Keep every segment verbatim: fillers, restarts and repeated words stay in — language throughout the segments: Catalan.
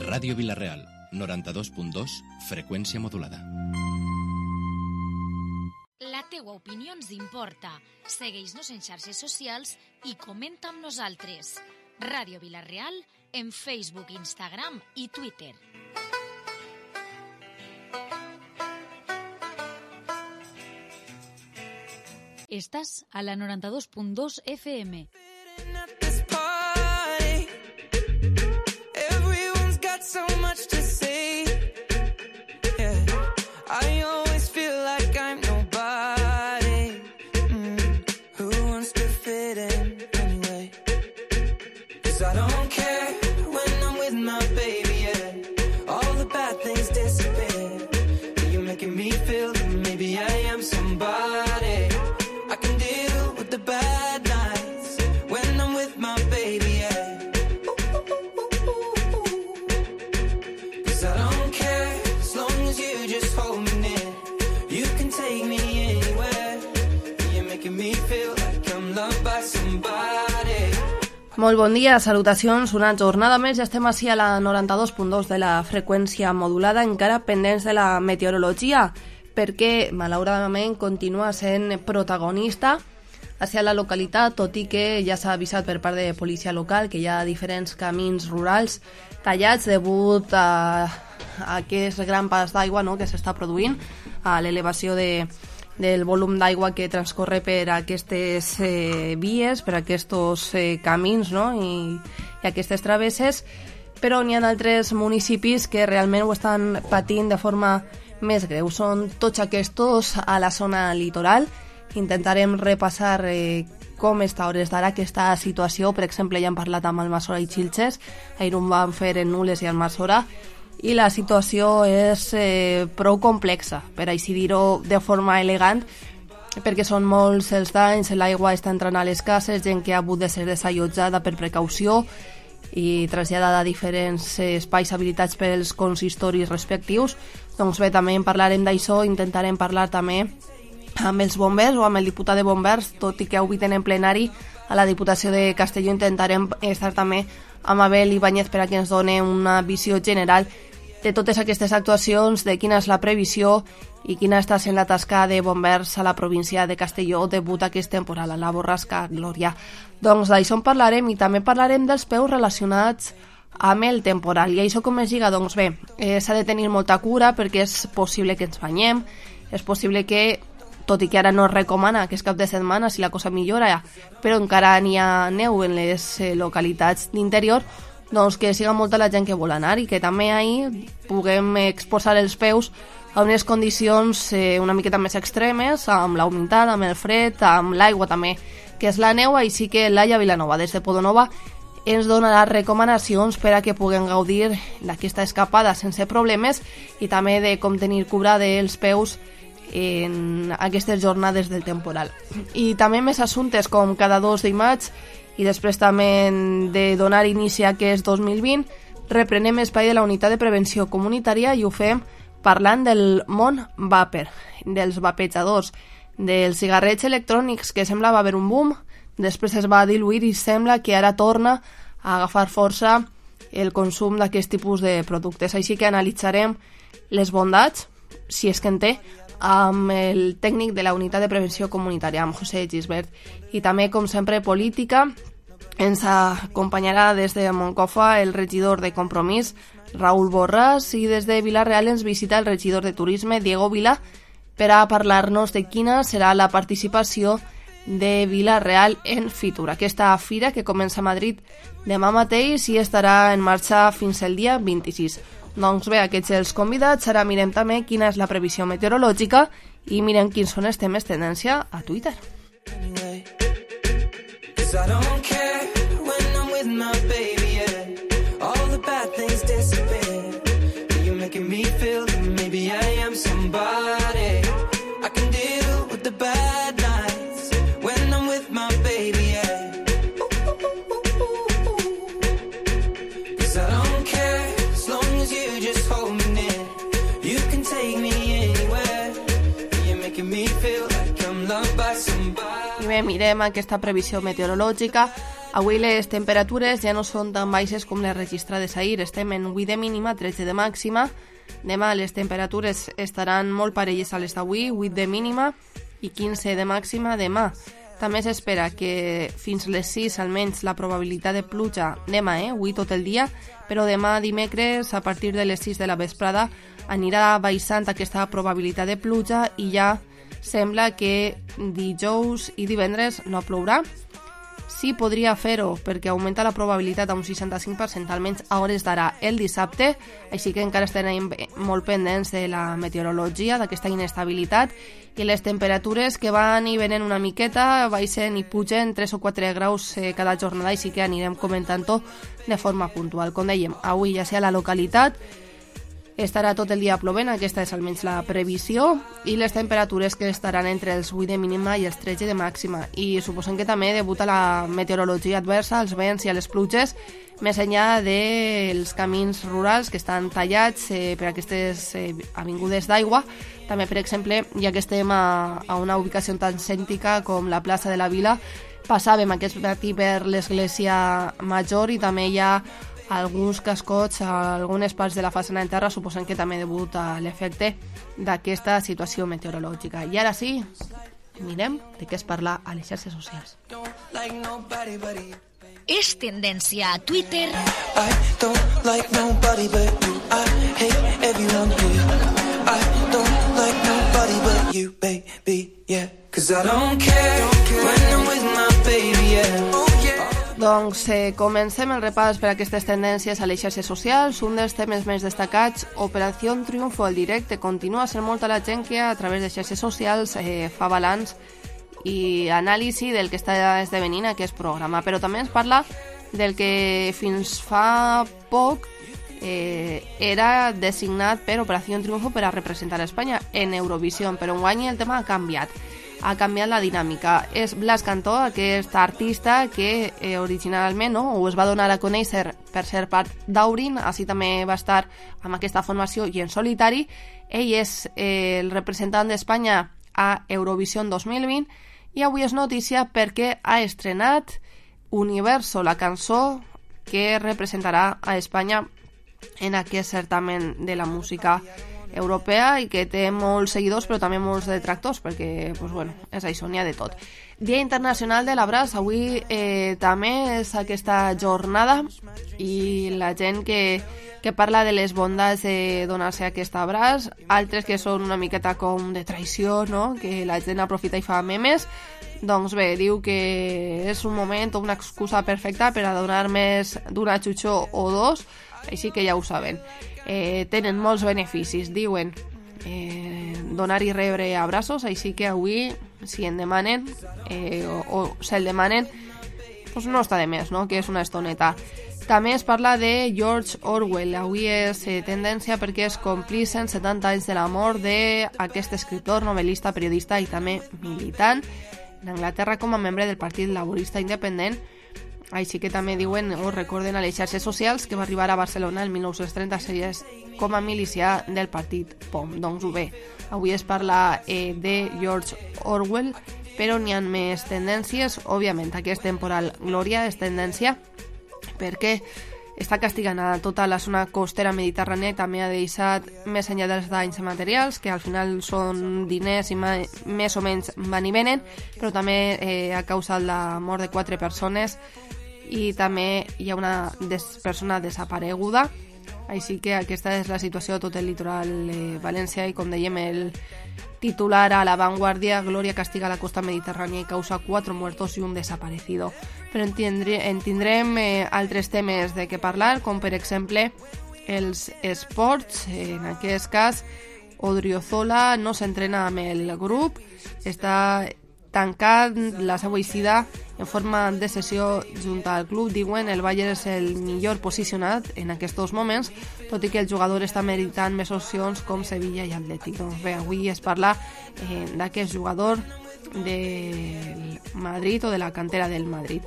Ràdio Vila-real, noranta-dos punt dos, freqüència modulada. La teua opinió ens importa. Segueix-nos en xarxes socials i comenta amb nosaltres. Ràdio Vila-real en Facebook, Instagram i Twitter. Estàs a la noranta-dos punt dos F M. So much to say, yeah. I always feel like I'm nobody. Mm. Who wants to fit in anyway? 'Cause I don't care when I'm with my baby, yeah. All the bad things disappear. You're making me feel that maybe I am somebody. I can deal with the bad nights when I'm with my baby, yeah. Molt bon dia, salutacions, una jornada més, ja estem així a la noranta-dos punt dos de la freqüència modulada, encara pendents de la meteorologia, perquè malauradament continua sent protagonista hacia la localitat, tot i que ja s'ha avisat per part de policia local que hi ha diferents camins rurals tallats degut a, a aquest gran pas d'aigua, no?, que s'està produint, a l'elevació de del volum d'aigua que transcorre per aquestes eh, vies, per aquests eh, camins, no?, i, i aquestes travesses, però n'hi ha altres municipis que realment ho estan patint de forma més greu. Són tots aquests a la zona litoral. Intentarem repassar eh, com està a hores d'ara aquesta situació. Per exemple, ja hem parlat amb Almassora i Xilxes, ahir ho vam fer en Nules i Almassora, i la situació és eh, prou complexa, per així dir-ho de forma elegant, perquè són molts els danys, l'aigua està entrant a les cases, gent que ha hagut de ser desallotjada per precaució i traslladada a diferents espais habilitats pels consistoris respectius. Doncs bé, també en parlarem d'això, intentarem parlar també amb els bombers o amb el diputat de bombers, tot i que avui tenen plenari a la Diputació de Castelló. Intentarem estar també amb Abel Ibáñez per a que ens doni una visió general de totes aquestes actuacions, de quina és la previsió i quina està sent la tasca de bombers a la província de Castelló degut a aquest temporal, a la borrasca Glòria. Doncs d'això en parlarem i també parlarem dels peus relacionats amb el temporal. I això com es lliga? Doncs bé, eh, s'ha de tenir molta cura perquè és possible que ens banyem, és possible que, tot i que ara no es recomana que és cap de setmana si la cosa millora, però encara n'hi ha neu en les eh, localitats d'interior, doncs que siga molta la gent que vol anar i que també ahir puguem exposar els peus a unes condicions eh, una miqueta més extremes, amb la humitat, amb el fred, amb l'aigua també, que és la neu. Així que Laia Vilanova, des de Podonova, ens donarà recomanacions per a que puguem gaudir d'aquesta escapada sense problemes i també de com tenir cura dels peus en aquestes jornades del temporal. I també més assumptes, com cada dos de maig, i després també de donar inici a aquest dos mil vint, reprenem espai de la unitat de prevenció comunitària i ho fem parlant del món vàper, dels vapejadors, dels cigarrets electrònics, que semblava haver un boom, després es va diluir i sembla que ara torna a agafar força el consum d'aquest tipus de productes. Així que analitzarem les bondats, si és que en té, amb el tècnic de la unitat de prevenció comunitària, amb José Gisbert. I també, com sempre, política. Ens acompanyarà des de Moncofa el regidor de Compromís, Raúl Borràs, i des de Vila-real ens visita el regidor de Turisme, Diego Vila, per a parlar-nos de quina serà la participació de Vila-real en Fitur, aquesta fira que comença a Madrid demà mateix i estarà en marxa fins el dia vint-i-sis. Doncs bé, aquests els convidats. Ara mirem també quina és la previsió meteorològica i mirem quins són els temes tendència a Twitter. també mirem aquesta previsió meteorològica. Avui les temperatures ja no són tan baixes com les registrades ahir. Estem en vuit de mínima, tretze de màxima. Demà les temperatures estaran molt parelles a les d'avui, vuit de mínima i quinze de màxima demà. També s'espera que fins les sis almenys la probabilitat de pluja demà, eh? Avui tot el dia, però demà dimecres a partir de les sis de la vesprada anirà baixant aquesta probabilitat de pluja i ja sembla que dijous i divendres no plourà. Sí, podria fer-ho perquè augmenta la probabilitat a un seixanta-cinc per cent almenys a hores d'ara el dissabte, així que encara estarem molt pendents de la meteorologia, d'aquesta inestabilitat, i les temperatures que van i venen una miqueta, baixen i pugen tres o quatre graus eh, cada jornada, així que anirem comentant-ho de forma puntual. Com dèiem, avui ja sea la localitat, estarà tot el dia plovent, aquesta és almenys la previsió, i les temperatures que estaran entre els vuit de mínima i els tretze de màxima. I suposem que també debuta la meteorologia adversa, els vents i les pluges, més enllà dels camins rurals que estan tallats eh, per aquestes eh, avingudes d'aigua. També, per exemple, ja que estem a, a una ubicació tan cèntrica com la plaça de la Vila, passàvem aquest matí per l'església major i també hi ha alguns cascots a algunes parts de la façana en terra, suposem que també debuta l'efecte d'aquesta situació meteorològica. I ara sí, mirem de què es parla a les xarxes socials. És tendència a Twitter. I don't like nobody but you. I hate everyone here. I don't like nobody but you, baby, yeah. Cause I don't care when I'm with my baby, yeah. Oh, yeah. Doncs eh, comencem el repàs per a aquestes tendències a les xarxes socials. Un dels temes més destacats, Operació Triunfo, el directe. Continua sent molta la gent que a través de xarxes socials eh, fa balanç i anàlisi del que està esdevenint aquest programa. Però també ens parla del que fins fa poc eh, era designat per Operació Triunfo per a representar a Espanya en Eurovisió, però enguany el tema ha canviat. Ha canviat la dinàmica. És Blas Cantó, aquest artista que eh, originalment no, ho es va donar a conèixer per ser part d'Aurin, així també va estar amb aquesta formació i en solitari. Ell és eh, el representant d'Espanya a Eurovisió dos mil vint i avui és notícia perquè ha estrenat Universo, la cançó que representarà a Espanya en aquest certamen de la música europea i que té molts seguidors però també molts detractors perquè pues, bueno, és això, n'hi ha de tot. Dia Internacional de l'Abraç, avui eh, també és aquesta jornada i la gent que, que parla de les bondats de donar-se aquest abraç, altres que són una miqueta com de traïció, no? Que la gent aprofita i fa memes. Doncs bé, diu que és un moment o una excusa perfecta per a donar més d'una xutxó o dos, així que ja ho saben. Eh, tenen molts beneficis, diuen, eh, donar i rebre abraços, així que avui, si en demanen eh, o, o se'l demanen, doncs no està de més, no? Que és una estoneta. També es parla de George Orwell. Avui és eh, tendència perquè es complixen setanta anys de la mort d'aquest escriptor, novel·lista, periodista i també militant en Anglaterra com a membre del Partit Laborista Independent. Així que també diuen o recorden a les xarxes socials que va arribar a Barcelona el mil nou-cents trenta-sis com a milicià del partit P O M. Doncs bé, avui es parla eh, de George Orwell, però n'hi ha més tendències. Òbviament, aquest temporal Glòria és tendència perquè està castigant a tota la zona costera mediterrània i també ha deixat més enllà dels danys materials, que al final són diners i més o menys van i venen, però també eh, ha causat la mort de quatre persones i també hi ha una des persona desapareguda. Així que aquesta és la situació de tot el litoral eh, valencià i, com dèiem, el titular a La Vanguardia: Glòria castiga la costa mediterrània i causa quatre muertos i un desaparecido. Però en, tindre, en tindrem eh, altres temes de què parlar, com per exemple els esports. En aquest cas, Odriozola no s'entrena amb el grup, està tancat la seva eixida en forma de sessió junt al club. Diuen el Bayern és el millor posicionat en aquests moments, tot i que el jugador està meritant més opcions com Sevilla i Atlètic. Doncs bé, avui es parla eh, d'aquest jugador del Madrid o de la cantera del Madrid.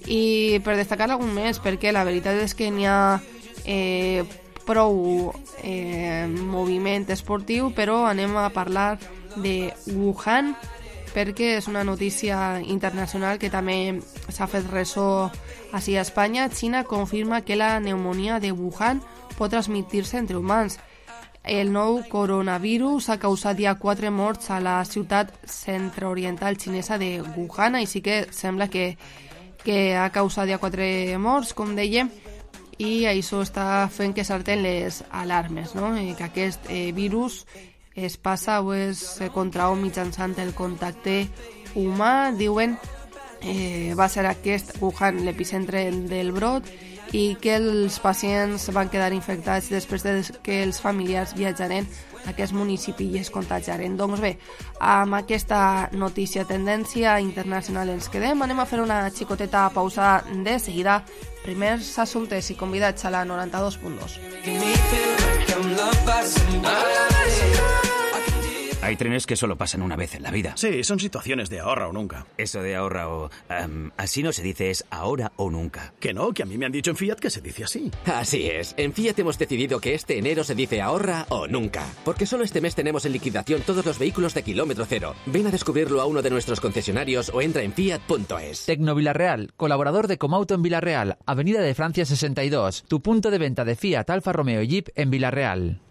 I per destacar algun més, perquè la veritat és que n'hi ha eh, prou eh, moviment esportiu, però anem a parlar de Wuhan, perquè és una notícia internacional que també s'ha fet ressò així a Espanya. Xina confirma que la pneumonia de Wuhan pot transmetre-se entre humans. El nou coronavirus ha causat ja quatre morts a la ciutat centre-oriental xinesa de Wuhan, així que sembla que, que ha causat ja quatre morts, com dèiem, i això està fent que salten les alarmes, no? I que aquest eh, virus es passa o es contrau mitjançant el contacte humà. Diuen eh, va ser aquest Wuhan l'epicentre del brot i que els pacients van quedar infectats després de que els familiars viatjaren a aquest municipi i es contagiaren. Doncs bé, amb aquesta notícia tendència internacional ens quedem. Anem a fer una xicoteta pausa de seguida. Primers assumptes i convidats a la noranta-dos punt dos. Hay trenes que solo pasan una vez en la vida. Sí, son situaciones de ahorra o nunca. Eso de ahorra o... Um, así no se dice, es ahora o nunca. Que no, que a mí me han dicho en Fiat que se dice así. Así es. En Fiat hemos decidido que este enero se dice ahorra o nunca. Porque solo este mes tenemos en liquidación todos los vehículos de kilómetro cero. Ven a descubrirlo a uno de nuestros concesionarios o entra en fiat punto es. Tecno Villarreal, colaborador de Comauto en Villarreal, Avenida de Francia sesenta y dos. Tu punto de venta de Fiat, Alfa Romeo y Jeep en Villarreal.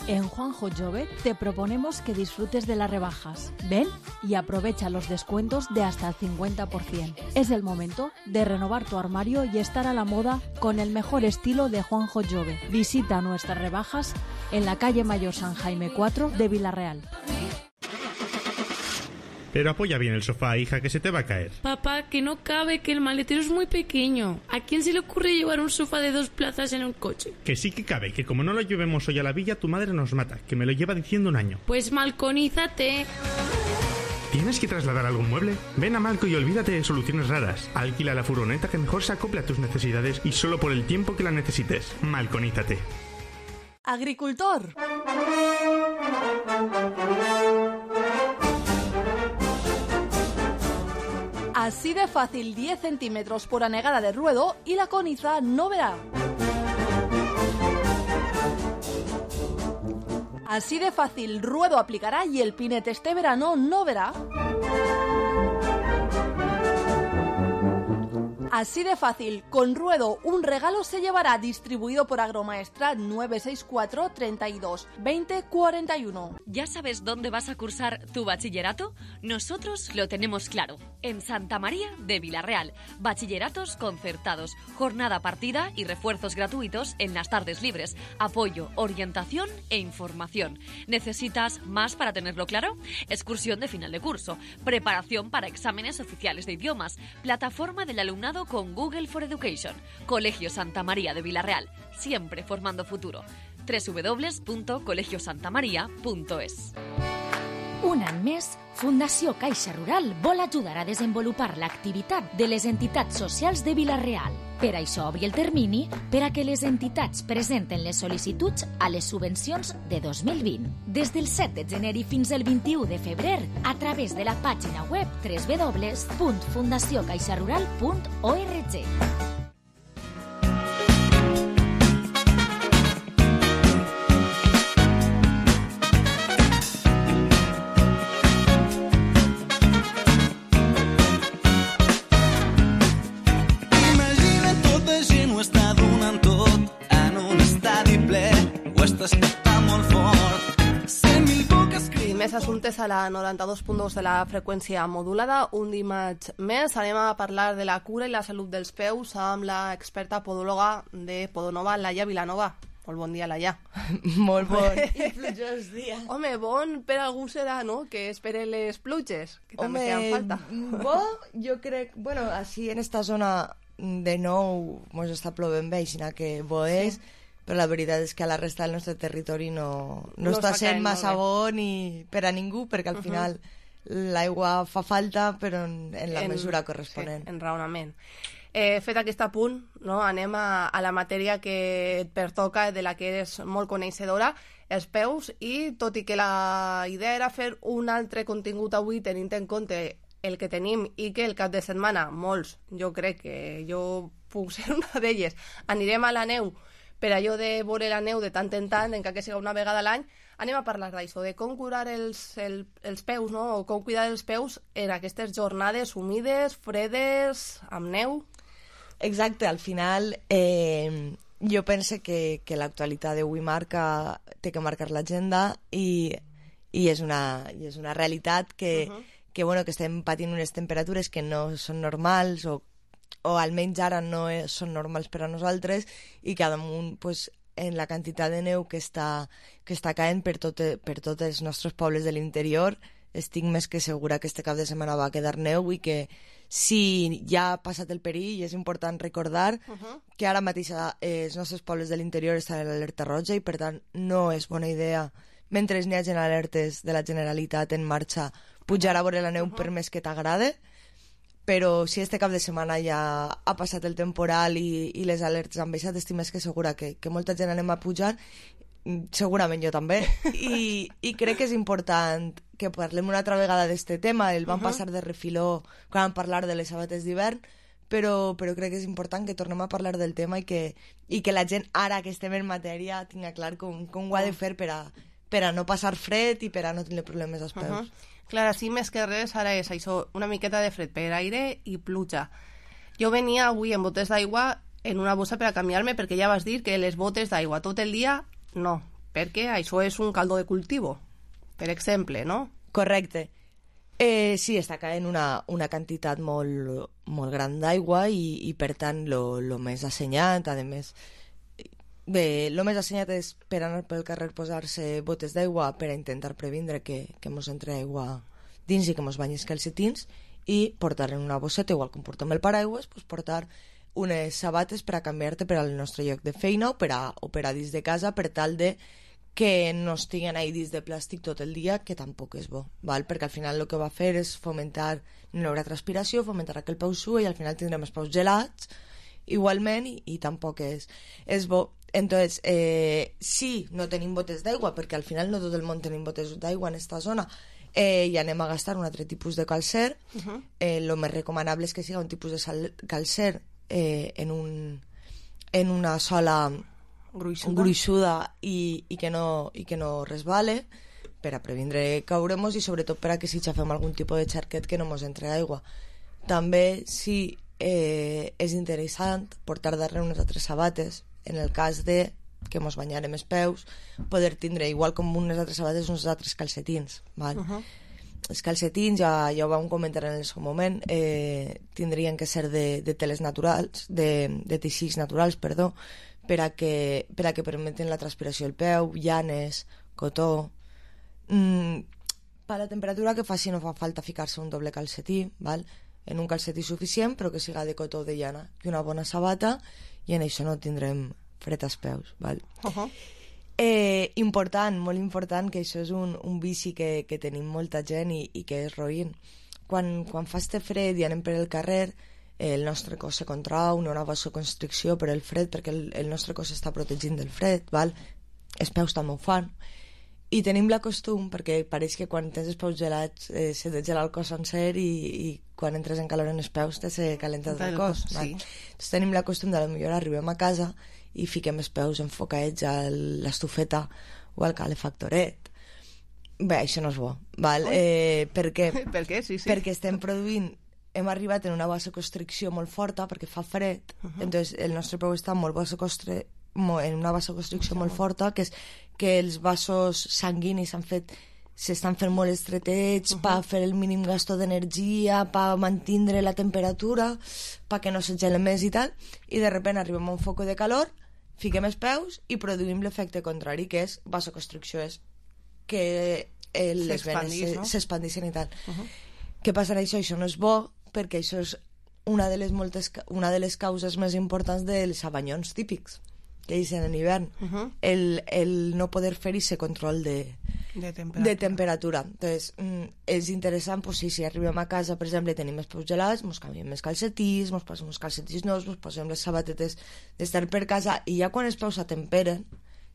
En Juanjo Jove te proponemos que disfrutes de las rebajas. Ven y aprovecha los descuentos de hasta el cincuenta por ciento. Es el momento de renovar tu armario y estar a la moda con el mejor estilo de Juanjo Jove. Visita nuestras rebajas en la calle Mayor San Jaime cuatro de Villarreal. Pero apoya bien el sofá, hija, que se te va a caer. Papá, que no cabe, que el maletero es muy pequeño. ¿A quién se le ocurre llevar un sofá de dos plazas en un coche? Que sí que cabe, que como no lo llevemos hoy a la villa, tu madre nos mata, que me lo lleva diciendo un año. Pues malconízate. ¿Tienes que trasladar algún mueble? Ven a Malco y olvídate de soluciones raras. Alquila la furgoneta que mejor se acople a tus necesidades y solo por el tiempo que la necesites. Malconízate. Agricultor. Así de fácil, diez centímetros por anegada de ruedo y la coniza no verá. Así de fácil, ruedo aplicará y el pinete este verano no verá. Así de fácil, con ruedo un regalo se llevará, distribuido por Agromaestrat nueve seis cuatro, treinta y dos, veinte, cuarenta y uno. ¿Ya sabes dónde vas a cursar tu bachillerato? Nosotros lo tenemos claro, en Santa María de Villarreal. Bachilleratos concertados, jornada partida y refuerzos gratuitos en las tardes libres, apoyo, orientación e información. ¿Necesitas más para tenerlo claro? Excursión de final de curso, preparación para exámenes oficiales de idiomas, plataforma del alumnado con Google for Education. Colegio Santa María de Villarreal, siempre formando futuro. doble u doble u doble u punto colegio santa maria punto es. Un any més, Fundació Caixa Rural vol ajudar a desenvolupar l'activitat de les entitats socials de Vila-real. Per això obri el termini per a que les entitats presenten les sol·licituds a les subvencions de dos mil vint. Des del set de gener i fins al vint-i-u de febrer, a través de la pàgina web doble u doble u doble u punt fundació caixa rural punt org. Més assumptes a la noranta-dos punt dos de la freqüència modulada. Un dimarts més anem a parlar de la cura i la salut dels peus amb l'experta podòloga de Podonova, Laia Vilanova. Molt bon dia, Laia. Molt bon i plujós dia. Home, bon per algú serà, no?, que espere les pluges, que també feien falta. Bo, jo crec, bueno, així en esta zona de nou mos està plovent bé, sinó que bo és, sí. Però la veritat és que a la resta del nostre territori no, no, no està sent massa bo ni per a ningú, perquè al final uh-huh. l'aigua fa falta, però en, en la en, mesura corresponent. Sí, en raonament. Eh, fet aquest apunt, no, anem a, a la matèria que et pertoca, de la que eres molt coneixedora, els peus, i tot i que la idea era fer un altre contingut avui tenint en compte el que tenim i que el cap de setmana molts, jo crec que jo puc ser una d'elles, anirem a la neu per allò de veure la neu de tant en tant, encara que siga una vegada a l'any, anem a parlar d'això, de com curar els, el, els peus, no? O com cuidar els peus en aquestes jornades humides, fredes, amb neu. Exacte, al final eh, jo penso que, que l'actualitat d'avui marca, té que marcar l'agenda i, i, és una, i és una realitat que, uh-huh. que, bueno, que estem patint unes temperatures que no són normals o, o almenys ara no són normals per a nosaltres i que damunt pues, en la quantitat de neu que està, que està caent per, tot, per tots els nostres pobles de l'interior estic més que segura que este cap de setmana va quedar neu i que si ja ha passat el perill és important recordar uh-huh. que ara mateix eh, els nostres pobles de l'interior estan en l'alerta roja i per tant no és bona idea mentre n'hi hagi alertes de la Generalitat en marxa pujar a veure la neu uh-huh. per més que t'agrade, però si este cap de setmana ja ha passat el temporal i, i les alertes han baixat, estic més que segura que, que molta gent anem a pujar, segurament jo també, i, i crec que és important que parlem una altra vegada d'este tema, el vam uh-huh. passar de refiló quan vam parlar de les sabates d'hivern, però, però crec que és important que tornem a parlar del tema i que, i que la gent, ara que estem en matèria, tinga clar com, com ho ha de fer per a, per a no passar fred i per a no tenir problemes als peus. Uh-huh. Clar, sí, més que res, ara és això, una miqueta de fred per aire i pluja. Jo venia avui en botes d'aigua en una bossa per a canviar-me, perquè ja vas dir que les botes d'aigua tot el dia, no, perquè això és un caldo de cultivo, per exemple, no? Correcte. Eh, sí, està caent una, una quantitat molt, molt gran d'aigua i, i per tant lo, lo més assenyat, a més, bé, lo més assenyat és per anar pel carrer posar-se botes d'aigua per a intentar previndre que, que mos entre aigua dins i que mos banyis calcetins i portar en una bosseta, igual com portem el paraigües, pues portar unes sabates per a canviar-te per al nostre lloc de feina o per a, o per a dins de casa per tal de que no estiguen ahí dins de plàstic tot el dia, que tampoc és bo, val? Perquè al final el que va fer és fomentar, no hi haurà transpiració, fomentar que el peu sua i al final tindrem els peus gelats igualment i, i tampoc és, és bo. Entonces, eh, sí, no tenim botes d'aigua, perquè al final no tot el món tenim botes d'aigua en esta zona, eh, i anem a gastar un altre tipus de calcer. Uh-huh. eh, lo més recomanable és que siga un tipus de sal, calcer eh, en, un, en una sola gruixuda, gruixuda i, i, que no, i que no resbale per a previndre cauremos i sobretot per a que si xafem algun tipus de xarquet que no mos entre aigua. També sí eh, és interessant portar darrere unes altres sabates en el cas de que mos banyarem els peus, poder tindre igual com unes altres sabates uns altres calcetins, val? Uh-huh. Els calcetins, ja, ja ho vam comentar en el seu moment, eh, tindrien que ser de, de teles naturals, de, de teixits naturals, perdó, per a que, per a que permeten la transpiració del peu, llanes, cotó. Mm, per la temperatura que faci no fa falta ficar-se un doble calcetí, val? En un calcetí suficient, però que siga de cotó o de llana, i una bona sabata, i en això no tindrem fred als peus, val? Uh-huh. Eh, important, molt important, que això és un, un vici que, que tenim molta gent i, i que és roïn. Quan, quan fa este fred i anem per el carrer, el nostre cos se contrau, no hi ha una vasoconstricció per el fred, perquè el, el nostre cos està protegint del fred, val? Els peus també ho fan. I tenim la costum, perquè pareix que quan tens els peus gelats eh, se te gela el cos sencer i, i quan entres en calor en els peus te se calenta el cos. Sí. Doncs tenim la costum de potser arribem a casa i fiquem els peus enfocats a l'estufeta o al calefactoret. Bé, això no és bo, val? Eh, per què? Per què? Sí, sí. Perquè estem produint, hem arribat en una vasoconstricció molt forta perquè fa fred, uh-huh. Entonces el nostre peu està molt vasocostri... en una vasoconstricció sí, molt forta, que és que els vasos sanguinis s'han fet s'estan fent molt estretets uh-huh. per fer el mínim gasto d'energia, per mantenir la temperatura, perquè no se gelen més i tal, i de sobte arribem a un foc de calor, fiquem els peus i produïm l'efecte contrari, que és vasoconstricció, és que eh, les venes s'expandixen no? i tal. Uh-huh. Què passa amb això? Això no és bo, perquè això és una de les, moltes, una de les causes més importants dels abanyons típics que dicen en hivern, uh-huh. el, el no poder fer ese control de, de temperatura. De temperatura. Entonces, mm, és interessant, pues, si, si arribem a casa, per exemple, tenim els peus gelats, ens canviem els calcetins, ens posem uns calcetins nous, ens posem les sabatetes d'estar per casa, i ja quan els peus s'atemperen,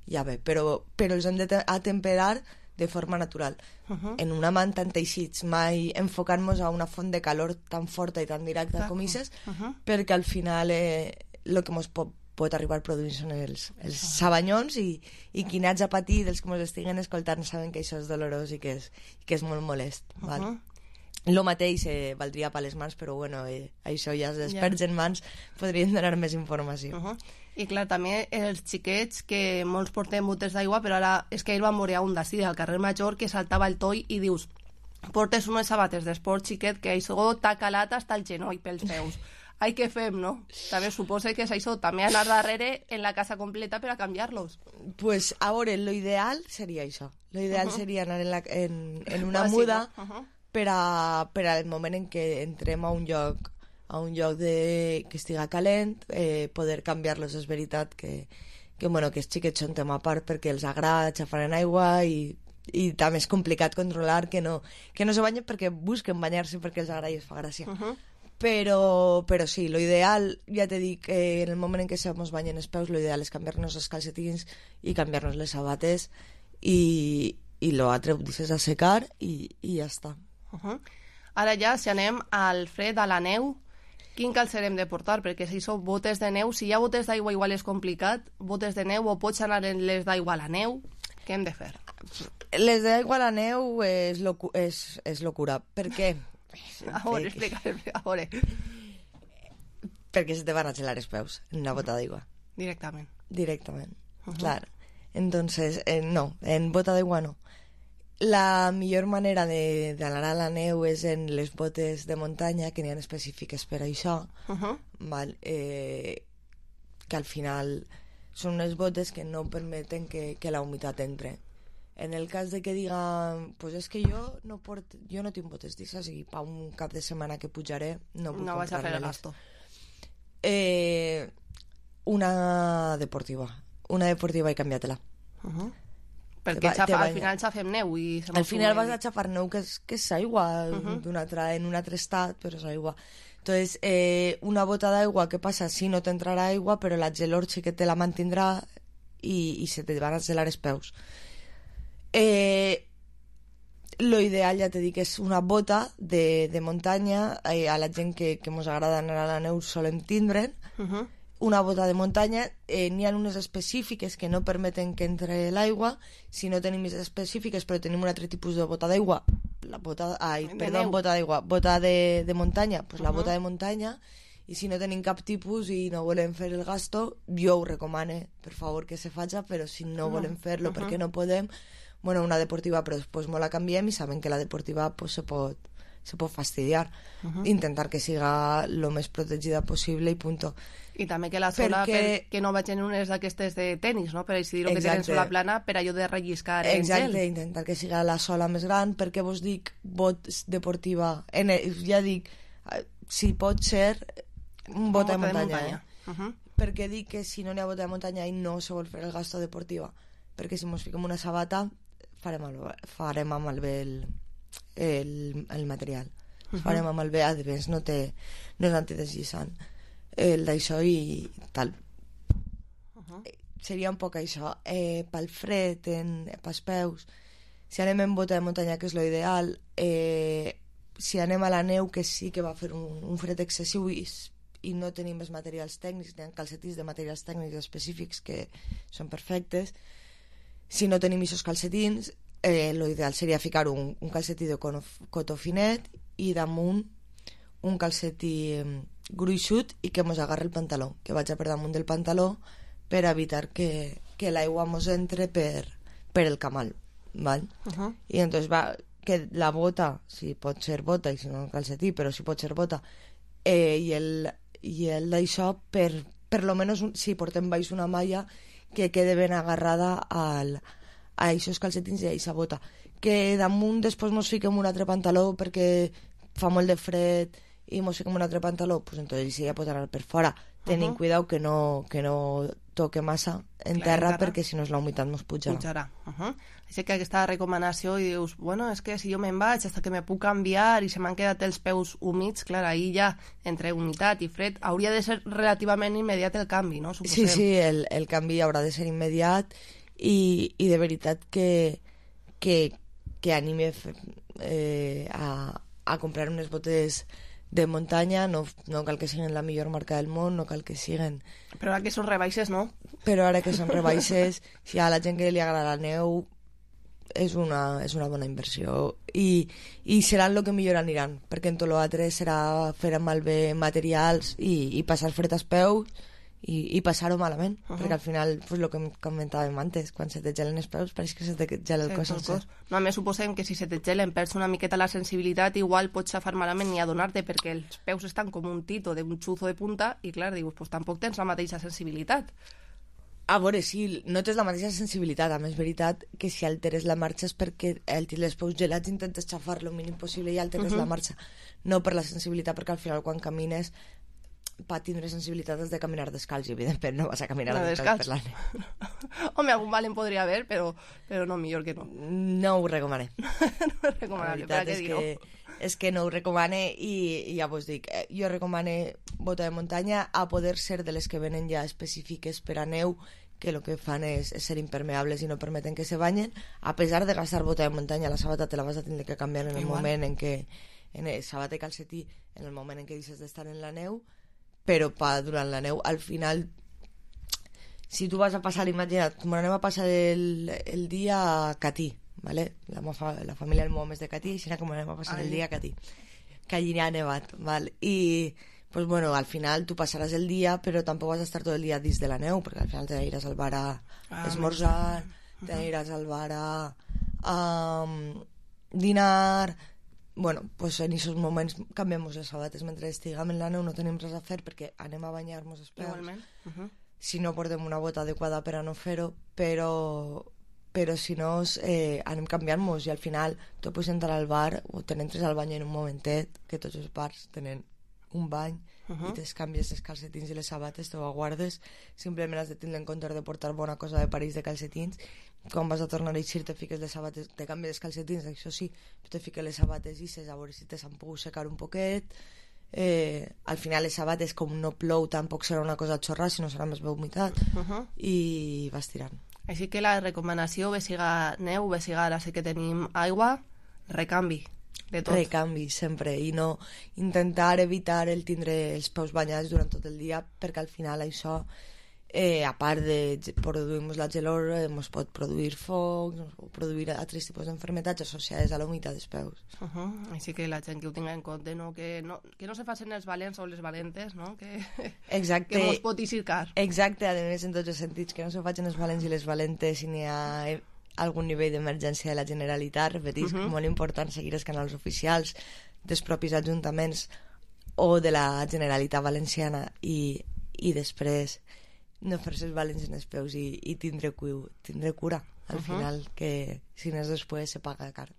ja bé, però, però els hem d'atemperar de forma natural. Uh-huh. En una manta en teixits, mai enfocant-nos a una font de calor tan forta i tan directa com aquestes, uh-huh. perquè al final eh, el que ens pot pot arribar produint-se els, els sabanyons i, i qui n'haig a patir dels que ens estiguen escoltant saben que això és dolorós i que és, i que és molt molest. Uh -huh. Val? Lo mateix eh, valdria per les mans, però bueno, eh, això ja els experts yeah. en mans podrien donar més informació. Uh -huh. I clar, també els xiquets, que molts portem botes d'aigua, però ara és que ahir vam veure un d'ací al carrer Major que saltava el toll i dius, portes unes sabates d'esport xiquet que això t'ha calat hasta el genoll pels peus. Ai, què fem, no? També suposa que és això, també anar darrere en la casa completa per a canviar-los. Pues, a veure, lo ideal seria això. Lo ideal uh -huh. seria anar en, la, en, en una muda uh -huh. per, a, per al moment en què entrem a un lloc a un lloc de, que estiga calent, eh, poder canviar-los. És veritat que, que, bueno, que els xiquets són tema a part perquè els agrada xafar en aigua i, i també és complicat controlar que no, que no se banyen perquè busquen banyar-se perquè els agrada i es fa gràcia. Uh -huh. Però, però sí, lo ideal, ja te dic, eh, en el moment en què se mos banyen els peus, lo ideal és canviar-nos els calcetins i canviar-nos les sabates i, i lo altre ho deixes a secar i, i ja està. Uh -huh. Ara ja, si anem al fred, a la neu, quin calcer hem de portar? Perquè si són botes de neu, si hi ha botes d'aigua igual és complicat, botes de neu, o pots anar en les d'aigua a la neu, què hem de fer? Les d'aigua a la neu és, locu és, és locura. Per què? A veure, explica, a veure. Perquè se te van a gelar els peus en una bota d'aigua. Directament. Directament, uh -huh. clar. Entonces, eh, no, en bota d'aigua no. La millor manera d'anar a la neu és en les botes de muntanya, que n'hi ha específiques per això, uh -huh. val? Eh, que al final són unes botes que no permeten que, que la humitat entre. En el cas de que diga, pues és que jo no port, jo no tinc botes d'ixes i pa un cap de setmana que pujaré no puc no vas a fer el gasto. Eh, una deportiva. Una deportiva i canviat-la. Uh -huh. Perquè xafa, al final xafem neu i al final vas a xafar neu que és, que és aigua uh -huh. d'un altre, en un altre estat, però és aigua. Entonces, eh, una bota d'aigua, què passa? Si no t'entrarà aigua, però la gelor sí que te la mantindrà i, i se te van a gelar els peus. Eh, lo ideal, ja te dic, és una bota de, de muntanya. Eh, a la gent que, que mos agrada anar a la neu solem tindre'n. Uh -huh. Una bota de muntanya, eh, n'hi ha unes específiques que no permeten que entre l'aigua. Si no tenim més específiques, però tenim un altre tipus de bota d'aigua, la bota, ai, de perdó, neu. bota d'aigua, bota de, de muntanya, pues uh -huh. la bota de muntanya. I si no tenim cap tipus i no volem fer el gasto, jo ho recomane, per favor, que se faci, però si no uh -huh. volem fer-lo uh -huh. perquè no podem, bueno, una deportiva, però després molt la canviem i saben que la deportiva pues, se pot se pot fastidiar. Uh -huh. Intentar que siga lo més protegida possible i punto. I també que la sola, perquè... per, que no vagin unes d'aquestes de tenis, no? Per així dir-ho, que tenen sola plana, per allò de relliscar en Exacte, gel. intentar que siga la sola més gran, perquè vos dic, bot deportiva, en el, ja dic, si pot ser, un bot de muntanya, de muntanya. Eh? Uh -huh. Perquè dic que si no n'hi ha bot de muntanya i no se vol fer el gasto deportiva, perquè si mos fiquem una sabata, farem, el, farem amb el bé el el, el material. Uh -huh. Farem amb el bé, a més no té no és antideslliçant el d'això i tal. Uh -huh. Seria un poc això. Eh, pel fred, en, pels peus, si anem en bota de muntanya, que és lo ideal, eh, si anem a la neu, que sí que va fer un, un fred excessiu i, i no tenim més materials tècnics, hi ha calcetins de materials tècnics específics que són perfectes. Si no tenim aquests calcetins, Eh, lo ideal seria ficar un, un calcetí de cotó finet i damunt un calcetí eh, gruixut i que mos agarre el pantaló, que vaig per damunt del pantaló per evitar que, que l'aigua mos entre per, per el camal, val? Uh -huh. I entonces va, que la bota, si pot ser bota i si no calcetí, però si pot ser bota, eh, i el, i el d'això per, per lo menos un, si portem baix una malla que quede ben agarrada al a aquests calcetins i a aquesta bota, que damunt després mos fiquem un altre pantaló perquè fa molt de fred i mos fiquem un altre pantaló, pues entonces sí, ja pot anar per fora, tenint uh -huh. cuidado que no, que no toque massa en Clar, terra, en terra perquè si no és la humitat mos pujarà, pujarà. Uh -huh. Així que aquesta recomanació i dius, bueno, és que si jo me'n vaig hasta que me puc canviar i se m'han quedat els peus humits, clar, ahir ja entre humitat i fred hauria de ser relativament immediat el canvi, no? Sí, Suposem. sí, el, el canvi haurà de ser immediat i, i de veritat que que, que anime eh, a, a comprar unes botes de muntanya, no, no cal que siguin la millor marca del món, no cal que siguin... Però ara que són rebaixes, no? Però ara que són rebaixes, si a la gent que li agrada la neu, és una, és una bona inversió. I, i seran el que millor aniran, perquè en tot l'altre serà fer malbé materials i, i passar fred als peus, i, i passar-ho malament, uh -huh. perquè al final, pues, el que comentàvem antes, quan se te gelen els peus pareix que se te gela el sí, cos. El cos. No, a més suposem que si se te gelen perds una miqueta la sensibilitat, igual pots xafar malament ni adonar-te, perquè els peus estan com un tito d'un xuzo de punta i clar, dius, pues tampoc tens la mateixa sensibilitat. A veure, sí, no tens la mateixa sensibilitat, a més veritat que si alteres la marxa és perquè el tens els peus gelats intentes xafar lo mínim possible i alteres uh -huh. la marxa, no per la sensibilitat, perquè al final quan camines per tindre sensibilitat has de caminar descalç i evidentment no vas a caminar no, descalç, descalç per la neu. Home, algun valent podria haver, però, però no, millor que no. No ho recomane. No és recomanable, per a què dir-ho? Que, és que no ho recomane i, i ja vos dic, eh, jo recomane bota de muntanya, a poder ser de les que venen ja específiques per a neu, que el que fan és, és ser impermeables i no permeten que se banyen, a pesar de gastar bota de muntanya, la sabata te la vas a tindre que canviar en el Igual. moment en què, en el sabata i calcetí, en el moment en què deixes d'estar en la neu, però pa, durant la neu, al final, si tu vas a passar, imagina't, anem a passar el, el dia a Catí, ¿vale? La, la família del meu home és de Catí, i així com anem a passar Ai. el dia a Catí, que allí ha nevat, ¿vale? I, pues bueno, al final tu passaràs el dia, però tampoc vas a estar tot el dia dins de la neu, perquè al final te n'aniràs al bar a ah, esmorzar, te n'aniràs al bar a, a um, dinar... Bueno, pues en aquests moments canviem les sabates. Mentre estiguem en la neu no tenim res a fer perquè anem a banyar-nos els peus. Igualment. Uh -huh. Si no portem una bota adequada per a no fer-ho, però, però si no eh, anem canviant-nos i al final tu pots entrar al bar o te n'entres al bany en un momentet, que tots els bars tenen un bany uh -huh. i te canvies els calcetins i les sabates, te ho guardes, simplement has de tindre en compte de portar bona cosa de parells de calcetins. Quan vas a tornar a eixir te fiques les sabates, te canvies els calcetins, això sí, te fiques les sabates i ses a veure si te s'han pogut secar un poquet. Eh, al final les sabates, com no plou, tampoc serà una cosa xorra, sinó serà més bé humitat uh -huh. i vas tirant. Així que la recomanació, bé siga neu, bé siga ara sí que tenim aigua, recanvi de tot. Recanvi, sempre, i no intentar evitar el tindre els peus banyats durant tot el dia, perquè al final això Eh, a part de produir la gelor, eh, ens pot produir foc, ens pot produir altres tipus d'enfermetats associades a la humitat dels peus. Uh -huh. Així que la gent que ho tinga en compte, no? Que, no, que no se facin els valents o les valentes, no? Que, Exacte. que mos pot eixircar. Exacte, a més en tots els sentits, que no se facin els valents i les valentes si n'hi ha algun nivell d'emergència de la Generalitat. Repetis, uh -huh. molt important seguir els canals oficials dels propis ajuntaments o de la Generalitat Valenciana i, i després no fer-se els valents en els peus i, i tindre, cu, tindre cura al uh -huh. final, que si no és després se paga car.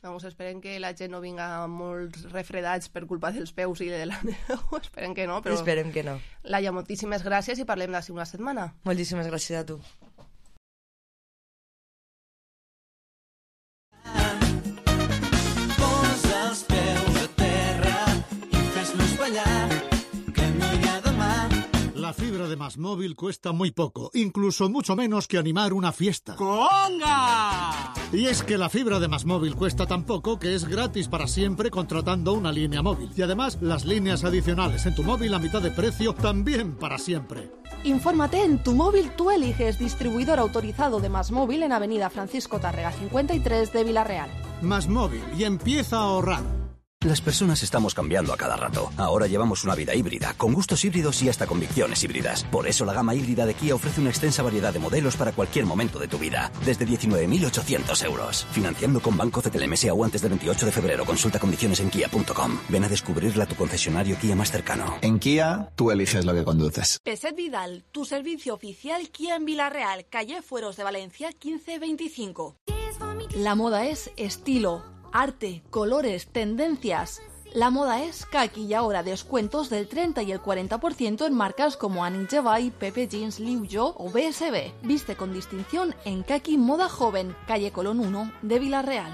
Vamos, esperem que la gent no vinga molts refredats per culpa dels peus i de la neu, esperem que no, però... Esperem que no. Laia, moltíssimes gràcies i parlem d'ací una setmana. Moltíssimes gràcies a tu. Posa els peus a terra i fes-nos ballar, que no hi ha demà. La fibra de Más Móvil cuesta muy poco, incluso mucho menos que animar una fiesta. ¡Conga! Y es que la fibra de Más Móvil cuesta tan poco que es gratis para siempre contratando una línea móvil. Y además, las líneas adicionales en tu móvil a mitad de precio también para siempre. Infórmate en Tu Móvil Tú Eliges, distribuidor autorizado de Más Móvil en Avenida Francisco Tárrega cincuenta y tres de Villarreal. Más Móvil, y empieza a ahorrar. Las personas estamos cambiando a cada rato. Ahora llevamos una vida híbrida, con gustos híbridos y hasta convicciones híbridas. Por eso la gama híbrida de Kia ofrece una extensa variedad de modelos para cualquier momento de tu vida. Desde diecinueve mil ochocientos euros. Financiando con Banco C T L M S A U antes del veintiocho de febrero. Consulta condiciones en kia punto com. Ven a descubrirla a tu concesionario Kia más cercano. En Kia, tú eliges lo que conduces. Peset Vidal, tu servicio oficial Kia en Villarreal, calle Fueros de Valencia quince veinticinco. La moda es estilo, arte, colores, tendencias. La moda es que aquí y ahora descuentos del treinta y el cuarenta por ciento en marcas como Annie Jevay, Pepe Jeans, Liu Yo o B S B. Viste con distinción en Kaki Moda Joven, calle Colón uno de Villarreal.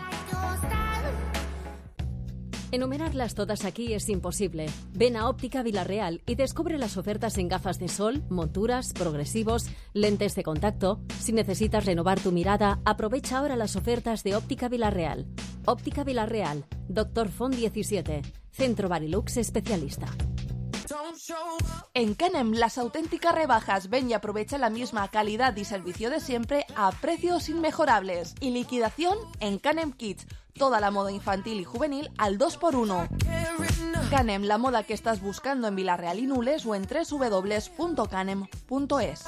Enumerarlas todas aquí es imposible. Ven a Óptica Villarreal y descubre las ofertas en gafas de sol, monturas, progresivos, lentes de contacto. Si necesitas renovar tu mirada, aprovecha ahora las ofertas de Óptica Villarreal. Óptica Villarreal, Doctor Font diecisiete, Centro Barilux especialista. En Canem, las auténticas rebajas. Ven y aprovecha la misma calidad y servicio de siempre a precios inmejorables. Y liquidación en Canem Kids. Toda la moda infantil y juvenil al dos por uno. Canem, la moda que estás buscando en Vila-real y Nules o en doble u doble u doble u punto canem punto es.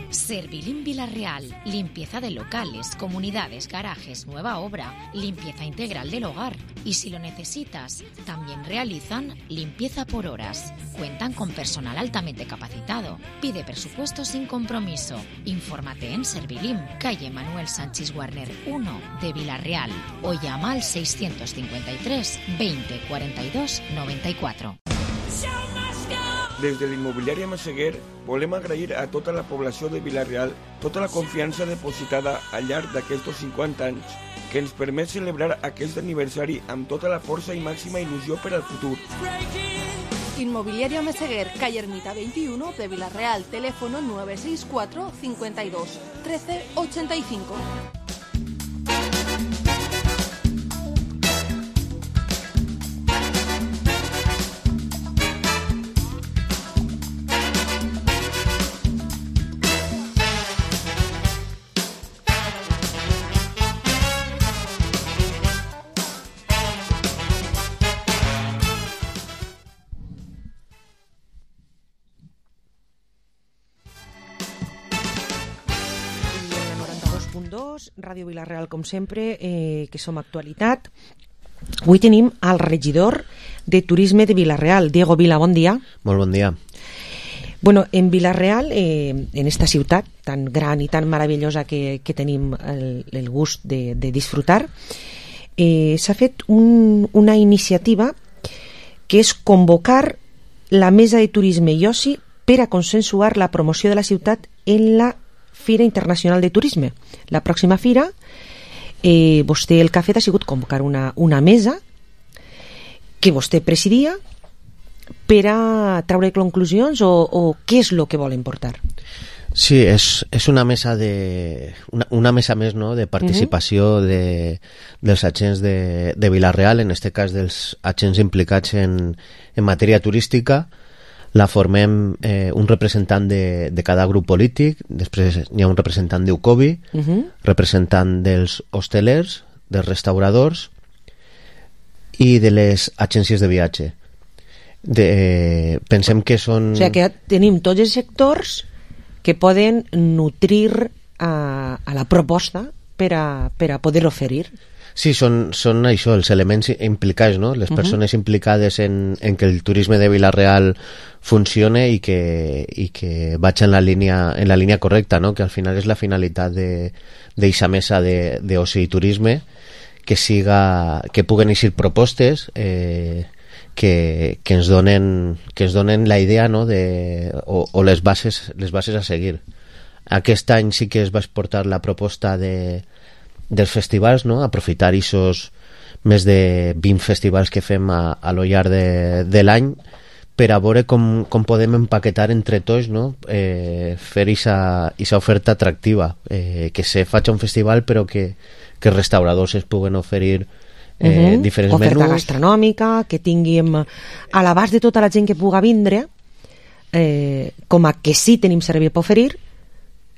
Servilín Vila-real. Limpieza de locales, comunidades, garajes, nueva obra, limpieza integral del hogar. Y si lo necesitas, también realizan limpieza por horas. Cuentan con personal altamente capacitado. Pide presupuesto sin compromiso. Infórmate en Servilín, calle Manuel Sánchez Warner uno de Vila-real o llama al seiscientos cincuenta y tres veinte cuarenta y dos noventa y cuatro. Des de l'immobiliària Massaguer volem agrair a tota la població de Vila-real tota la confiança depositada al llarg d'aquests cinquanta anys que ens permet celebrar aquest aniversari amb tota la força i màxima il·lusió per al futur. Inmobiliaria Meseguer, calle Ermita veintiuno de Vila-real, teléfono nueve seis cuatro cincuenta y dos trece ochenta y cinco. Ràdio Vila-real, com sempre, eh, que som actualitat. Avui tenim el regidor de Turisme de Vila-real, Diego Vila, bon dia. Molt bon dia. Bueno, en Vila-real, eh, en esta ciutat tan gran i tan meravellosa que, que tenim el, el gust de, de disfrutar, eh, s'ha fet un, una iniciativa que és convocar la Mesa de Turisme i Oci per a consensuar la promoció de la ciutat en la Fira Internacional de Turisme. La pròxima fira, eh, vostè el que ha fet ha sigut convocar una, una mesa que vostè presidia per a treure conclusions o, o què és el que volen portar? Sí, és, és una mesa de una, una mesa més, no?, de participació uh-huh. de, dels agents de, de Vila-real, en este cas dels agents implicats en, en matèria turística. La formem eh, un representant de, de cada grup polític, després hi ha un representant d'U C O B I, uh-huh. representant dels hostelers, dels restauradors i de les agències de viatge. De, eh, pensem que són... O sigui que tenim tots els sectors que poden nutrir a, a la proposta per a, per a poder oferir. Sí, són, són això, els elements implicats, no? Les persones uh-huh. implicades en, en que el turisme de Vila-real funcione i que, i que vaig en la línia, en la línia correcta, no? Que al final és la finalitat d'eixa mesa d'oci i turisme, que siga, que puguen eixir propostes eh, que, que, ens donen, que ens donen la idea, no? De, o, o les bases, les bases a seguir. Aquest any sí que es va exportar la proposta de dels festivals, no? Aprofitar aquests més de vint festivals que fem a, a lo llarg de, de l'any per a veure com, com podem empaquetar entre tots, no? eh, fer aquesta oferta atractiva, eh, que se faci un festival però que, que els restauradors es puguen oferir eh, uh-huh. diferents oferta menús. Oferta gastronòmica, que tinguem a l'abast de tota la gent que puga vindre, eh, com a que sí tenim servei per oferir,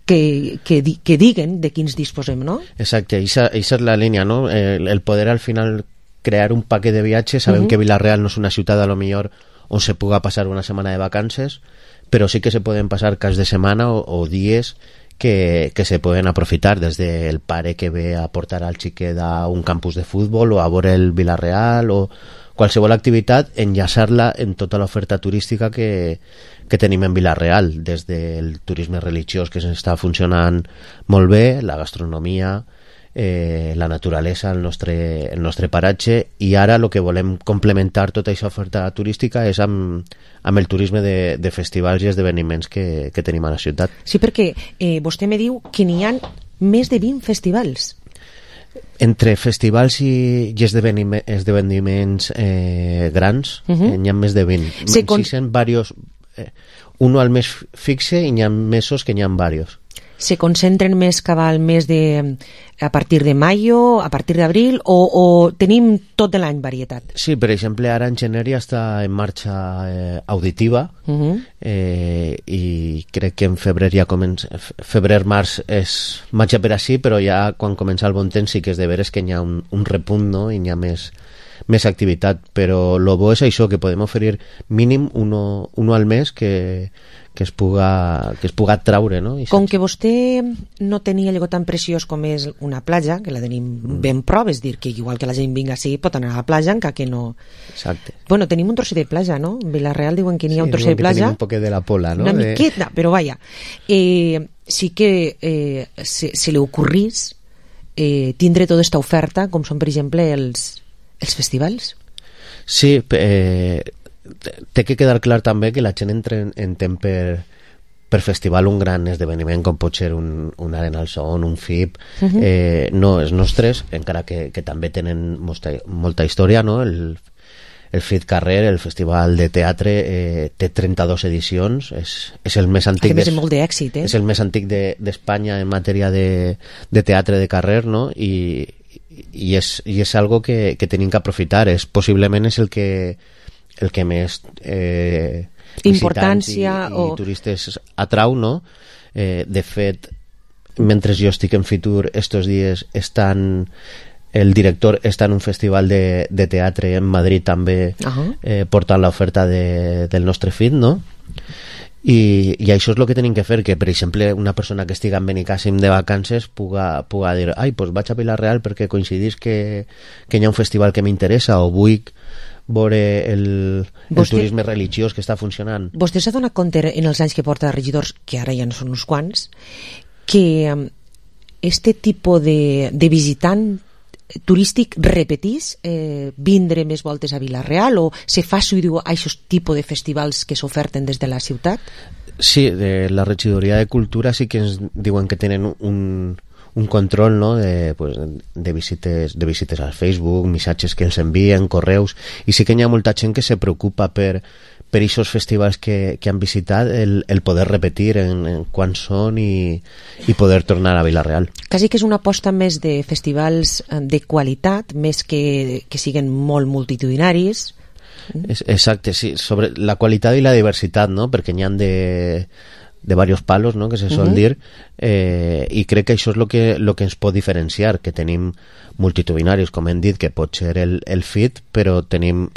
Que, que, que diguen de quins disposem, no? Exacte, aquesta és la línia, no? El, el poder al final crear un paquet de viatges. Sabem uh-huh. que Vila-real no és una ciutat a lo millor on se puga passar una setmana de vacances, però sí que se poden passar cas de setmana o, o dies que, que se poden aprofitar, des del pare que ve a portar al xiquet a un campus de futbol o a veure el Vila-real o qualsevol activitat, enllaçar-la en tota l'oferta turística que, que tenim en Vila-real, des del turisme religiós, que està funcionant molt bé, la gastronomia, eh, la naturalesa, el nostre, el nostre paratge, i ara el que volem complementar tota aquesta oferta turística és amb, amb el turisme de, de festivals i esdeveniments que, que tenim a la ciutat. Sí, perquè eh, vostè me diu que n'hi ha més de vint festivals. Entre festivals i, i esdeveniments, esdeveniments eh, grans, uh-huh. eh, n'hi ha més de vint. Sí, con... Existen varios, eh, uno al mes fixe i n'hi ha mesos que n'hi ha varios. se concentren més cap al mes de... a partir de maio, a partir d'abril, o, o tenim tot de l'any varietat? Sí, per exemple, ara en gener ja està en marxa eh, auditiva, uh-huh. eh, i crec que en febrer ja comença... Febrer-març és marxa per així, però ja quan comença el bon temps sí que és de veres que hi ha un, un repunt, no?, i hi ha més, més activitat, però el bo és això, que podem oferir mínim uno, uno al mes que... que es puga, que es puga traure, no? I com que vostè no tenia allò tan preciós com és una platja, que la tenim mm. ben prop, és dir, que igual que la gent vinga així pot anar a la platja, encara que no... Exacte. Bueno, tenim un trosset de platja, no? En Vilareal diuen que n'hi ha sí, un trosset de platja. Sí, un poquet de la pola, no? Una de... miqueta, però vaja. Eh, sí que eh, se, se li ocorrís eh, tindre tota aquesta oferta, com són, per exemple, els, els festivals? Sí, eh... té que quedar clar també que la gent entra en, entén per, per festival un gran esdeveniment com pot ser un, un Arena al Son, un F I P, uh-huh. eh, no, els nostres, encara que, que també tenen molta, molta història, no? El, el F I T Carrer, el Festival de Teatre, eh, té trenta-dues edicions, és, és el més antic, des, molt d'èxit, eh? és el més antic d'Espanya de, en matèria de, de teatre de carrer, no? I, i, és, i és algo que, que tenim que aprofitar, és, possiblement és el que el que més eh, importància i, i o... turistes atrau, no? Eh, de fet, mentre jo estic en Fitur estos dies estan... el director està en un festival de, de teatre en Madrid també, uh-huh. eh, portant l'oferta de, del nostre F I T, no? I, i això és el que tenim que fer, que per exemple una persona que estigui en Benicàssim de vacances puga, puga dir, ai, doncs vaig a Vila-real perquè coincidís que, que hi ha un festival que m'interessa, o vull veure el, el vostè, turisme religiós que està funcionant. Vostè s'ha donat compte en els anys que porta regidors, que ara ja no són uns quants, que este tipus de, de visitant turístic repetís eh, vindre més voltes a Vila-real, o se fa i diu aquest tipus de festivals que s'oferten des de la ciutat? Sí, de la regidoria de Cultura sí que ens diuen que tenen un un control, no? de, pues, de, visites, de visites al Facebook, missatges que ens envien, correus, i sí que hi ha molta gent que se preocupa per per aquests festivals que, que han visitat, el, el poder repetir en, en quan són i, i poder tornar a Vila-real. Quasi que és una aposta més de festivals de qualitat, més que, que siguen molt multitudinaris. Exacte, sí, sobre la qualitat i la diversitat, no? Perquè n'hi ha de de varios palos, ¿no?, que se sol uh-huh. dir, eh, i crec que això és el que, lo que ens pot diferenciar, que tenim multitudinaris, com hem dit, que pot ser el, el F I T, però tenim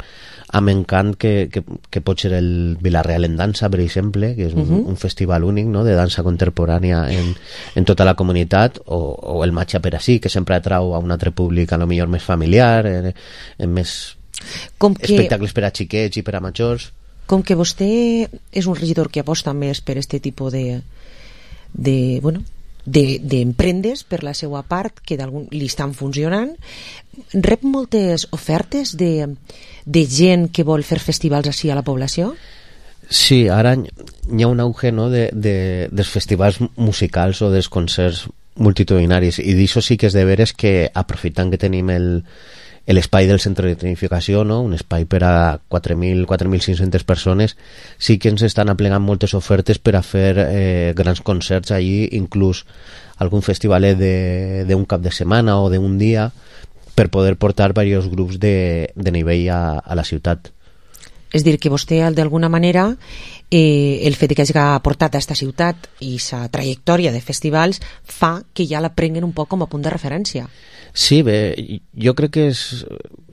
amb encant que, que, que pot ser el Vila-real en dansa, per exemple, que és un, uh-huh. un festival únic, no?, de dansa contemporània en, en tota la comunitat, o, o el Matxa per així, que sempre atrau a un altre públic a lo millor més familiar, en, en més com que... espectacles per a xiquets i per a majors. Com que vostè és un regidor que aposta més per aquest tipus de, de, bueno, d'emprendes per la seva part, que li estan funcionant, rep moltes ofertes de, de gent que vol fer festivals així a la població? Sí, ara hi ha un auge, no?, de, de, dels festivals musicals o dels concerts multitudinaris, i d'això sí que és de veres que, aprofitant que tenim el l'espai del centre de tecnificació, no? Un espai per a quatre mil, quatre mil cinc-centes persones, sí que ens estan aplegant moltes ofertes per a fer eh, grans concerts allí, inclús algun festival d'un cap de setmana o d'un dia, per poder portar diversos grups de, de nivell a, a la ciutat. És dir, que vostè, d'alguna manera, eh, el fet que hagi portat a aquesta ciutat i sa trajectòria de festivals fa que ja la prenguen un poc com a punt de referència. Sí, bé, jo crec que és...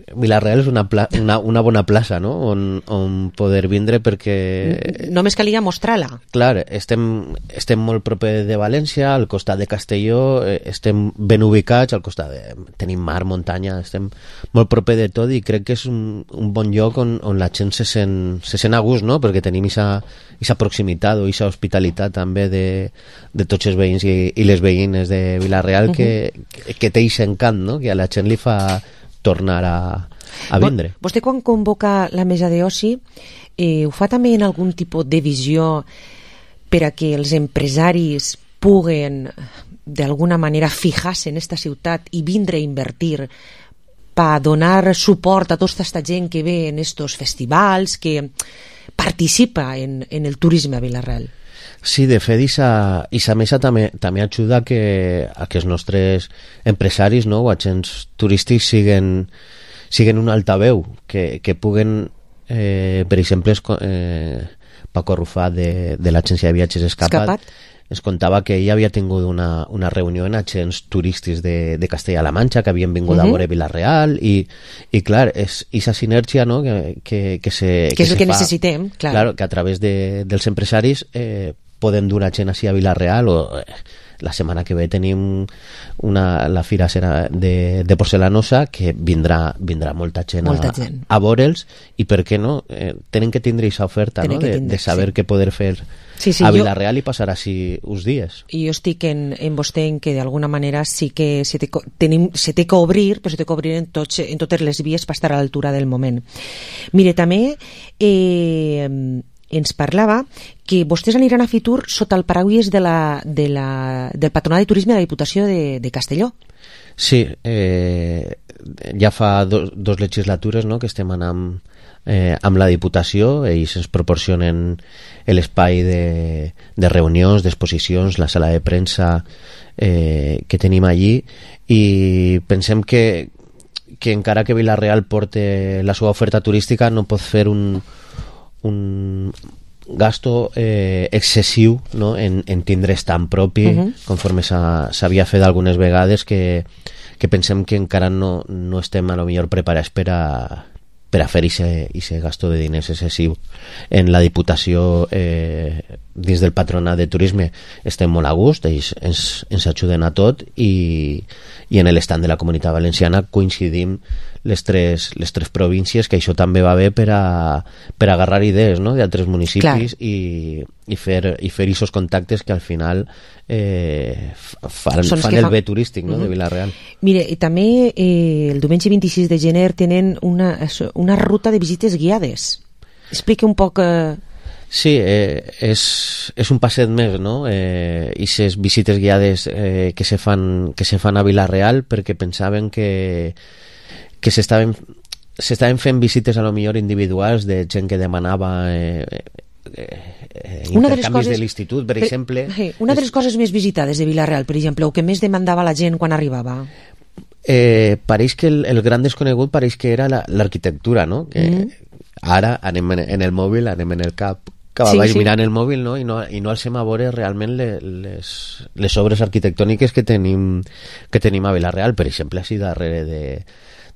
Vila-real és una, pla... una, una bona plaça, no?, on, on poder vindre, perquè... Només calia mostrar-la. Clar, estem, estem molt proper de València, al costat de Castelló, estem ben ubicats, al costat de... tenim mar, muntanya, estem molt proper de tot, i crec que és un, un bon lloc on, on la gent se sent, se sent a gust, no?, perquè tenim aquesta proximitat o aquesta hospitalitat també de, de tots els veïns i, i les veïnes de Vila-real, uh-huh. que, que, que té aquest encant, no?, que a la gent li fa tornar a, a vindre. Vostè, quan convoca la mesa d'oci, eh, ho fa també en algun tipus de visió per a que els empresaris puguen d'alguna manera fijar-se en aquesta ciutat i vindre a invertir per donar suport a tota aquesta gent que ve en estos festivals, que participa en, en el turisme a Vila-real? Sí, de fet, aquesta mesa també, també ajuda a que, a que els nostres empresaris, no, o agents turístics siguen, siguen un altaveu, que, que puguen, eh, per exemple, eh, Paco Rufà de, de l'agència de viatges Escapat, Escapat ens contava que ell havia tingut una, una reunió en agents turístics de, de Castella-La Manxa que havien vingut uh -huh. a veure Vila-real i, i clar, és aquesta sinergia, no?, que, que, que, se, que, que és el se que fa, necessitem, clar. Claro, que a través de, dels empresaris eh, podem dur gent així a Vila-real o... Eh, la setmana que ve tenim una, la fira serà de, de porcelanosa que vindrà, vindrà molta gent, molta a, gent. a veure'ls i per què no? Eh, tenen que tindre aquesta oferta, no? de, tindre, de saber sí. què poder fer sí, sí, a jo, Vila-real i passar així uns dies. I jo estic en, en vostè en que d'alguna manera sí que se té, tenim, se té que obrir, però se té que obrir en, tots, en totes les vies per estar a l'altura del moment. Mire, també eh, ens parlava que vostès aniran a Fitur sota el paraigües de la, de la, del Patronat de Turisme de la Diputació de, de Castelló. Sí, eh, ja fa do, dos legislatures, no?, que estem anant eh, amb la Diputació. Ells ens proporcionen l'espai de, de reunions, d'exposicions, la sala de premsa eh, que tenim allí, i pensem que, que encara que Vila-real porte la seva oferta turística no pot fer un un gasto eh, excessiu, no?, en, en tindre estant propi, uh-huh. conforme s'havia fet algunes vegades, que, que pensem que encara no, no estem a lo millor preparats per a, per a fer aquest gasto de diners excessiu. En la Diputació, eh, dins del Patronat de Turisme, estem molt a gust, ells ens, ens ajuden a tot, i, i en l'estat de la Comunitat Valenciana coincidim les tres, les tres províncies, que això també va bé per a, per a agarrar idees, no?, d'altres municipis i, i fer i fer aquests contactes que al final eh, fan, fan el fa... bé turístic, no?, uh-huh. de Vila-real. Mire, i també eh, el diumenge vint-i-sis de gener tenen una, una ruta de visites guiades. Explica un poc... Eh... Sí, eh, és, és un passet més, no?, eh, i ses visites guiades eh, que, se fan, que se fan a Vila-real, perquè pensaven que que s'estaven s'estaven fent visites a lo millor individuals de gent que demanava eh, eh, eh, intercanvis de, de l'institut, per, per exemple. Una de les coses més visitades de Vila-real, per exemple, o que més demandava la gent quan arribava? Eh, pareix que el, el gran desconegut pareix que era l'arquitectura, no? Que mm. ara anem en, en el mòbil, anem en el cap que sí, vaig sí. mirant el mòbil, no? I no, i no alcem a veure realment les, les, les obres arquitectòniques que tenim, que tenim a Vila-real. Per exemple, així darrere de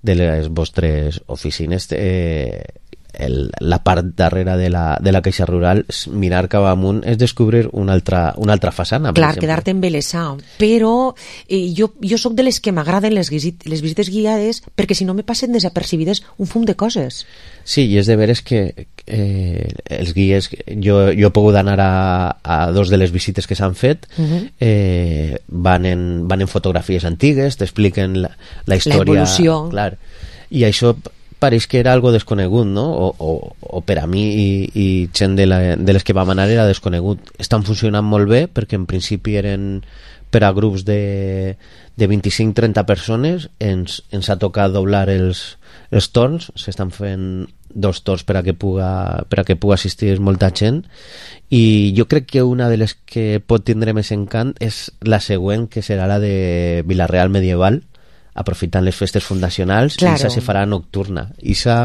de les vostres oficines, eh, el, la part darrere de la, de la Caixa Rural, mirar cap amunt és descobrir una altra, una altra façana. Clar, quedar-te embelesat. Però eh, jo, jo sóc de les que m'agraden les, les visites guiades, perquè si no me passen desapercibides un fum de coses. Sí, i és de veres que eh, els guies, jo, jo he pogut anar a, a dos de les visites que s'han fet, uh-huh. eh, van, en, van en fotografies antigues, t'expliquen la, la història, l'evolució, clar, i això pareix que era algo desconegut, no? O, o, o per a mi i, i gent de, la, de les que vam anar era desconegut. Estan funcionant molt bé, perquè en principi eren per a grups de, de vint-i-cinc a trenta persones. Ens, ens ha tocat doblar els, els torns, s'estan fent dos torns per a que puga, per a que puga assistir molta gent, i jo crec que una de les que pot tindre més encant és la següent, que serà la de Vila-real medieval, aprofitant les festes fundacionals. Claro. I esa se farà nocturna. Isa,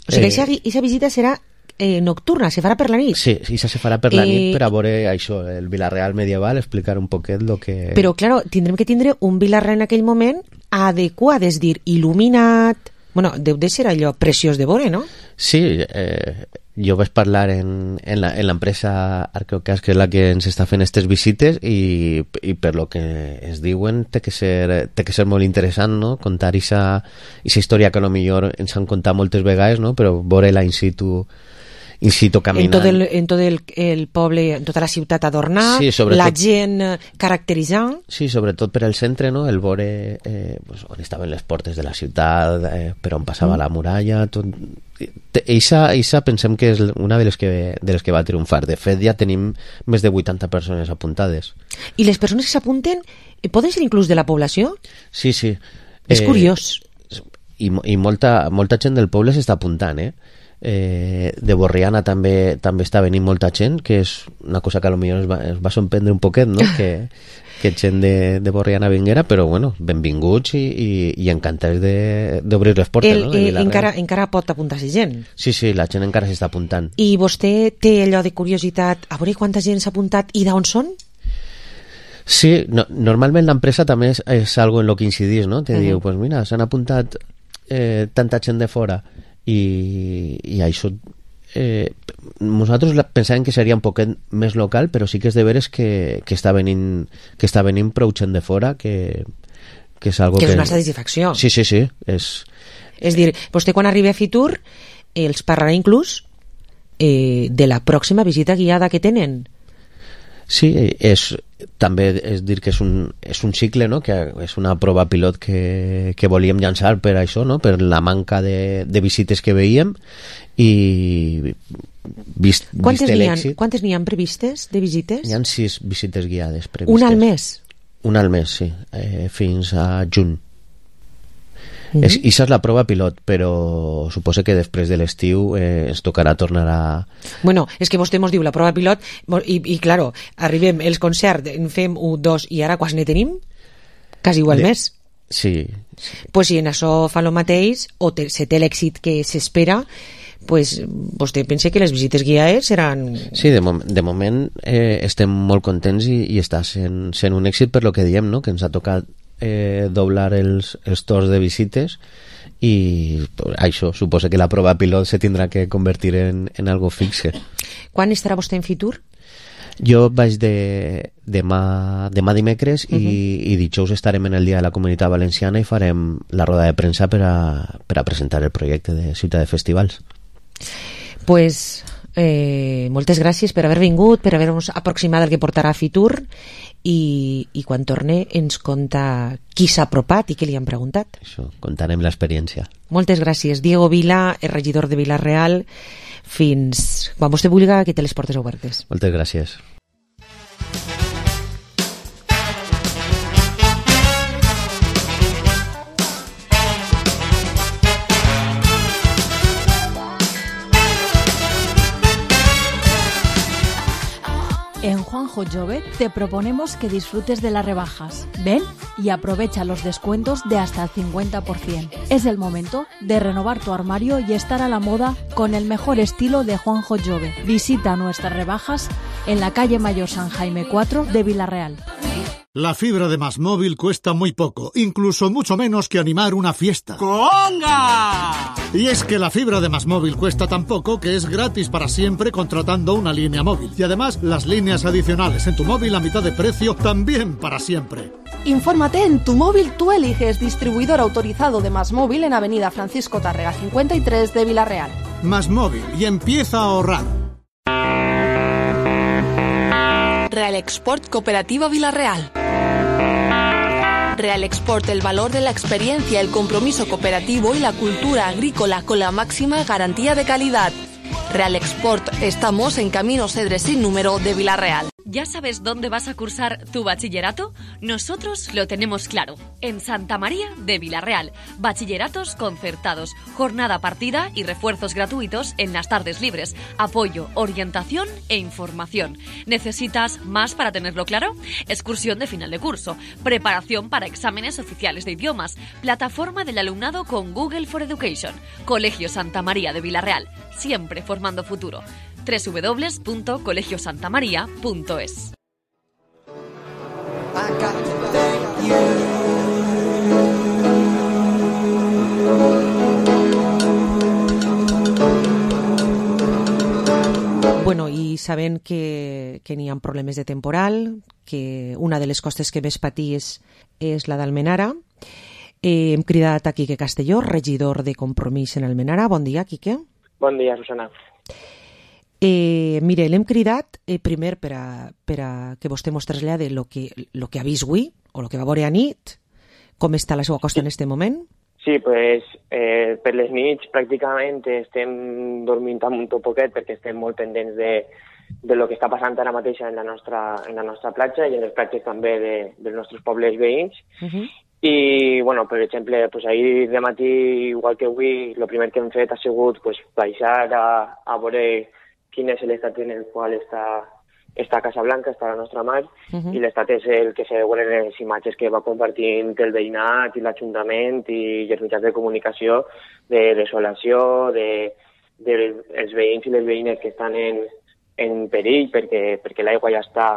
o sigui, eh, esa visita serà eh, nocturna, se farà per la nit. Sí, esa se farà per la eh, nit per a veure això, el Vila-real medieval, explicar un poquet lo que... Però, claro, tindrem que tindre un Vila-real en aquell moment adequat, és dir, il·luminat... Bueno, deu de ser allò preciós de veure, no? Sí, eh, jo vaig parlar en, en l'empresa Arqueocas, que és la que ens està fent aquestes visites, i, i per lo que ens diuen té que ser, té que ser molt interessant, no? Contar aquesta història que a lo millor ens han contat moltes vegades, no? Però veure-la in situ, in situ caminant. En tot el, en tot el, el poble, en tota la ciutat adornat, sí, la gent caracteritzant. Sí, sobretot per al centre, no? El veure eh, pues, on estaven les portes de la ciutat, eh, per on passava mm. la muralla, tot... Eixa, eixa pensem que és una de les que, de les que va triomfar. De fet, ja tenim més de vuitanta persones apuntades. I les persones que s'apunten poden ser inclús de la població? Sí, sí. És eh, curiós. I, i molta, molta gent del poble s'està apuntant, eh? eh, de Borriana també també està venint molta gent, que és una cosa que potser es va, es va sorprendre un poquet, no? que, que gent de, de Borriana vinguera, però bueno, benvinguts i, i, i encantats d'obrir les portes. El, no? De eh, encara, encara pot apuntar-se gent? Sí, sí, la gent encara s'està apuntant. I vostè té allò de curiositat, a veure quanta gent s'ha apuntat i d'on són? Sí, no, normalment l'empresa també és, és algo en lo que incidís, no? Te uh -huh. diu, pues mira, s'han apuntat eh, tanta gent de fora i, i això eh, nosaltres pensàvem que seria un poquet més local, però sí que és de veres que, que està venint que està venint prou gent de fora, que, que és algo que que... és una satisfacció. Sí, sí, sí, és... És dir, vostè quan arribi a Fitur els parlarà inclús eh, de la pròxima visita guiada que tenen. Sí, és, també és dir que és un, és un cicle, no? Que és una prova pilot que, que volíem llançar per això, no? Per la manca de, de visites que veiem i vist, quantes vist n'hi ha, l'èxit. quantes n'hi ha previstes de visites? Hi ha sis visites guiades previstes. Una al mes? Una al mes, sí, eh, fins a juny. Uh-huh. És, i això és la prova pilot, però suposo que després de l'estiu eh, ens tocarà tornar a... Bueno, és que vostè mos diu la prova pilot i, i claro, arribem els concerts, en fem un, dos i ara quasi ne tenim quasi igual de... més. Sí. Pues si en això fa el mateix o te, se té l'èxit que s'espera, pues vostè pensa que les visites guiades seran... Sí, de, mom de moment eh, estem molt contents i, i està sent, sent un èxit per lo que diem, no? Que ens ha tocat Eh, doblar els, els torns de visites i això suposa que la prova pilot se tindrà que convertir en, en algo fixe. Quan estarà vostè en Fitur? Jo vaig de, demà, demà dimecres uh -huh. i, i dijous estarem en el Dia de la Comunitat Valenciana i farem la roda de premsa per a, per a presentar el projecte de Ciutat de Festivals. Pues eh, moltes gràcies per haver vingut, per haver-nos aproximat el que portarà a Fitur i, i quan torne ens conta qui s'ha apropat i què li han preguntat. Això, contarem l'experiència. Moltes gràcies. Diego Vila, el regidor de Vila-real. Fins quan vostè vulgui, que té les portes obertes. Moltes gràcies. En Juanjo Jove te proponemos que disfrutes de las rebajas. Ven y aprovecha los descuentos de hasta el cincuenta por ciento. Es el momento de renovar tu armario y estar a la moda con el mejor estilo de Juanjo Jove. Visita nuestras rebajas en la calle Mayor San Jaime cuatro de Vila-real. La fibra de Más Móvil cuesta muy poco, incluso mucho menos que animar una fiesta. ¡Conga! Y es que la fibra de Más Móvil cuesta tan poco que es gratis para siempre contratando una línea móvil. Y además, las líneas adicionales en tu móvil a mitad de precio también para siempre. Infórmate en Tu Móvil Tú Eliges, distribuidor autorizado de Más Móvil en Avenida Francisco Tárrega cincuenta y tres de Vila-real. Más Móvil y empieza a ahorrar. Real Export Cooperativa Vila-real. Real Export, el valor de la experiencia, el compromiso cooperativo y la cultura agrícola con la máxima garantía de calidad. Real Export, estamos en Camino Cedres sin número de Vila-real. ¿Ya sabes dónde vas a cursar tu bachillerato? Nosotros lo tenemos claro. En Santa María de Vila-real. Bachilleratos concertados, jornada partida y refuerzos gratuitos en las tardes libres. Apoyo, orientación e información. ¿Necesitas más para tenerlo claro? Excursión de final de curso. Preparación para exámenes oficiales de idiomas. Plataforma del alumnado con Google for Education. Colegio Santa María de Vila-real. Siempre formando futuro. doble u doble u doble u punto colegio santa maría punto es. Bueno, i sabent que, que n'hi ha problemes de temporal, que una de les costes que més patís és la d'Almenara, eh, hem cridat a Quique Castelló, regidor de Compromís en Almenara. Bon dia, Quique. Bon dia, Susana. Eh, mire, l'hem cridat eh, primer per a, per a que vostè mos trasllade lo que, lo que ha vist avui, o lo que va veure a nit, com està la seva costa en aquest moment. Sí, pues, eh, per les nits pràcticament estem dormint un poquet perquè estem molt pendents de, de lo que està passant ara mateix en la nostra, en la nostra platja i en les platges també de, dels nostres pobles veïns. Uh-huh. I, bueno, per exemple, pues ahir de matí, igual que avui, el primer que hem fet ha sigut pues, baixar a, a veure quin és l'estat en el qual està, està Casa Blanca, està la nostra mar, uh-huh. i l'estat és el que se veuen en les imatges que va compartint el veïnat i l'Ajuntament i els mitjans de comunicació de desolació, de, de els veïns i les veïnes que estan en, en perill perquè, perquè l'aigua ja està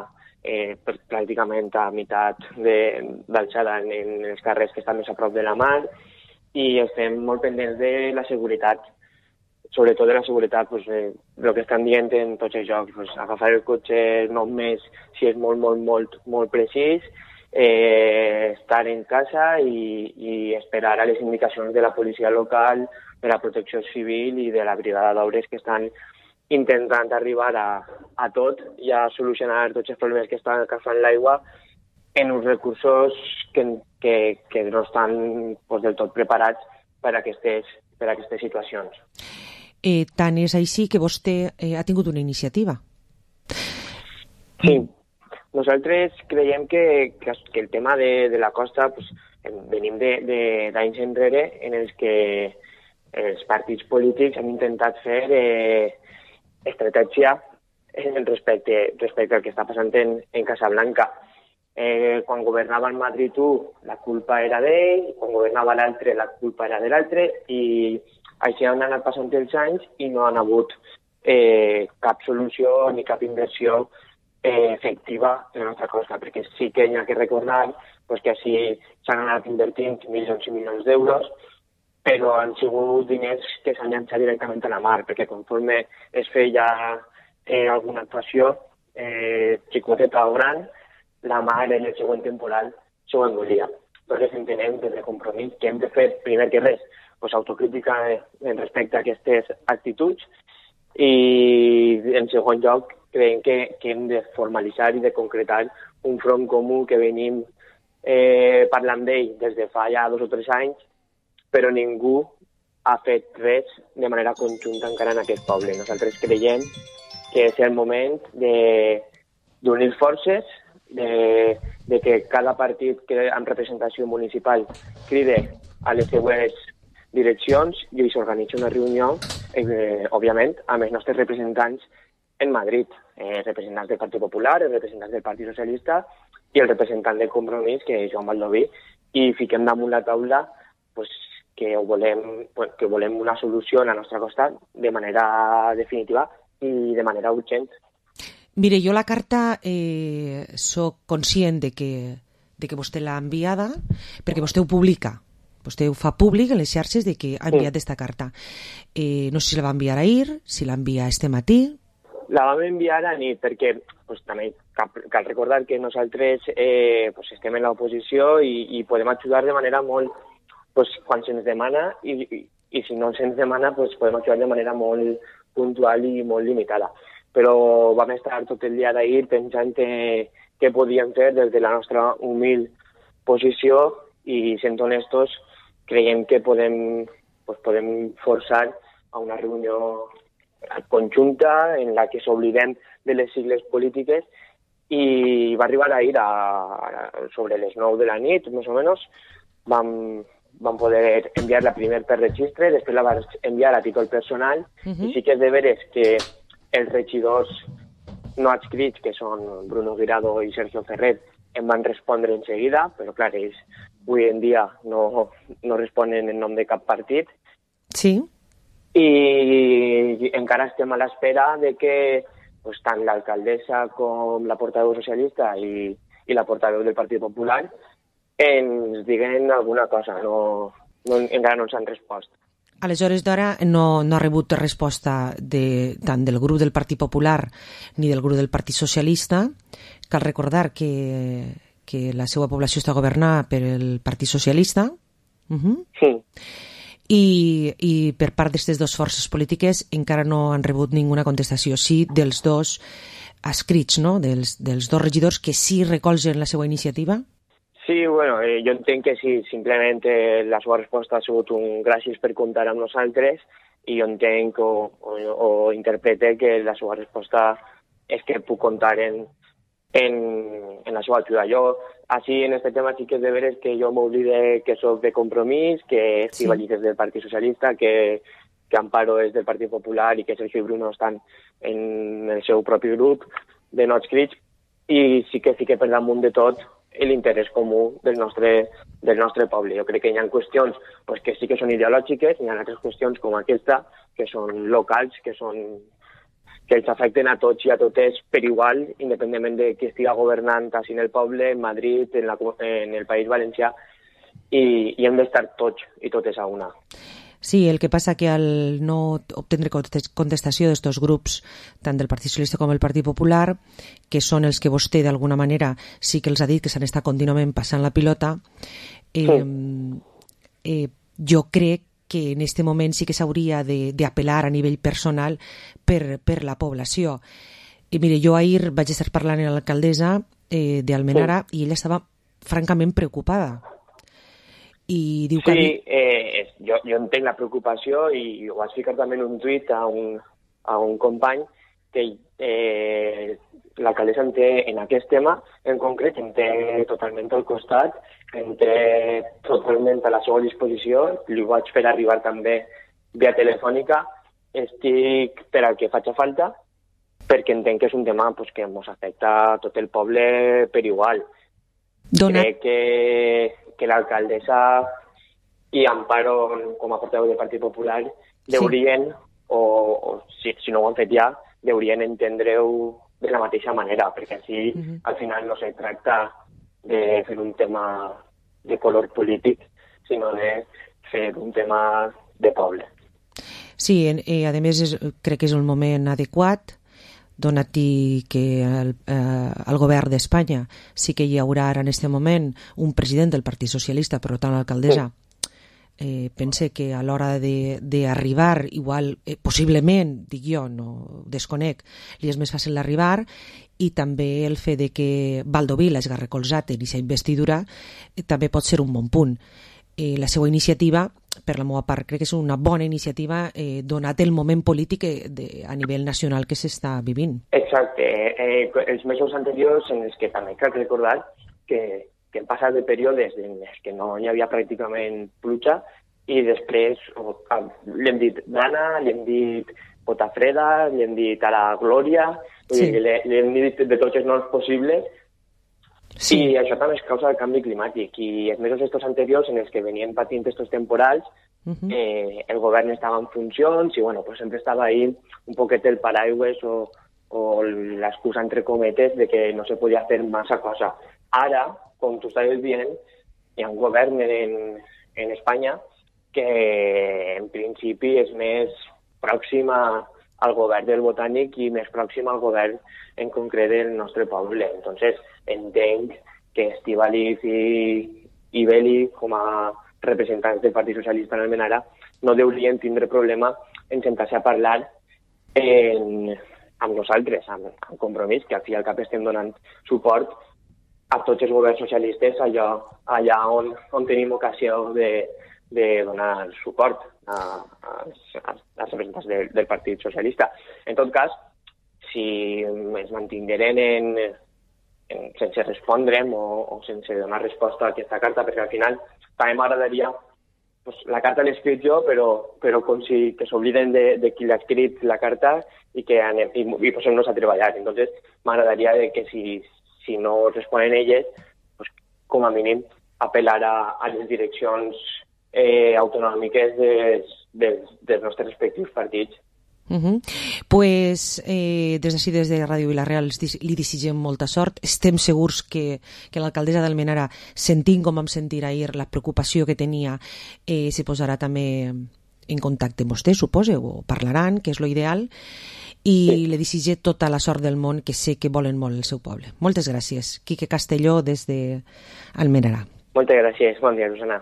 Eh, pràcticament a meitat d'alçada en, en els carrers que estan més a prop de la mar i estem molt pendents de la seguretat, sobretot de la seguretat, pues, eh, el que estan dient en tots els jocs, pues, agafar el cotxe només si és molt, molt, molt, molt precís, eh, estar en casa i, i esperar a les indicacions de la policia local, de la protecció civil i de la brigada d'obres que estan intentant arribar a, a tot i a solucionar tots els problemes que estan agafant l'aigua en uns recursos que, que, que no estan pues, del tot preparats per a aquestes, per a aquestes situacions. Eh, tant és així que vostè eh, ha tingut una iniciativa. Sí. Nosaltres creiem que, que, que el tema de, de la costa pues, venim d'anys enrere en els que els partits polítics han intentat fer eh, estratègia respecte, respecte al que està passant en, en Casablanca. Eh, quan governava en Madrid u, la culpa era d'ell, quan governava l'altre, la culpa era de l'altre, i així han anat passant els anys i no han hagut eh, cap solució ni cap inversió eh, efectiva en la nostra costa, perquè sí que hi ha que recordar pues, que així s'han anat invertint milions i milions d'euros, però han sigut diners que s'han llançat directament a la mar, perquè conforme es feia eh, alguna actuació eh, xicoteta o gran, la mar en el següent temporal s'ho engolia. Nosaltres entenem des de Compromís que hem de fer, primer que res, pues, autocrítica en respecte a aquestes actituds i, en segon lloc, creiem que, que hem de formalitzar i de concretar un front comú que venim eh, parlant d'ell des de fa ja dos o tres anys, però ningú ha fet res de manera conjunta encara en aquest poble. Nosaltres creiem que és el moment d'unir forces, de, de que cada partit que amb representació municipal cride a les seues direccions i s'organitza una reunió, eh, òbviament, amb els nostres representants en Madrid, eh, representants del Partit Popular, els representants del Partit Socialista i el representant del Compromís, que és Joan Baldoví, i fiquem damunt la taula pues, que volem, que volem una solució a la nostra costa de manera definitiva i de manera urgent. Mire, jo la carta eh, soc conscient de que, de que vostè l'ha enviada perquè vostè ho publica. Vostè ho fa públic en les xarxes de que ha enviat aquesta sí. carta. Eh, no sé si la va enviar ahir, si la envia este matí. La vam enviar a nit perquè pues, també cal, cal recordar que nosaltres eh, pues, estem en l'oposició i, i podem ajudar de manera molt pues, quan se'ns demana i, i, i si no se'ns demana pues, podem ajudar de manera molt puntual i molt limitada. Però vam estar tot el dia d'ahir pensant que, què podíem fer des de la nostra humil posició i sent honestos creiem que podem, pues, podem forçar a una reunió conjunta en la que s'oblidem de les sigles polítiques i va arribar ahir a, a, sobre les nou de la nit, més o menys, vam, vam poder enviar la primer per registre, després la vam enviar a títol personal uh-huh. i sí que és de veres que els regidors no adscrits, que són Bruno Guirado i Sergio Ferrer, em van respondre en seguida, però clar, ells avui en dia no, no responen en nom de cap partit. Sí. I encara estem a l'espera de que pues, tant l'alcaldessa com la portaveu socialista i, i la portaveu del Partit Popular ens diguen alguna cosa. No, no, encara no ens han respost. Aleshores d'ara no, no ha rebut resposta de, tant del grup del Partit Popular ni del grup del Partit Socialista. Cal recordar que, que la seva població està governada per el Partit Socialista. Uh-huh. Sí. I, i per part d'aquestes dues forces polítiques encara no han rebut ninguna contestació. Sí, dels dos adscrits, no? dels, dels dos regidors que sí recolzen la seva iniciativa. Sí, bueno, eh, jo entenc que sí, simplement eh, la seva resposta ha sigut un gràcies per comptar amb nosaltres i jo entenc o, o, o interprete que la seva resposta és que puc comptar en, en, en la seva ajuda. Jo Així, en este tema sí que és de veres que jo m'oblide que soc de Compromís, que Estivaliz és del Partit Socialista, que, que Amparo és del Partit Popular i que Sergio i Bruno estan en el seu propi grup de Nots Crits, i sí que fique per damunt de tot l'interès comú del nostre, del nostre poble. Jo crec que hi ha qüestions pues, que sí que són ideològiques, hi ha altres qüestions com aquesta, que són locals, que són que els afecten a tots i a totes per igual, independentment de qui estiga governant així en el poble, en Madrid, en, la, en el País Valencià, i, i hem d'estar tots i totes a una. Sí, el que passa que al no obtindre contestació d'estos grups, tant del Partit Socialista com del Partit Popular, que són els que vostè d'alguna manera sí que els ha dit que s'han estat contínuament passant la pilota, eh, sí. eh, jo crec que en aquest moment sí que s'hauria d'apel·lar a nivell personal per, per la població. I mire, jo ahir vaig estar parlant amb l'alcaldessa eh, d'Almenara sí. i ella estava francament preocupada. I diu que... Sí, eh, jo, jo entenc la preocupació i ho vaig ficar també en un tuit a un, a un company que eh, l'alcaldessa en té en aquest tema en concret, en té totalment al costat, en té totalment a la seva disposició, li vaig fer arribar també via telefònica, estic per al que faci falta, perquè entenc que és un tema pues, que ens afecta a tot el poble per igual. Dona. Crec que que l'alcaldessa i Amparo, com a portaveu del Partit Popular, deurien, sí. o, o si, si no ho han fet ja, deurien entendre-ho de la mateixa manera, perquè així uh-huh. al final no se tracta de fer un tema de color polític, sinó de fer un tema de poble. Sí, eh, a més és, crec que és el moment adequat, donat que el, eh, el govern d'Espanya sí que hi haurà ara en aquest moment un president del Partit Socialista, per tant l'alcaldessa eh, pense que a l'hora d'arribar, igual, eh, possiblement, dic jo, no desconec, li és més fàcil arribar, i també el fet de que Valdovila es ha recolzat en aquesta investidura eh, també pot ser un bon punt. Eh, la seva iniciativa, per la meva part, crec que és una bona iniciativa eh, donat el moment polític de, a nivell nacional que s'està vivint. Exacte. Eh, els mesos anteriors en els que també cal recordar que, que hem passat de períodes en els que no hi havia pràcticament pluja i després oh, l'hem dit Dana, l'hem dit Potafreda, l'hem dit ara Glòria, sí. l'hem dit de tots els noms possibles. Sí. I això també és causa del canvi climàtic i els mesos estos anteriors en els que venien patint estos temporals uh-huh. eh, el govern estava en funcions i bueno, pues sempre estava ahí un poquet el paraigües o, o l'excusa entre cometes de que no se podia fer massa cosa. Ara, com tu estaves dient, hi ha un govern en, en Espanya que en principi és més pròxim a al govern del Botànic i més pròxim al govern en concret del nostre poble. Entonces, entenc que Estivaliz i, i Beli, com a representants del Partit Socialista en Almenara, no deurien tindre problema en sentar-se a parlar en, amb nosaltres, amb, amb Compromís, que al fi i al cap estem donant suport a tots els governs socialistes allà, allà on, on tenim ocasió de, de donar suport a, a, a, als representants del, del Partit Socialista. En tot cas, si es mantingueren en, en, sense respondre'm o, o sense donar resposta a aquesta carta, perquè al final també m'agradaria, pues, la carta l'he escrit jo, però, però com si que s'obliden de, de qui l'ha escrit la carta i que anem, i, i posem-nos a treballar. Entonces, m'agradaria que si, si no responen elles, pues, com a mínim apel·lar a, a les direccions Eh, autonòmiques des, des, dels nostres respectius partits. Uh-huh. Pues eh, des d'ací, des de Ràdio Vila-real, li desitgem molta sort. Estem segurs que, que l'alcaldessa d'Almenara, sentint com vam sentir ahir la preocupació que tenia, eh, se posarà també en contacte amb vostè, suposo, o parlaran, que és lo ideal, i sí. li desitge tota la sort del món, que sé que volen molt el seu poble. Moltes gràcies. Quique Castelló, des d'Almenara. Moltes gràcies. Bon dia, Susana.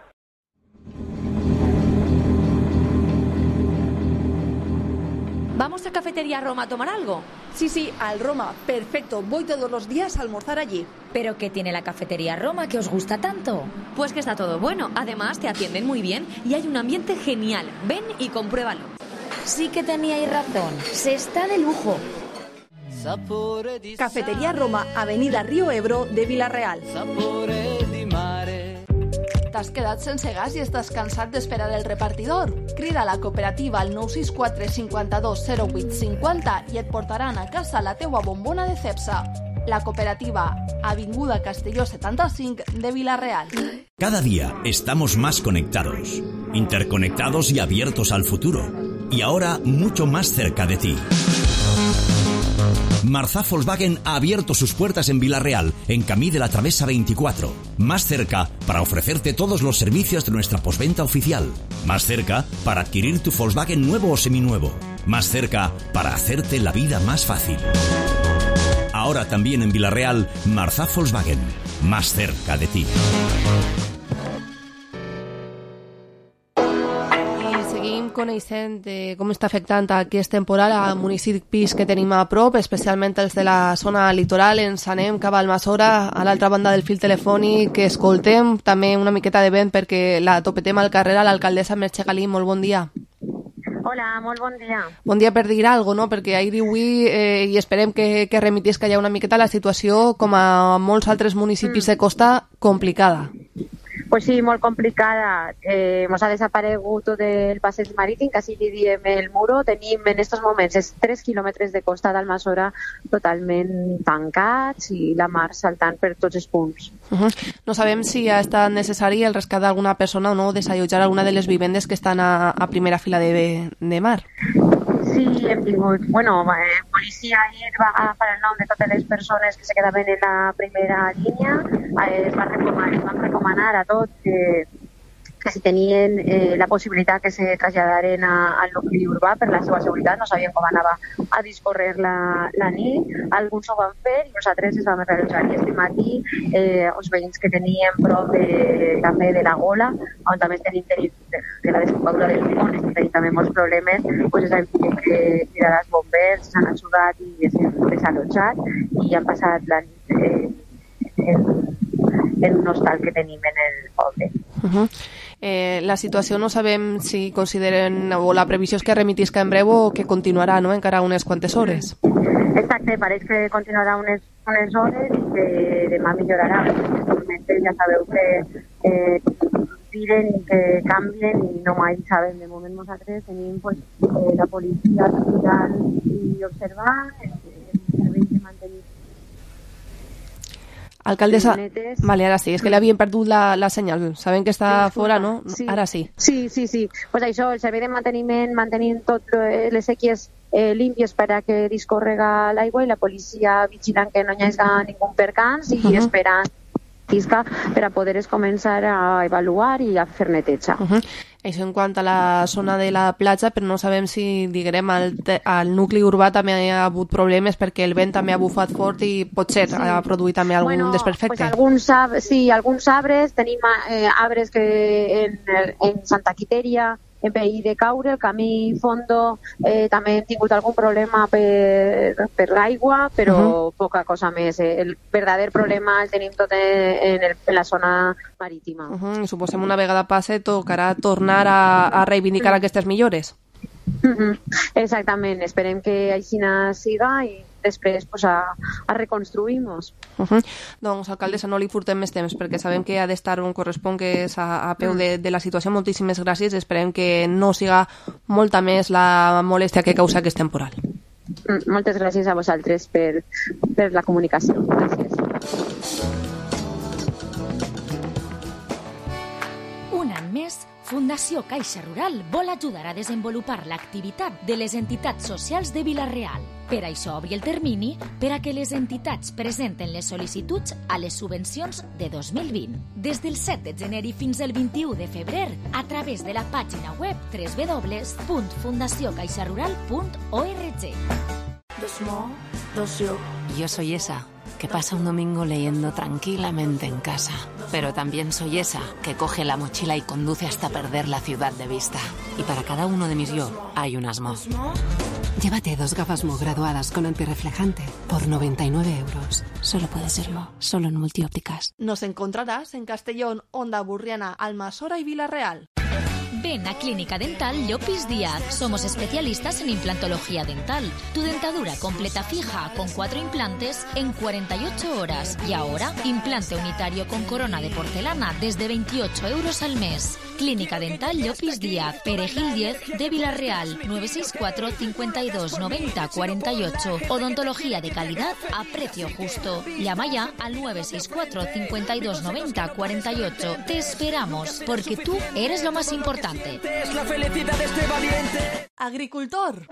¿Vamos a Cafetería Roma a tomar algo? Sí, sí, al Roma. Perfecto. Voy todos los días a almorzar allí. ¿Pero qué tiene la Cafetería Roma que os gusta tanto? Pues que está todo bueno. Además, te atienden muy bien y hay un ambiente genial. Ven y compruébalo. Sí que teníais razón. Se está de lujo. Cafetería Roma, Avenida Río Ebro de Vila-real. T'has quedat sense gas i estàs cansat d'esperar el repartidor? Crida a la cooperativa al nou sis quatre cinquanta-dos zero vuit cinquanta i et portaran a casa la teua bombona de Cepsa. La cooperativa, Avinguda Castelló setanta-cinc de Vila-real. Cada día estamos más conectados, interconectados y abiertos al futuro. Y ahora mucho más cerca de ti. Marzá Volkswagen ha abierto sus puertas en Vila-real, en Camí de la Travesa veinticuatro. Más cerca para ofrecerte todos los servicios de nuestra postventa oficial. Más cerca para adquirir tu Volkswagen nuevo o seminuevo. Más cerca para hacerte la vida más fácil. Ahora también en Vila-real, Marzá Volkswagen. Más cerca de ti. Coneixent de com està afectant aquest temporal a municipis que tenim a prop, especialment els de la zona litoral. Ens anem cap a Almassora, a l'altra banda del fil telefònic, que escoltem també una miqueta de vent perquè la topetem al carrer a l'alcaldessa Merche Galí. Molt bon dia. Hola, molt bon dia. Bon dia per dir alguna cosa, no? Perquè ahir i avui, eh, i esperem que, que remitisca ja una miqueta la situació, com a molts altres municipis mm. de costa, complicada. Pues sí, molt complicada. Eh, mos ha desaparegut tot el passeig marítim, quasi li diem el muro. Tenim en aquests moments tres quilòmetres de costa d'Almassora totalment tancats i la mar saltant per tots els punts. Uh-huh. No sabem si ha estat necessari el rescat d'alguna persona o no, desallotjar alguna de les vivendes que estan a, a primera fila de, de mar. Sí, hem tingut... Bueno, eh, policia ahir va agafar el nom de totes les persones que se quedaven en la primera línia. Eh, es, va recomanar, es van recomanar a tots que, que si tenien eh, la possibilitat que se traslladaren a, al nucli urbà per la seva seguretat. No sabien com anava a discorrer la, la nit. Alguns ho van fer i nosaltres es vam realitzar. I este matí eh, els veïns que teníem prop de, també de la Gola, on també tenim de, de, de la desembocadura del Pont, estem tenint també molts problemes, pues hem tingut que cridar als bombers, s'han ajudat i s'han desallotjat i han passat la nit eh, en, en un hostal que tenim en el poble. Uh-huh. Eh, la situació no sabem si consideren, o la previsió és que remitisca en breu o que continuarà, no?, encara unes quantes hores. Exacte, pareix que continuarà unes, unes hores i que demà millorarà. Les tormentes ja sabeu que eh, tiren i que canvien i no mai sabem. De moment nosaltres tenim pues, eh, la policia mirant i observant, els serveis de mantenir. Alcaldessa, vale, ara sí, és que li havien perdut la, la senyal, sabem que està fora, no? Sí. Ara sí. Sí, sí, sí, pues això, el servei de manteniment, mantenint totes les sèquies eh, límpies per a que discorrega l'aigua i la policia vigilant que no hi hagi ningú percans i uh-huh. esperant isca per a poder començar a avaluar i a fer neteja. Uh-huh. Això en quant a la zona de la platja, però no sabem si, diguem, al, al nucli urbà també ha hagut problemes perquè el vent també ha bufat fort i potser sí. ha produït també algun bueno, desperfecte. Pues alguns, sí, alguns arbres, tenim eh, arbres que en, en Santa Quiteria en perill de caure, el camí fondo eh, també hem tingut algun problema per, per l'aigua, però uh-huh. poca cosa més. Eh. El verdader problema el tenim tot en, el, en la zona marítima. Uh-huh. Suposem una vegada passe tocarà tornar a, a reivindicar uh-huh. aquestes millores. Uh-huh. Exactament, esperem que així siga i després pues, a, a reconstruir-nos. Uh-huh. Doncs, alcaldessa, no li furtem més temps perquè sabem que ha d'estar on correspon, que és a, a peu de, de la situació. Moltíssimes gràcies. Esperem que no siga molta més la molèstia que causa aquest temporal. Mm, moltes gràcies a vosaltres per, per la comunicació. Gràcies. Un any més, Fundació Caixa Rural vol ajudar a desenvolupar l'activitat de les entitats socials de Vila-real. Per això obri el termini per a que les entitats presenten les sol·licituds a les subvencions de dos mil vint. Des del set de gener i fins al vint-i-u de febrer, a través de la pàgina web doble u doble u doble u punt fundació caixa rural punt org. Yo soy esa que pasa un domingo leyendo tranquilamente en casa. Pero también soy esa que coge la mochila y conduce hasta perder la ciudad de vista. Y para cada uno de mis yo hay un Asmo. Llévate dos gafas Mo graduadas con antirreflejante por noventa y nueve euros. Solo puede ser Mo, solo en Multiópticas. Nos encontrarás en Castellón, Onda Burriana, Almassora y Vila-real. Ven a Clínica Dental Llopis Díaz. Somos especialistas en implantología dental. Tu dentadura completa fija con cuatro implantes en cuarenta y ocho horas. Y ahora, implante unitario con corona de porcelana desde veintiocho euros al mes. Clínica Dental Llopis Díaz, Perejil diez de Villarreal, nueve seis cuatro, cincuenta y dos, noventa, cuarenta y ocho. Odontología de calidad a precio justo. Llama ya al nueve seis cuatro, cincuenta y dos, noventa, cuarenta y ocho. Te esperamos, porque tú eres lo más importante. Es la felicidad de este valiente. Agricultor.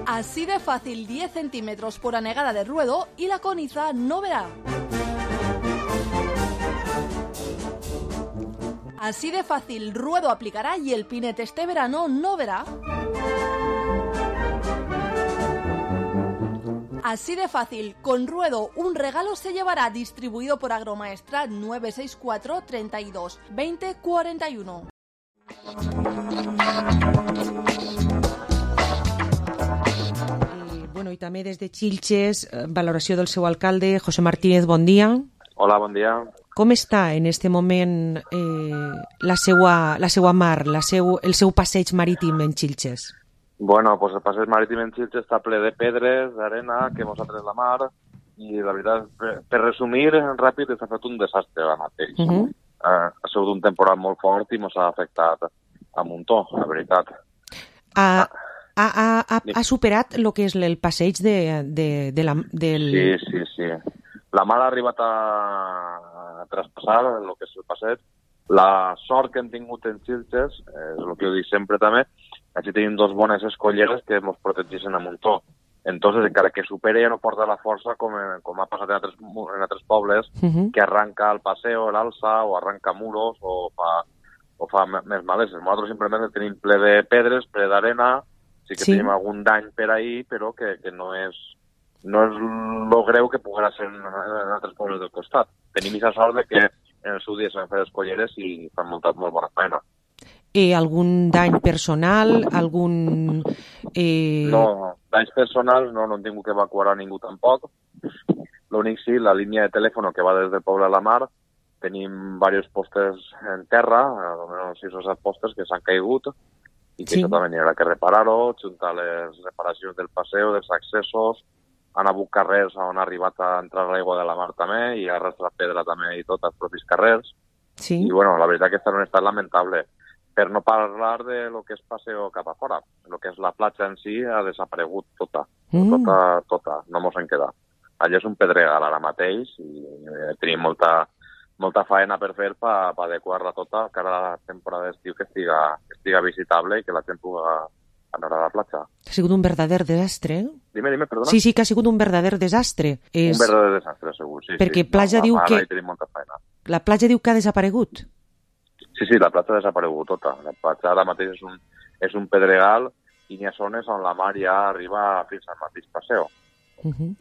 Así de fácil, diez centímetros por anegada de ruedo y la coniza no verá. Así de fácil, ruedo aplicará y el pinete este verano no verá. Así de fácil, con ruedo un regalo se llevará, distribuido por Agromaestra nueve seis cuatro, treinta y dos, veinte, cuarenta y uno. Bueno, i també des de Xilxes, valoració del seu alcalde, José Martínez, bon dia. Hola, bon dia. Com està en este moment eh, la, seua, la seua mar, la seu, el seu passeig marítim en Xilxes? Bueno, pues el passeig marítim en Xilxes està ple de pedres, d'arena, que mos ha tret la mar, i la veritat, per, per resumir ràpid, s'ha fet un desastre ara mateix. Uh -huh. eh, ha sigut un temporal molt fort i mos ha afectat a muntó, la veritat. Ah, ah. Ha, ha, ha superat el que és el passeig de, de, de la, del... Sí, sí, sí. La mar ha arribat a, a traspassar el que és el passeig. La sort que hem tingut en Xilxes, és el que jo dic sempre també, així tenim dos bones escolleres que ens protegeixen a muntó. Entonces, encara que supere ja no porta la força com, com ha passat en altres, en altres pobles, uh -huh. que arranca el passeo, l'alça, o arranca muros, o fa, o fa més maleses. Nosaltres simplement tenim ple de pedres, ple d'arena. Sí que sí. Tenim algun dany per ahir, però que, que no és no és lo greu que poguera ser en, en altres pobles del costat. Tenim aquesta sort de que en el seu dia s'han fet escolleres i fan molta, molt bona feina. Eh, algun dany personal? Algun... Eh... No, danys personals no, no hem tingut que evacuar a ningú tampoc. L'únic sí, la línia de telèfon que va des del poble a la mar, tenim diversos postes en terra, almenys sis o set postes que s'han caigut, i que sí. Això també n'hi haurà que reparar-ho, juntar les reparacions del passeu, dels accessos, han hagut carrers on ha arribat a entrar l'aigua de la mar també, i ha arrastrat pedra també i tot als propis carrers. Sí. I bueno, la veritat que està en un estat lamentable. Per no parlar de lo que és passeo cap a fora. El que és la platja en si ha desaparegut tota. Mm. Tota, tota. No mos en queda. Allà és un pedregal ara mateix i tenim molta... molta faena per fer per pa adequar-la tota cara a la temporada d'estiu que estiga, que estiga visitable i que la gent pugui anar a la platja. Ha sigut un verdader desastre. Dime, dime, perdona. Sí, sí, que ha sigut un verdader desastre. És... Un verdader desastre, segur, sí. Perquè sí. platja no, diu que... Tenim molta feina. La platja diu que ha desaparegut. Sí, sí, la platja ha desaparegut tota. La platja ara mateix és un, és un pedregal i n'hi ha zones on la mar ja arriba fins al mateix passeo. Uh -huh.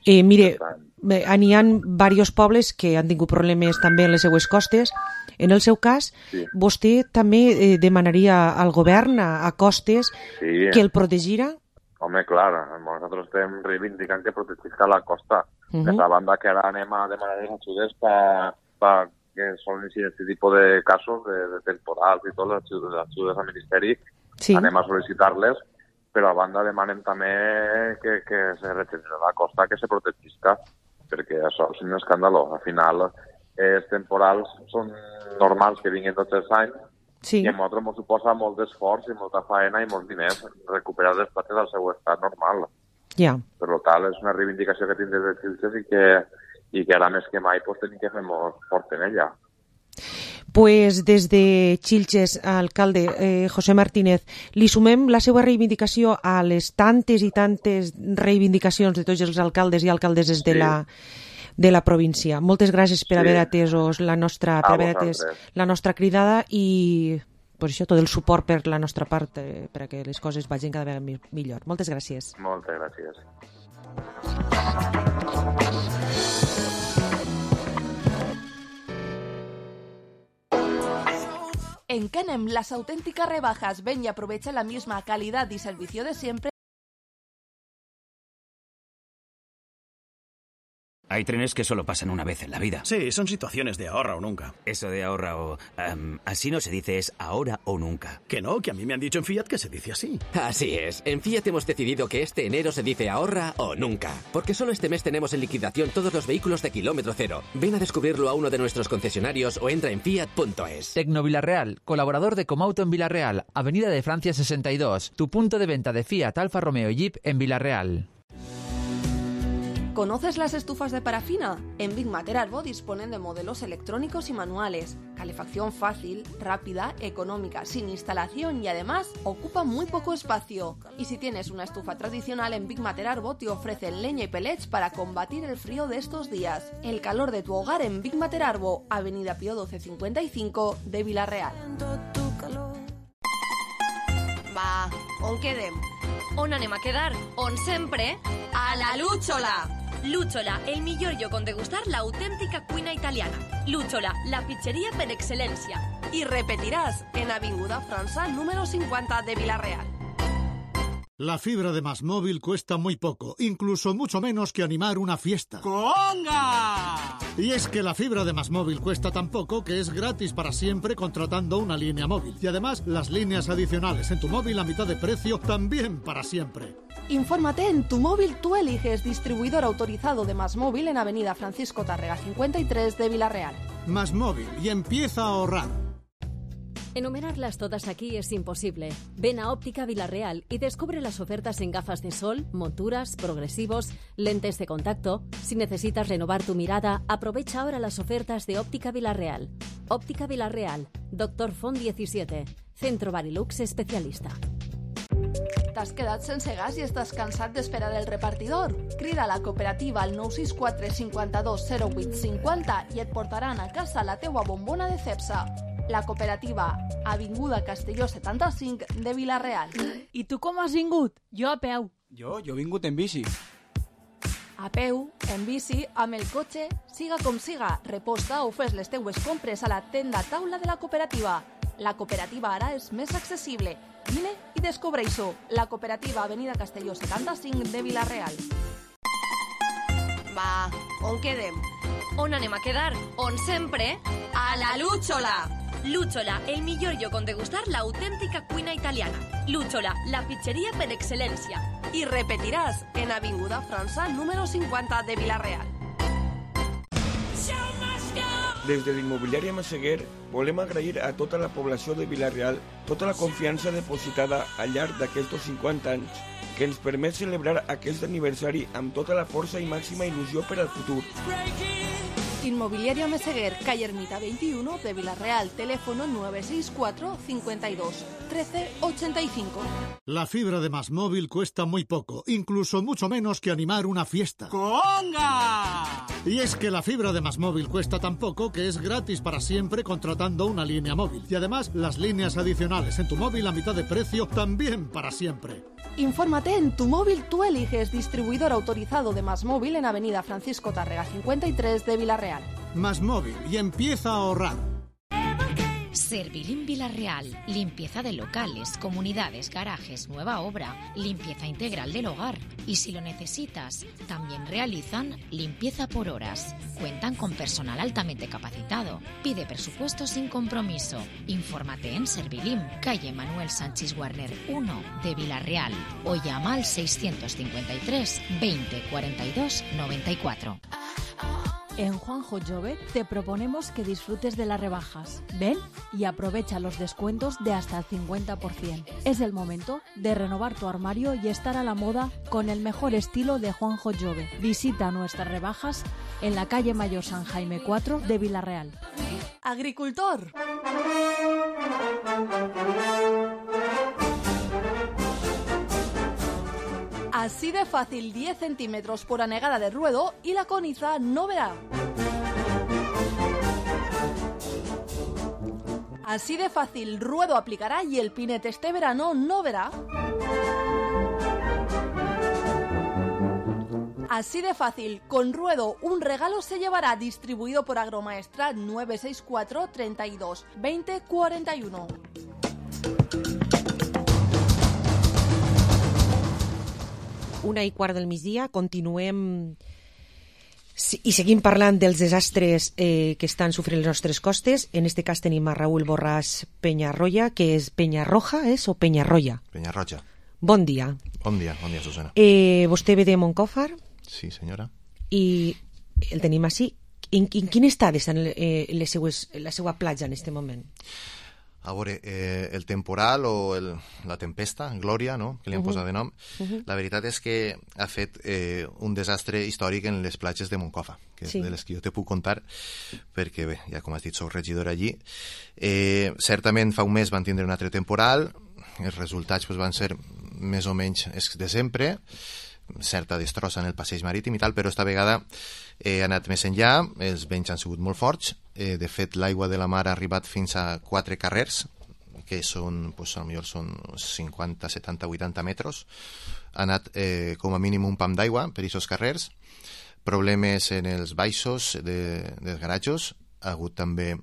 eh, mire, n'hi ha diversos pobles que han tingut problemes també en les seues costes. En el seu cas, sí. vostè també eh, demanaria al govern a, a costes sí. que el protegirà? Home, clar, nosaltres estem reivindicant que protegisca la costa. Uh -huh. D'altra banda, que ara anem a demanar les ajudes per pa que solen ser aquest tipus de casos de, de temporals i tot, les ajudes, les ajudes al Ministeri, sí. anem a sol·licitar-les, però a banda demanem també que, que se regenera la costa, que se protegisca, perquè això és un escàndalo. Al final, els temporals són normals que vinguin tots els anys, sí. i a nosaltres ens suposa molt d'esforç i molta feina i molts diners recuperar les platges al seu estat normal. Ja. Per tant, és una reivindicació que tinc des de Xilxes i que, i que ara més que mai pues, tenim que fer molt fort en ella. Pues des de Xilxes, alcalde eh, José Martínez, li sumem la seva reivindicació a les tantes i tantes reivindicacions de tots els alcaldes i alcaldeses de, sí. la, de la província. Moltes gràcies per sí. haver atesos la nostra, per haver atès la nostra cridada i pues això, tot el suport per la nostra part eh, per a que les coses vagin cada vegada millor. Moltes gràcies. Moltes gràcies. En Kenem, las auténticas rebajas. Ven y aprovecha la misma calidad y servicio de siempre Hay trenes que solo pasan una vez en la vida. Sí, son situaciones de ahorra o nunca. Eso de ahorra o... Um, así no se dice, es ahora o nunca. Que no, que a mí me han dicho en Fiat que se dice así. Así es. En Fiat hemos decidido que este enero se dice ahorra o nunca. Porque solo este mes tenemos en liquidación todos los vehículos de kilómetro cero. Ven a descubrirlo a uno de nuestros concesionarios o entra en fiat punto es. Tecno Villarreal, colaborador de Comauto en Villarreal, Avenida de Francia sesenta y dos. Tu punto de venta de Fiat, Alfa Romeo y Jeep en Villarreal. ¿Conoces las estufas de parafina? En Big Mater Arbo disponen de modelos electrónicos y manuales, calefacción fácil, rápida, económica, sin instalación y además ocupa muy poco espacio. Y si tienes una estufa tradicional, en Big Mater Arbo te ofrecen leña y pellets para combatir el frío de estos días. El calor de tu hogar en Big Mater Arbo, Avenida Pío doce cincuenta y cinco de Villarreal. Va, on quedem? On anem a quedar? On sempre? A la Lúchola! Lúchola, el millor lloc on degustar l'autèntica cuina italiana. Lúchola, la pizzeria per excel·lència. Y repetirás en Avinguda França número cincuenta de Villarreal. La fibra de Más Móvil cuesta muy poco, incluso mucho menos que animar una fiesta. ¡Conga! Y es que la fibra de Más Móvil cuesta tan poco que es gratis para siempre contratando una línea móvil. Y además, las líneas adicionales en tu móvil a mitad de precio también para siempre. Infórmate en Tu Móvil Tú Eliges, distribuidor autorizado de Más Móvil en Avenida Francisco Tárrega cincuenta y tres de Villarreal. Más Móvil, y empieza a ahorrar. Enumerarlas todas aquí es imposible. Ven a Óptica Villarreal y descubre las ofertas en gafas de sol, monturas, progresivos, lentes de contacto. Si necesitas renovar tu mirada, aprovecha ahora las ofertas de Óptica Villarreal. Óptica Villarreal, Doctor Font diecisiete, Centro Barilux especialista. T'has quedat sense gas i estàs cansat d'esperar el repartidor? Crida a la cooperativa al nou sis quatre cinquanta-dos zero vuit cinquanta i et portaran a casa la teua bombona de Cepsa. La cooperativa, Avinguda Castelló setanta-cinc de Villarreal. I tu com has vingut? Jo a peu. Jo, jo he vingut en bici. A peu, en bici, amb el cotxe, siga com siga, reposta o fes les teues compres a la tenda taula de la cooperativa. La cooperativa ara és més accessible. Vine i descobreix-ho. La cooperativa Avenida Castelló setanta-cinc de Villarreal. Va, on quedem? On anem a quedar? On sempre? A la Lúchola! Lúchola, el millor lloc on degustar l'autèntica cuina italiana. Lúchola, la pizzeria per excel·lència. Y repetirás en Avinguda França número cincuenta de Villarreal. Des de l'immobiliària Massaguer volem agrair a tota la població de Villarreal tota la confiança depositada al llarg d'aquests cinquanta anys que ens permet celebrar aquest aniversari amb tota la força i màxima il·lusió per al futur. Inmobiliaria Meseguer, calle Ermita veintiuno de Villarreal, teléfono nueve seis cuatro cincuenta y dos trece ochenta y cinco. La fibra de Más Móvil cuesta muy poco, incluso mucho menos que animar una fiesta. ¡Conga! Y es que la fibra de Más Móvil cuesta tan poco que es gratis para siempre contratando una línea móvil. Y además, las líneas adicionales en tu móvil a mitad de precio también para siempre. Infórmate en Tu Móvil Tú Eliges, distribuidor autorizado de Más Móvil en Avenida Francisco Tárrega cincuenta y tres de Villarreal. Más Móvil, y empieza a ahorrar. Servilín Villarreal, limpieza de locales, comunidades, garajes, nueva obra, limpieza integral del hogar. Y si lo necesitas, también realizan limpieza por horas. Cuentan con personal altamente capacitado. Pide presupuesto sin compromiso. Infórmate en Servilín, calle Manuel Sánchez Warner uno de Villarreal o llama al seiscientos cincuenta y tres veinte cuarenta y dos noventa y cuatro. En Juanjo Jove te proponemos que disfrutes de las rebajas. Ven y aprovecha los descuentos de hasta el cincuenta por ciento. Es el momento de renovar tu armario y estar a la moda con el mejor estilo de Juanjo Jove. Visita nuestras rebajas en la calle Mayor San Jaime cuatro de Villarreal. Agricultor. Así de fácil, diez centímetros por anegada de ruedo y la coniza no verá. Así de fácil, ruedo aplicará y el pinete este verano no verá. Así de fácil, con ruedo un regalo se llevará, distribuido por Agromaestra nueve seis cuatro treinta y dos veinte cuarenta y uno. Una i quart del migdia, continuem Sí, i seguim parlant dels desastres eh, que estan sofrint les nostres costes. En este cas tenim a Raúl Borràs Peñarroya, que és Peñarroja, és, o Peñarroya? Peñarroja. Bon dia. Bon dia, bon dia, Susana. Eh, vostè ve de Moncòfar? Sí, senyora. I el tenim així. En, en quin estat està eh, les seues, la seva platja en aquest moment? A veure, eh, el temporal o el, la tempesta, Glòria, no?, que li han uh -huh. posat de nom, uh -huh. la veritat és que ha fet eh, un desastre històric en les platges de Moncofa, que sí. és de les que jo te puc contar, perquè, bé, ja com has dit, soc regidor allí. Eh, certament fa un mes van tindre un altre temporal, els resultats pues, van ser més o menys els de sempre, certa destrossa en el passeig marítim i tal, però esta vegada eh, ha anat més enllà, els vents han sigut molt forts, eh, de fet l'aigua de la mar ha arribat fins a quatre carrers, que són, pues, potser són cinquanta, setanta, vuitanta metres, ha anat eh, com a mínim un pam d'aigua per aquests carrers, problemes en els baixos de, dels garatjos, ha hagut també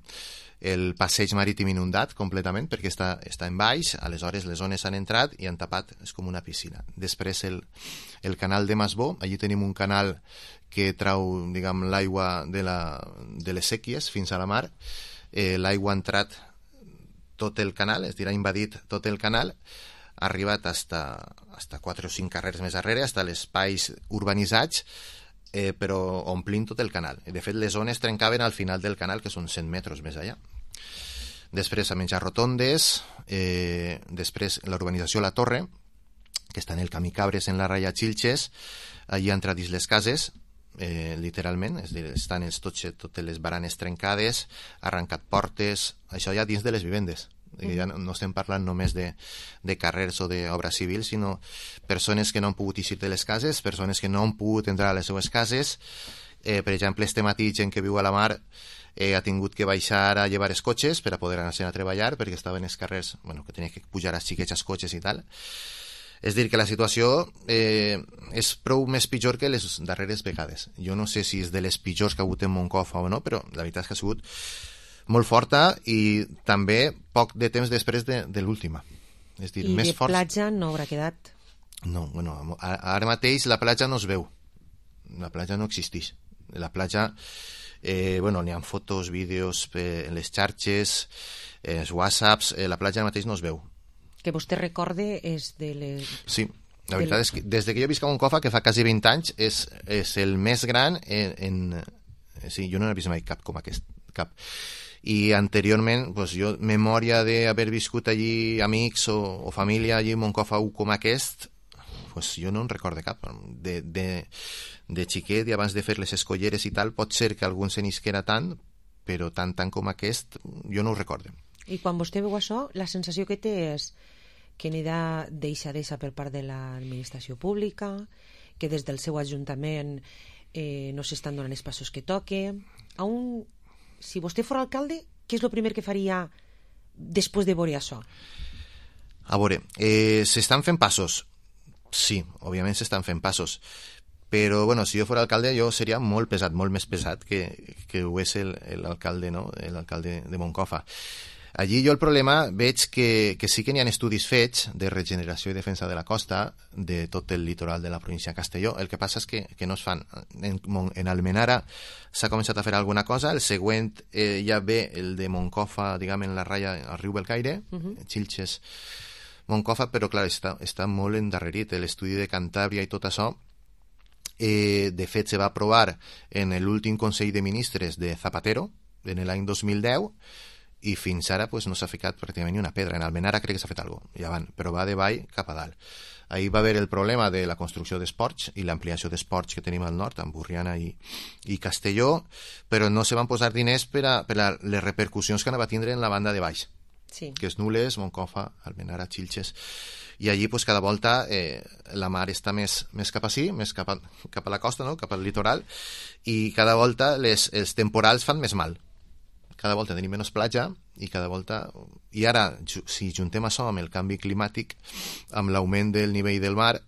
el passeig marítim inundat completament perquè està, està en baix, aleshores les ones han entrat i han tapat, és com una piscina. Després el, el canal de Masbó, allí tenim un canal que trau, diguem, l'aigua de, la, de les sèquies fins a la mar, eh, l'aigua ha entrat tot el canal, és a dir, ha invadit tot el canal, ha arribat hasta, hasta quatre o cinc carrers més darrere, hasta els espais urbanitzats, eh, però omplint tot el canal. De fet, les zones trencaven al final del canal, que són cent metres més allà. Després a menjar rotondes, eh, després la urbanització La Torre, que està en el camí Cabres en la ratlla Xilxes, allí ha entrat dins les cases, eh, literalment, és a dir, estan els, tots, totes les baranes trencades, ha arrencat portes, això ja dins de les vivendes. Mm. Ja no, no estem parlant només de, de carrers o d'obra civil, sinó persones que no han pogut eixir de les cases, persones que no han pogut entrar a les seues cases. Eh, per exemple, este matí gent que viu a la mar eh, ha tingut que baixar a llevar els cotxes per a poder anar a treballar, perquè estaven els carrers, bueno, que tenia que pujar els xiquets als cotxes i tal. És dir, que la situació eh, és prou més pitjor que les darreres vegades. Jo no sé si és de les pitjors que ha hagut en Moncofa o no, però la veritat és que ha sigut molt forta i també poc de temps després de, de l'última. És dir, I més de forts... platja no haurà quedat? No, bueno, ara mateix la platja no es veu. La platja no existeix. La platja, eh, bueno, n'hi ha fotos, vídeos eh, en les xarxes, eh, els whatsapps, eh, la platja ara mateix no es veu. Que vostè recorde és de les... Sí, la veritat de... és que des que jo visc a Moncofa, que fa quasi vint anys, és, és el més gran en... en... Sí, jo no n'he vist mai cap com aquest, cap. I anteriorment, pues, jo, memòria d'haver viscut allí amics o, o família allí a Moncofa com aquest, pues jo no en recorde cap. De, de, de xiquet i abans de fer les escolleres i tal, pot ser que algun se n'isquera tant, però tant tant com aquest, jo no ho recorde. I quan vostè veu això, la sensació que té és que n'hi ha deixadesa per part de l'administració pública, que des del seu ajuntament eh, no s'estan donant els passos que toque. A un... Si vostè fos alcalde, què és el primer que faria després de veure això? A veure, eh, s'estan fent passos. Sí, òbviament s'estan fent passos. Però, bueno, si jo fos alcalde, jo seria molt pesat, molt més pesat que, que ho és l'alcalde, no?, l'alcalde de Moncofa. Allí jo el problema veig que, que sí que n'hi ha estudis fets de regeneració i defensa de la costa de tot el litoral de la província de Castelló. El que passa és que, que no es fan. En, en Almenara s'ha començat a fer alguna cosa, el següent eh, ja ve el de Moncofa, diguem, en la ratlla al riu Belcaire, uh-huh. Xilxes, Moncofa, però clar, està, està molt endarrerit. L'estudi de Cantàbria i tot això, eh, de fet, se va aprovar en l'últim Consell de Ministres de Zapatero, en l'any dos mil deu, i fins ara pues, no s'ha ficat pràcticament ni una pedra. En Almenara crec que s'ha fet alguna cosa, ja van, però va de vall cap a dalt. Ahir va haver el problema de la construcció d'esports i l'ampliació d'esports que tenim al nord, amb Burriana i, i Castelló, però no se van posar diners per a, per a les repercussions que anava a tindre en la banda de baix, sí. Que és Nules, Moncofa, Almenara, Xilxes, i allí pues, cada volta eh, la mar està més, més cap així, més cap a, cap a la costa, no? Cap al litoral, i cada volta les, els temporals fan més mal. Cada volta tenim menys platja i cada volta... I ara, si juntem això amb el canvi climàtic, amb l'augment del nivell del mar,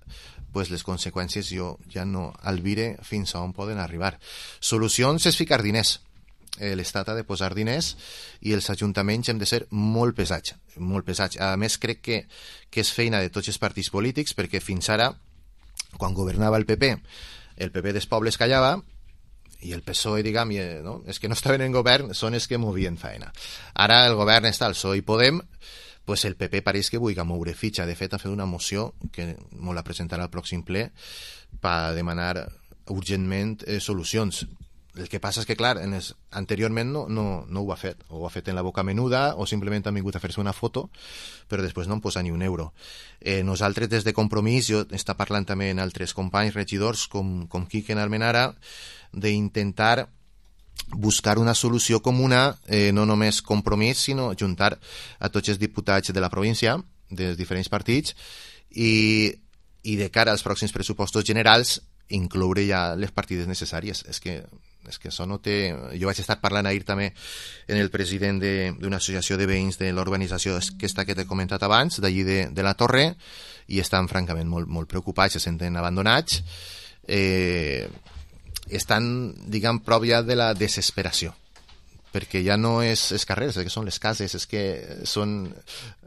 pues les conseqüències jo ja no albire fins a on poden arribar. Solucions és ficar diners. L'Estat ha de posar diners i els ajuntaments hem de ser molt pesats, molt pesats. A més, crec que, que és feina de tots els partits polítics, perquè fins ara, quan governava el P P, el P P dels pobles callava i el P S O E, diguem, i, no? És que no estaven en govern, són els que movien feina. Ara el govern està al P S O E i Podem, pues el P P pareix que vulgui moure fitxa. De fet, ha fet una moció que molt la presentarà al pròxim ple per demanar urgentment eh, solucions. El que passa és que, clar, en es, anteriorment no, no, no ho ha fet. O ho ha fet en la boca menuda o simplement han vingut a fer-se una foto, però després no en posa ni un euro. Eh, nosaltres, des de Compromís, jo està parlant també en altres companys regidors com, com Quique Almenara, d'intentar buscar una solució comuna, eh, no només Compromís, sinó juntar a tots els diputats de la província, dels diferents partits, i, i de cara als pròxims pressupostos generals incloure ja les partides necessàries. És que, és que això no té... Jo vaig estar parlant ahir també en el president d'una associació de veïns de l'organització aquesta que t'he comentat abans, d'allí de, de la Torre, i estan francament molt, molt preocupats, se senten abandonats, eh, estan, diguem, prop ja de la desesperació, perquè ja no és els carrers, és que són les cases, és que són...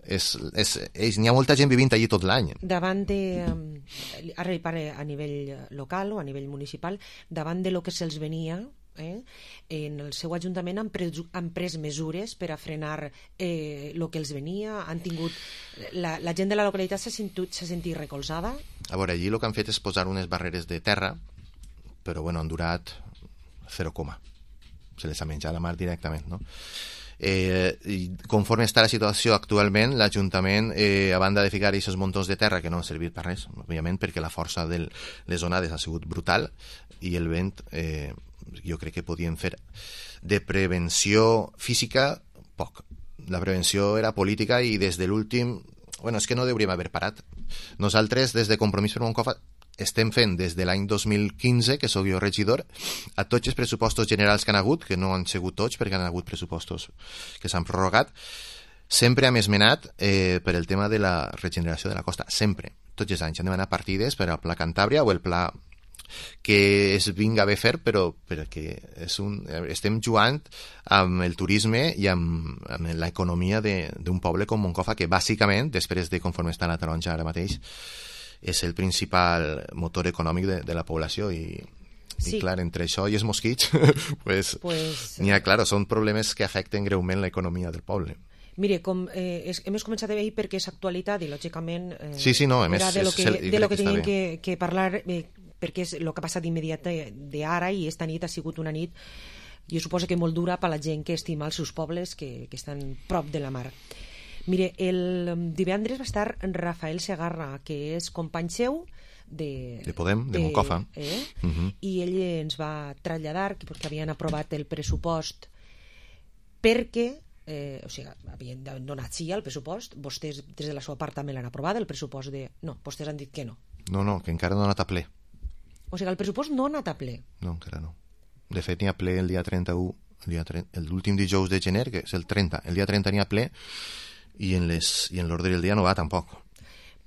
És, és, és, n'hi ha molta gent vivint allí tot l'any. Davant de... Ara hi parle a nivell local o a nivell municipal, davant de lo que se'ls venia, eh, en el seu ajuntament han pres, han pres mesures per a frenar eh, lo que els venia, han tingut... La, la gent de la localitat s'ha sentit, s'ha sentit recolzada? A veure, allí el que han fet és posar unes barreres de terra, però bueno, han durat zero coma. Se les ha menjat la mar directament, no? Eh, i conforme està la situació actualment, l'Ajuntament, eh, a banda de ficar aquests muntons de terra que no han servit per res, òbviament, perquè la força de les onades ha sigut brutal i el vent, eh, jo crec que podien fer de prevenció física poc. La prevenció era política i des de l'últim... Bueno, és que no hauríem haver parat. Nosaltres, des de Compromís per Moncofa, estem fent des de l'any dos mil quinze, que sóc jo regidor, a tots els pressupostos generals que han hagut, que no han sigut tots perquè han hagut pressupostos que s'han prorrogat, sempre hem esmenat eh, per el tema de la regeneració de la costa, sempre, tots els anys han demanat partides per al Pla Cantàbria o el pla que es vinga bé fer, però perquè és un, estem jugant amb el turisme i amb, amb l'economia d'un poble com Moncofa, que bàsicament, després de conforme està la taronja ara mateix, és el principal motor econòmic de, de la població i, sí. I clar, entre això i els mosquits pues, pues... n'hi ha, clar, són problemes que afecten greument l'economia del poble. Mire, com eh, és, hem començat a veure perquè és actualitat i lògicament eh, sí, sí, no, era més, de lo que, és, de lo que teníem que, que parlar eh, perquè és el que ha passat immediat d'ara i esta nit ha sigut una nit, jo suposo que molt dura per la gent que estima els seus pobles que, que estan prop de la mar. Mire, el divendres va estar Rafael Segarra, que és company seu de... De Podem, de, de Moncofa. Eh? Uh -huh. I ell ens va traslladar que perquè havien aprovat el pressupost perquè, eh, o sigui, havien donat sí al pressupost, vostès des de la seva part també l'han aprovat, el pressupost de... No, vostès han dit que no. No, no, que encara no ha anat a ple. O sigui, el pressupost no ha anat a ple. No, encara no. De fet, n'hi ha ple el dia trenta-u, l'últim dijous de gener, que és el trenta. El dia trenta n'hi ha ple i en les i en l'ordre del dia no va tampoc.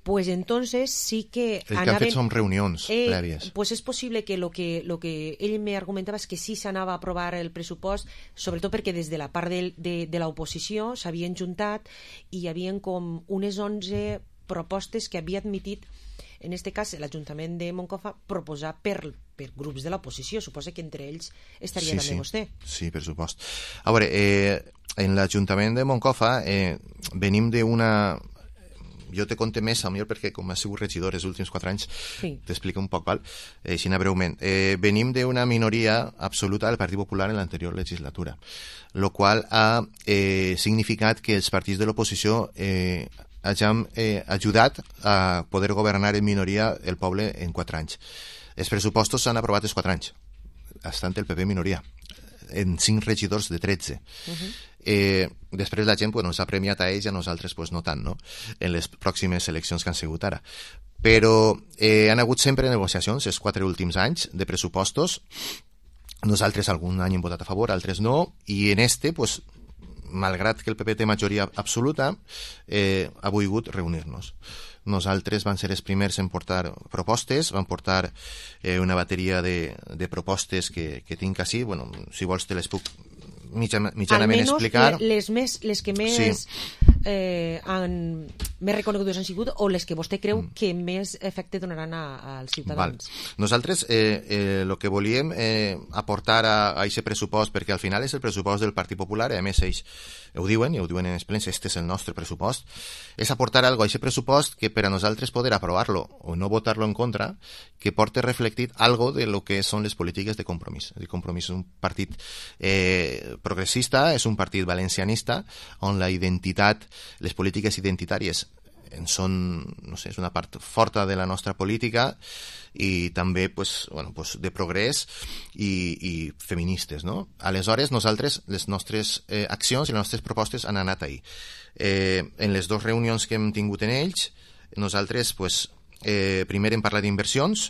Pues entonces sí que... El que anaven, han fet són reunions eh, prèvies. Pues és possible que lo que, lo que ell me argumentava és que sí s'anava a aprovar el pressupost, sobretot perquè des de la part de, de, de l'oposició s'havien juntat i hi havien com unes onze propostes que havia admitit, en este cas l'Ajuntament de Moncofa, proposar per, per grups de l'oposició. Suposa que entre ells estaria sí, també sí. vostè. Sí, per supost. A veure, eh, en l'Ajuntament de Moncofa eh, venim d'una... Jo te conté més, millor perquè com has sigut regidor els últims quatre anys, sí. T'explico un poc, val? Eh, així breument. Eh, venim d'una minoria absoluta del Partit Popular en l'anterior legislatura, lo qual ha eh, significat que els partits de l'oposició eh, hagin eh, ajudat a poder governar en minoria el poble en quatre anys. Els pressupostos s'han aprovat els quatre anys, estant el P P minoria, en cinc regidors de tretze. Uh-huh. Eh, després la gent bueno, s'ha premiat a ells i a nosaltres pues, no tant, no? En les pròximes eleccions que han sigut ara. Però eh, han hagut sempre negociacions els quatre últims anys de pressupostos. Nosaltres algun any hem votat a favor, altres no, i en este, pues, malgrat que el P P té majoria absoluta, eh, ha volgut reunir-nos. Nosaltres van ser els primers en portar propostes, van portar eh, una bateria de, de propostes que, que tinc així, bueno, si vols te les puc mitja, mitjanament explicar. Les, més, les que més, sí. eh, han, més reconegudes han sigut o les que vostè creu mm. que més efecte donaran a, als ciutadans? Val. Nosaltres eh, eh, lo que volíem eh, aportar a aquest pressupost, perquè al final és el pressupost del Partit Popular, i a més ells ho diuen, i ho diuen en els plens, este és el nostre pressupost, és aportar algo a aquest pressupost que per a nosaltres poder aprovar-lo o no votar-lo en contra, que porte reflectit algo de lo que són les polítiques de Compromís. El Compromís és un partit eh, progressista, és un partit valencianista, on la identitat, les polítiques identitàries en són, no sé, és una part forta de la nostra política i també pues, bueno, pues de progrés i, i feministes, no? Aleshores, nosaltres, les nostres eh, accions i les nostres propostes han anat ahí. Eh, en les dues reunions que hem tingut en ells, nosaltres, pues, eh, primer hem parlat d'inversions,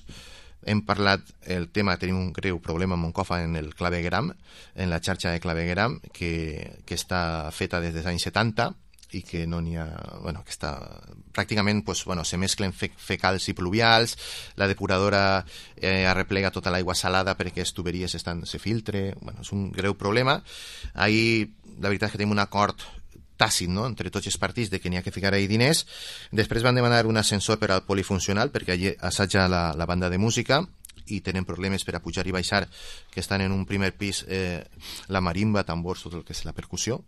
hem parlat el tema, tenim un greu problema a Moncofa en el clavegueram, en la xarxa de clavegueram, que, que està feta des dels anys setanta, i que no n'hi ha, bueno, que està pràcticament, pues, bueno, se mesclen fe, fecals i pluvials, la depuradora eh, arreplega tota l'aigua salada perquè les tuberies estan, se filtre, bueno, és un greu problema. Ahí, la veritat és que tenim un acord tàcit, no?, entre tots els partits de que n'hi ha que ficar ahí diners. Després van demanar un ascensor per al polifuncional perquè allí assaja la, la banda de música i tenen problemes per a pujar i baixar, que estan en un primer pis eh, la marimba, tambors, tot el que és la percussió,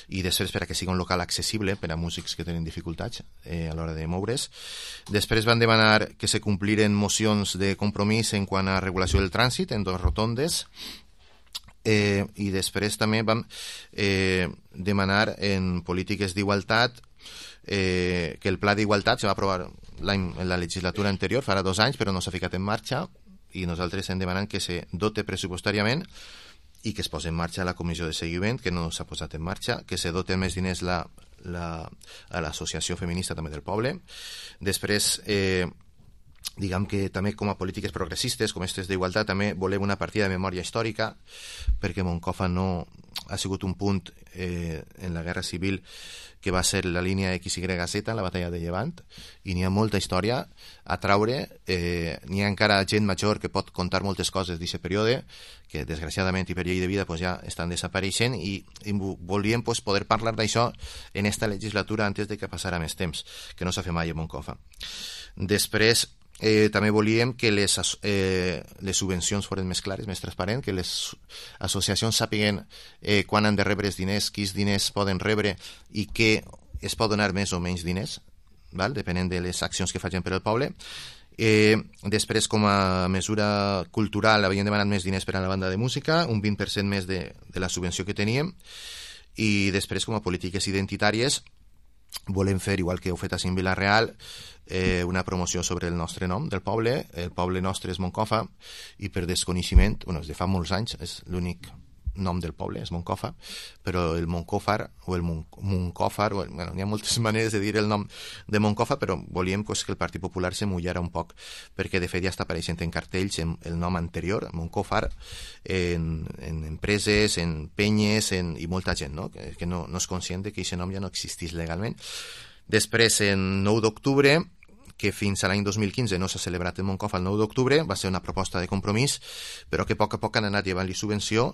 i després per a que sigui un local accessible per a músics que tenen dificultats eh, a l'hora de moure's. Després van demanar que se compliren mocions de compromís en quant a regulació del trànsit en dos rotondes, eh, i després també vam eh, demanar en polítiques d'igualtat eh, que el pla d'igualtat se va aprovar l'any, en la legislatura anterior, farà dos anys, però no s'ha ficat en marxa, i nosaltres estem demanant que se dote pressupostàriament i que es posi en marxa la comissió de seguiment, que no s'ha posat en marxa, que se dote més diners la, la, a l'associació feminista també del poble. Després, eh, diguem que també com a polítiques progressistes, com aquestes d'igualtat, també volem una partida de memòria històrica, perquè Moncofa no ha sigut un punt eh, en la Guerra Civil que va ser la línia X Y Z, la batalla de Llevant, i n'hi ha molta història a traure, eh, n'hi ha encara gent major que pot contar moltes coses d'aquest període, que desgraciadament i per llei de vida pues, ja estan desapareixent, i, i volíem pues, poder parlar d'això en esta legislatura antes de que passara més temps, que no s'ha fet mai a Moncofa. Després, Eh, també volíem que les, eh, les subvencions foren més clares, més transparents, que les associacions sàpiguen eh, quan han de rebre els diners, quins diners poden rebre i que es pot donar més o menys diners, val? Depenent de les accions que facin per al poble. Eh, després, com a mesura cultural, havíem demanat més diners per a la banda de música, un vint per cent més de, de la subvenció que teníem, i després, com a polítiques identitàries, volem fer, igual que heu fet a Cint Vila-real, eh, una promoció sobre el nostre nom del poble. El poble nostre és Moncofa, i per desconeixement, bueno, des de fa molts anys, és l'únic nom del poble, és Moncofa, però el Moncòfar, o el Mon Moncòfar, o, bueno, hi ha moltes maneres de dir el nom de Moncofa, però volíem pues, que el Partit Popular se mullara un poc, perquè de fet ja està apareixent en cartells en el nom anterior, Moncòfar, en, en empreses, en penyes, en, i molta gent, no? que, que no, no és conscient de que aquest nom ja no existís legalment. Després, en nou d'octubre, que fins a l'any dos mil quinze no s'ha celebrat en Moncofa el nou d'octubre, va ser una proposta de compromís, però que a poc a poc han anat llevant-li subvenció,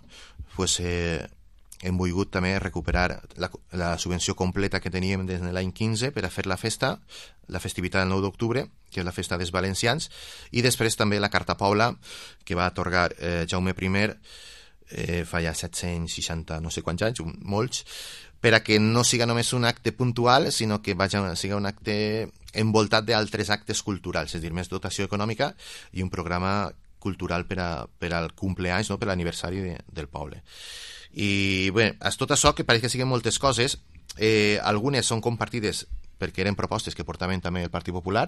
pues, eh, hem volgut també recuperar la, la subvenció completa que teníem des de l'any quinze per a fer la festa, la festivitat del nou d'octubre, que és la festa dels valencians, i després també la Carta Pobla, que va atorgar eh, Jaume primer, eh, fa ja set-cents seixanta no sé quants anys, molts, per a que no siga només un acte puntual, sinó que vaja, siga un acte envoltat d'altres actes culturals, és a dir, més dotació econòmica i un programa cultural per, a, per al cumpleaños, no? Per l'aniversari de, del poble. I bé, és tot això que pareix que siguen moltes coses, eh, algunes són compartides perquè eren propostes que portaven també el Partit Popular,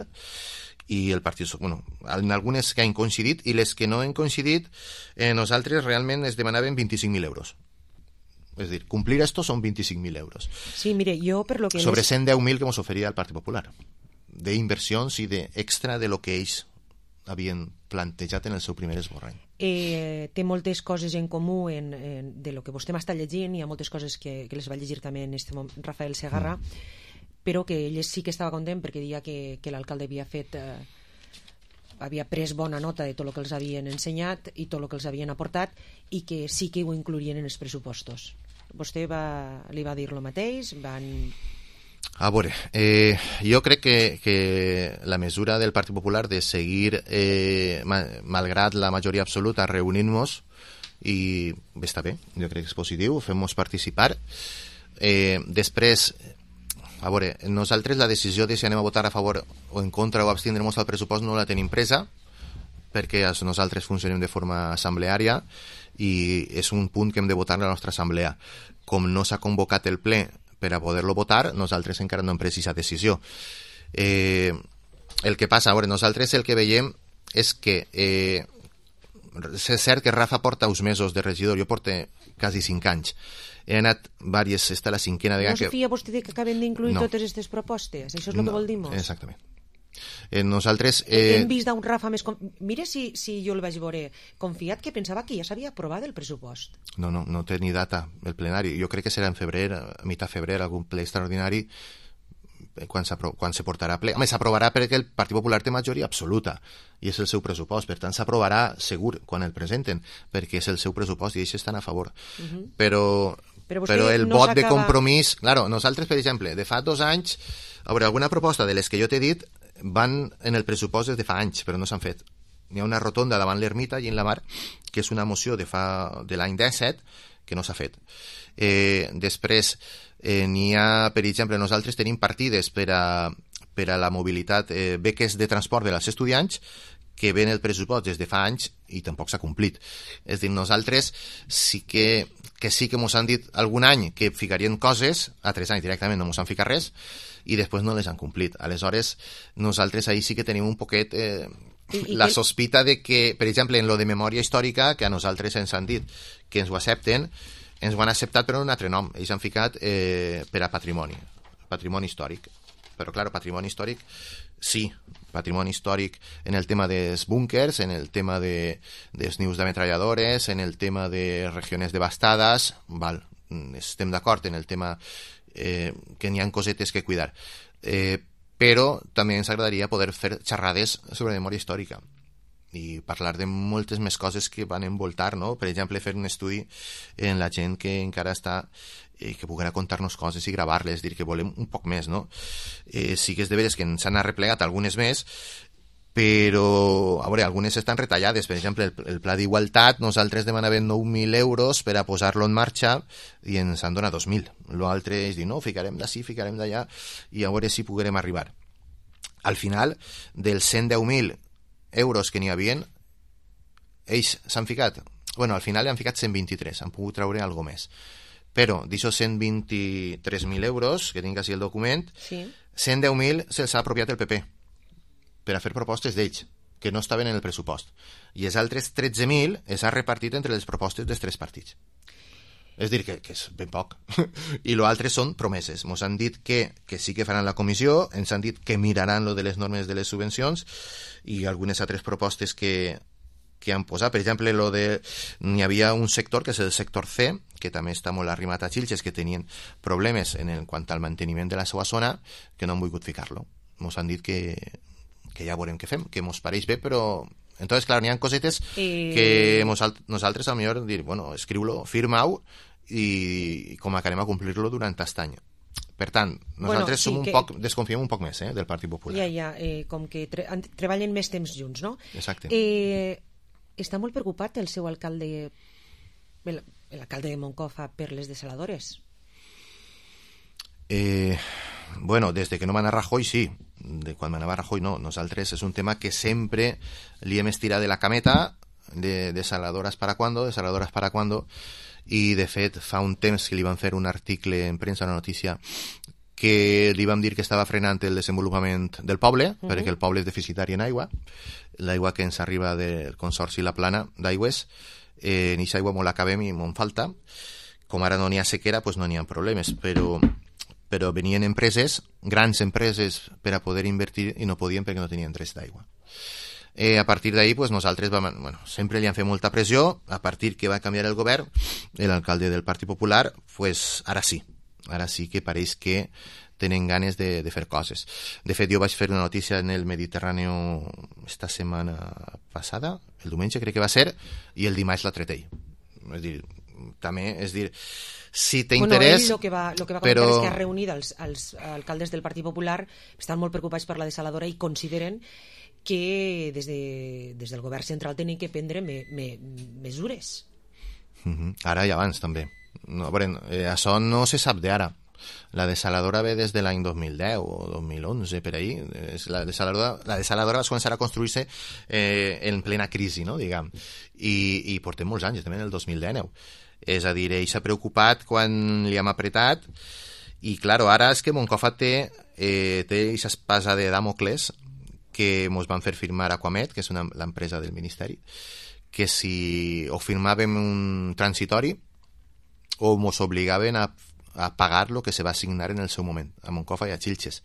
i el Partit, bueno, en algunes que han coincidit, i les que no han coincidit, eh, nosaltres realment es demanaven vint-i-cinc mil euros. És dir, complir esto són vint-i-cinc mil euros. Sí, mire, jo per lo que... Sobre cent deu mil que ens oferia el Partit Popular, d'inversions i d'extra de lo que ells havien plantejat en el seu primer esborrany. Eh, té moltes coses en comú en, en, de lo que vostè m'està llegint, hi ha moltes coses que, que les va llegir també en este moment Rafael Segarra, mm. però que ell sí que estava content perquè deia que, que l'alcalde havia fet... Eh, havia pres bona nota de tot el que els havien ensenyat i tot el que els havien aportat, i que sí que ho inclourien en els pressupostos. Vostè va, li va dir el mateix? Van... A veure, eh, jo crec que, que la mesura del Partit Popular de seguir, eh, ma, malgrat la majoria absoluta, reunint-nos, i bé, està bé, jo crec que és positiu, fem-nos participar. Eh, després, a veure, nosaltres la decisió de si anem a votar a favor o en contra o abstindre-nos al pressupost no la tenim presa, perquè nosaltres funcionem de forma assembleària i és un punt que hem de votar a la nostra assemblea. Com no s'ha convocat el ple per a poder-lo votar, nosaltres encara no hem pres aquesta decisió. Eh, el que passa, a veure, nosaltres el que veiem és que eh, és cert que Rafa porta uns mesos de regidor, jo porto quasi cinc anys. He anat diverses, esta la cinquena vegada... No es fia vostè que acaben d'incluir no. totes aquestes propostes? Això és el no, que vol dir-nos? Exactament. Eh, nosaltres... Eh... Hem vist d'un Rafa més... Com... Mira si, si jo el vaig veure confiat, que pensava que ja s'havia aprovat el pressupost. No, no, no té ni data el plenari. Jo crec que serà en febrer, a mitjà febrer, algun ple extraordinari, quan, quan se portarà a ple. Home, s'aprovarà perquè el Partit Popular té majoria absoluta i és el seu pressupost, per tant s'aprovarà segur quan el presenten, perquè és el seu pressupost i ells estan a favor. Uh-huh. Però... Però, però el no vot de compromís... Claro, nosaltres, per exemple, de fa dos anys, a veure, alguna proposta de les que jo t'he dit van en el pressupost des de fa anys, però no s'han fet. N'hi ha una rotonda davant l'ermita i en la mar, que és una moció de, fa, de l'any disset, que no s'ha fet. Eh, després, eh, n'hi ha, per exemple, nosaltres tenim partides per a, per a la mobilitat, eh, beques de transport dels estudiants, que ven el pressupost des de fa anys i tampoc s'ha complit. És a dir, nosaltres sí que, que sí que mos han dit algun any que ficarien coses, a tres anys directament no mos han ficat res, i després no les han complit. Aleshores, nosaltres ahí sí que tenim un poquet eh, I, i la que... sospita de que, per exemple, en lo de memòria històrica, que a nosaltres ens han dit que ens ho accepten, ens ho han acceptat però en un altre nom. Ells han ficat eh, per a patrimoni, patrimoni històric. Però, clar, patrimoni històric, sí, patrimoni històric en el tema dels búnkers, en el tema de, dels nius d'ametralladores, en el tema de regions devastades, val, estem d'acord en el tema eh, que n'hi ha cosetes que cuidar. Eh, però també ens agradaria poder fer xerrades sobre memòria històrica i parlar de moltes més coses que van envoltar, no? Per exemple, fer un estudi en la gent que encara està eh, que puguin contar-nos coses i gravar-les, dir que volem un poc més, no? Eh, sí que és de veres que ens han arreplegat algunes més, però, a veure, algunes estan retallades. Per exemple, el, el pla d'igualtat, nosaltres demanàvem nou mil euros per a posar-lo en marxa i ens han donat dos mil. L'altre és dir, no, ficarem d'ací, ficarem d'allà, i a veure si puguem arribar. Al final, dels cent deu mil euros que n'hi havien, ells s'han ficat, bueno, al final han ficat cent vint-i-tres, han pogut treure alguna més. Però d'aixòs cent vint-i-tres mil euros, que tinc així el document, sí. cent deu mil se'ls ha apropiat el P P per a fer propostes d'ells, que no estaven en el pressupost. I els altres tretze mil es ha repartit entre les propostes dels tres partits. És dir, que, que és ben poc. I l'altre són promeses. Ens han dit que, que sí que faran la comissió, ens han dit que miraran lo de les normes de les subvencions i algunes altres propostes que, que han posat. Per exemple, lo de, n'hi havia un sector, que és el sector C, que també està molt arrimat a Xilxes, que tenien problemes en el, quant al manteniment de la seva zona, que no han volgut ficar-lo. Ens han dit que, que ja veurem què fem, que ens pareix bé, però... Entonces, claro, n'hi ha cosetes eh... que nosaltres, a lo millor, dir, bueno, escriu-lo, firma-ho, i com acabarem a complir-lo durant aquest any. Per tant, nosaltres bueno, sí, som un que... poc, desconfiem un poc més eh, del Partit Popular. Ja, ja, eh, com que tre treballen més temps junts, no? Exacte. Eh, està molt preocupat el seu alcalde, l'alcalde de Moncofa, per les desaladores? Eh, bueno, des de que no va anar Rajoy, sí. De quan anava Rajoy, no. Nosaltres és un tema que sempre li hem estirat de la cameta, de desaladoras para cuando, desaladoras para cuando, i de fet fa un temps que li van fer un article en premsa, una notícia, que li vam dir que estava frenant el desenvolupament del poble, uh-huh. perquè el poble és deficitari en aigua, l'aigua que ens arriba del Consorci La Plana d'aigües, eh, en aquesta aigua molt acabem i molt falta, com ara no n'hi ha sequera, doncs no n'hi ha problemes, però, però venien empreses, grans empreses, per a poder invertir i no podien perquè no tenien drets d'aigua. Eh, a partir d'ahí, pues, nosaltres vam, bueno, sempre li han fet molta pressió. A partir que va canviar el govern, l'alcalde del Partit Popular, pues, ara sí, ara sí que pareix que tenen ganes de, de fer coses. De fet, jo vaig fer una notícia en el Mediterrani esta setmana passada, el diumenge crec que va ser, i el dimarts la tret ell. És dir, també, és dir, si t'interès... Bueno, ell el que va, lo que va però... comentar és que ha reunit els, els alcaldes del Partit Popular, estan molt preocupats per la desaladora i consideren que des, de, des del govern central tenen que prendre me, me, mesures. Uh-huh. Ara i abans, també. No, veure, eh, això no se sap d'ara. La desaladora ve des de l'any dos mil deu o dos mil onze, per ahí. La desaladora, la desaladora va començar a construir-se eh, en plena crisi, no, diguem. I, i portem molts anys, també en el dos mil dinou. És a dir, ell s'ha preocupat quan li hem apretat i, clar, ara és que Moncofa té eh, té aquesta espasa de Damocles que ens van fer firmar Aquamet, que és una, l'empresa del Ministeri, que si o firmàvem un transitori o ens obligaven a a pagar lo que se va assignar en el seu moment a Moncofa i a Xilxes,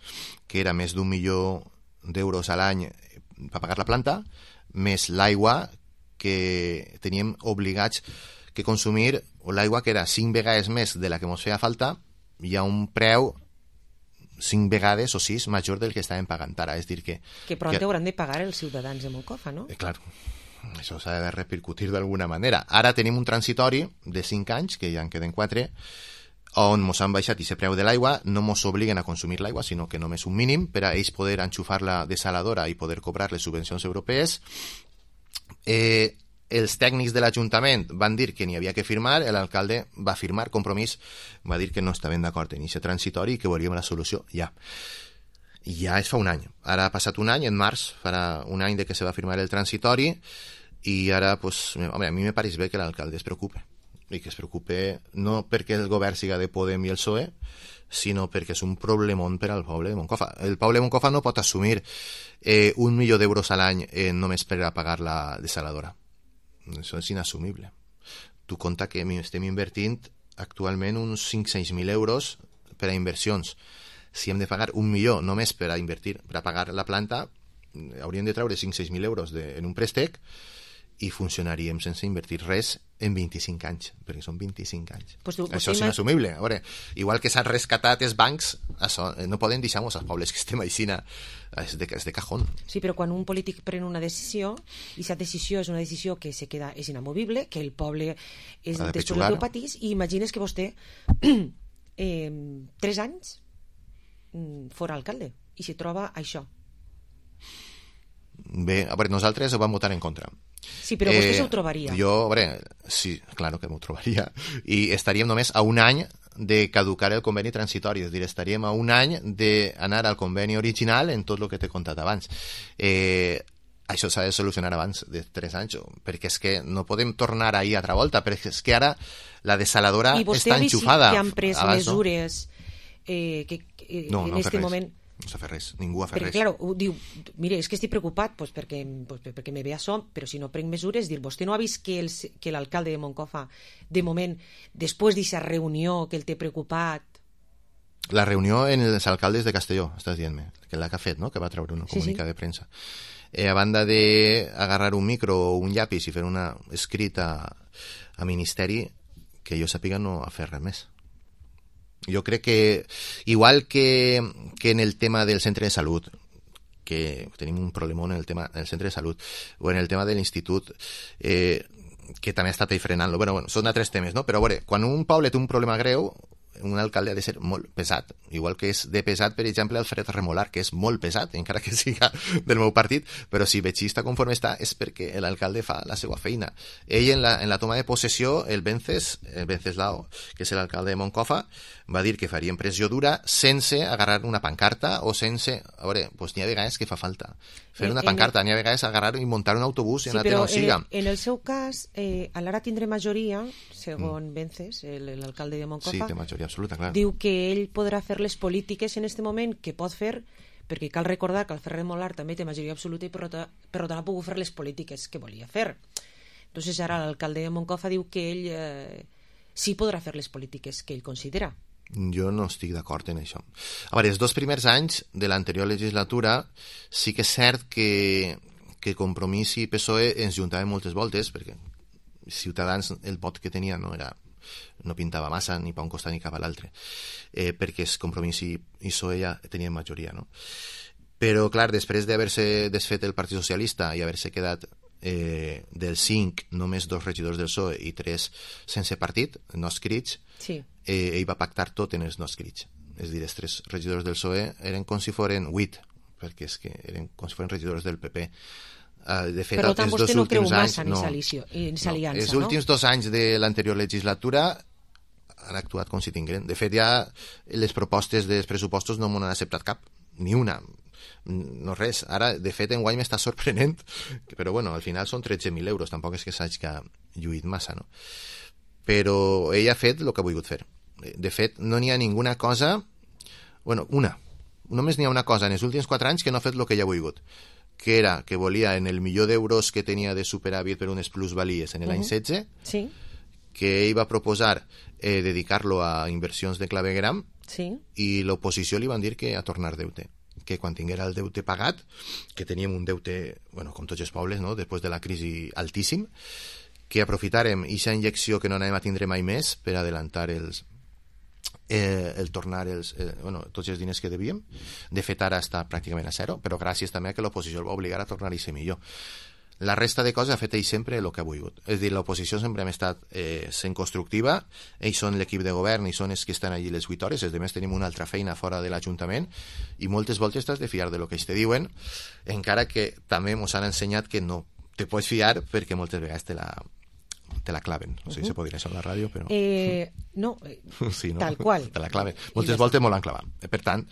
que era més d'un milió d'euros a l'any per pagar la planta, més l'aigua que teníem obligats que consumir, o l'aigua que era cinc vegades més de la que ens feia falta i a un preu cinc vegades o sis major del que estàvem pagant ara. És dir que... Que pront que... hauran de pagar els ciutadans de Moncofa, no? Eh, clar, això s'ha de repercutir d'alguna manera. Ara tenim un transitori de cinc anys, que ja en queden quatre, on ens han baixat aquest preu de l'aigua, no ens obliguen a consumir l'aigua, sinó que només un mínim per a ells poder enxufar la desaladora i poder cobrar les subvencions europees. Eh, els tècnics de l'Ajuntament van dir que n'hi havia que firmar, l'alcalde va firmar compromís, va dir que no estaven d'acord en aquest transitori i que volíem la solució ja. Ja es fa un any. Ara ha passat un any, en març, farà un any de que se va firmar el transitori i ara, pues, home, a mi me pareix bé que l'alcalde es preocupe. I que es preocupe no perquè el govern siga de Podem i el P S O E, sinó perquè és un problemón per al poble de Moncofa. El poble de Moncofa no pot assumir eh, un milió d'euros a l'any eh, només per a pagar la desaladora. Això és inassumible. Tu compta que estem invertint actualment uns cinc-sis mil euros per a inversions. Si hem de pagar un milió només per a invertir, per a pagar la planta, hauríem de treure cinc-sis mil euros de, en un préstec i funcionaríem sense invertir res en vint-i-cinc anys, perquè són vint-i-cinc anys. Pues tu, això és inassumible. A veure, igual que s'han rescatat els bancs, això, no poden deixar-nos als pobles que estem així, és de, és de cajón. Sí, però quan un polític pren una decisió, i aquesta decisió és una decisió que se queda, és inamovible, que el poble és de després el teu patís, i imagines que vostè eh, tres anys fora alcalde, i se troba això. Bé, a veure, nosaltres ho vam votar en contra. Sí, però vostè eh, s'ho trobaria. Jo, a veure, sí, claro que m'ho trobaria. I estaríem només a un any de caducar el conveni transitori, és a dir, estaríem a un any d'anar al conveni original en tot el que t'he contat abans. Eh, això s'ha de solucionar abans de tres anys, perquè és que no podem tornar ahir a altra volta, perquè és que ara la desaladora està enxufada. I vostè ha vist que han pres abans, mesures eh, que, que no, en no este moment... No s'ha fet res, ningú ha fet perquè, res. Perquè, clar, diu, mire, és que estic preocupat pues, perquè, pues, perquè me ve això, però si no prenc mesures, dir, vostè no ha vist que, el, que l'alcalde de Moncofa, de moment, després d'aquesta reunió que el té preocupat... La reunió en els alcaldes de Castelló, estàs dient-me, que l'ha que ha fet, no?, que va treure un sí, comunicat sí. de premsa. Eh, a banda d'agarrar un micro o un llapis i fer una escrita a Ministeri, que jo sàpiga no ha fet res més. Jo crec que, igual que, que en el tema del centre de salut, que tenim un problemón en el tema del centre de salut, o en el tema de l'institut, eh, que també ha estat ahí frenant-lo. Bueno, bueno, són altres temes, no? Però, a veure, quan un poble té un problema greu, un alcalde ha de ser molt pesat, igual que és de pesat, per exemple, Alfred Remolar, que és molt pesat, encara que siga del meu partit, però si Betxista conforme està és perquè l'alcalde fa la seva feina. Ell, en la, en la toma de possessió, el Vences, el Venceslao, que és l'alcalde de Moncofa, va dir que farien pressió dura sense agarrar una pancarta o sense... A veure, doncs n'hi ha vegades que fa falta fer una pancarta, n'hi ha vegades agarrar i muntar un autobús i sí, anar a on siga. En el seu cas, eh, a l'ara tindré majoria, segons mm. Vences, l'alcalde de Moncofa, sí, té majoria absoluta, clar. Diu que ell podrà fer les polítiques en aquest moment que pot fer, perquè cal recordar que el Ferrer Molar també té majoria absoluta i per tant ha pogut fer les polítiques que volia fer. Entonces ara l'alcalde de Moncofa diu que ell eh, sí podrà fer les polítiques que ell considera. Jo no estic d'acord en això. A veure, els dos primers anys de l'anterior legislatura sí que és cert que, que Compromís i P S O E ens juntaven moltes voltes, perquè Ciutadans el vot que tenia no era no pintava massa ni per un costat ni cap a l'altre, eh, perquè es Compromís i, i P S O E ja tenien majoria, no? Però, clar, després d'haver-se desfet el Partit Socialista i haver-se quedat eh, del cinc, només dos regidors del P S O E i tres sense partit, no escrits, sí. eh, ell va pactar tot en els no escrits. És a dir, els tres regidors del P S O E eren com si foren vuit, perquè és que eren com si foren regidors del P P. Uh, de fet, per tant, vostè no creu massa en no, aquesta aliança, no? Els no? últims dos anys de l'anterior legislatura han actuat com si tingueren. De fet, ja les propostes dels pressupostos no m'ho han acceptat cap, ni una. No res. Ara, de fet, enguany m'està sorprenent, però bueno, al final són tretze mil euros, tampoc és que s'hagi lluït massa, no? Però ell ha fet el que ha volgut fer. De fet, no n'hi ha ninguna cosa... Bueno, una. Només n'hi ha una cosa en els últims quatre anys que no ha fet el que ell ha volgut, que era que volia, en el milió d'euros que tenia de superàvit per unes plusvalies en l'any uh -huh. setze, sí. que ell va proposar eh, dedicar-lo a inversions de clavegueram, sí. i l'oposició li van dir que a tornar deute, que quan tinguera el deute pagat, que teníem un deute, bueno, com tots els pobles, no?, després de la crisi altíssim, que aprofitàrem aquesta injecció que no anem a tindre mai més per adelantar els Eh, el tornar els, eh, bueno, tots els diners que devíem. De fet, ara està pràcticament a zero, però gràcies també a que l'oposició el va obligar a tornar a ser millor. La resta de coses ha fet ell sempre el que ha volgut. És a dir, l'oposició sempre hem estat eh, sent constructiva, ells són l'equip de govern i són els que estan allí les vuit hores, els demés tenim una altra feina fora de l'Ajuntament, i moltes voltes t'has de fiar de lo que ells te diuen, encara que també ens han ensenyat que no te pots fiar perquè moltes vegades te la te la claven, no sé si uh -huh. se podria això a la ràdio, però... Eh, no, sí, no, tal qual. Te la claven. Moltes voltes molt l'han clavat. Per tant,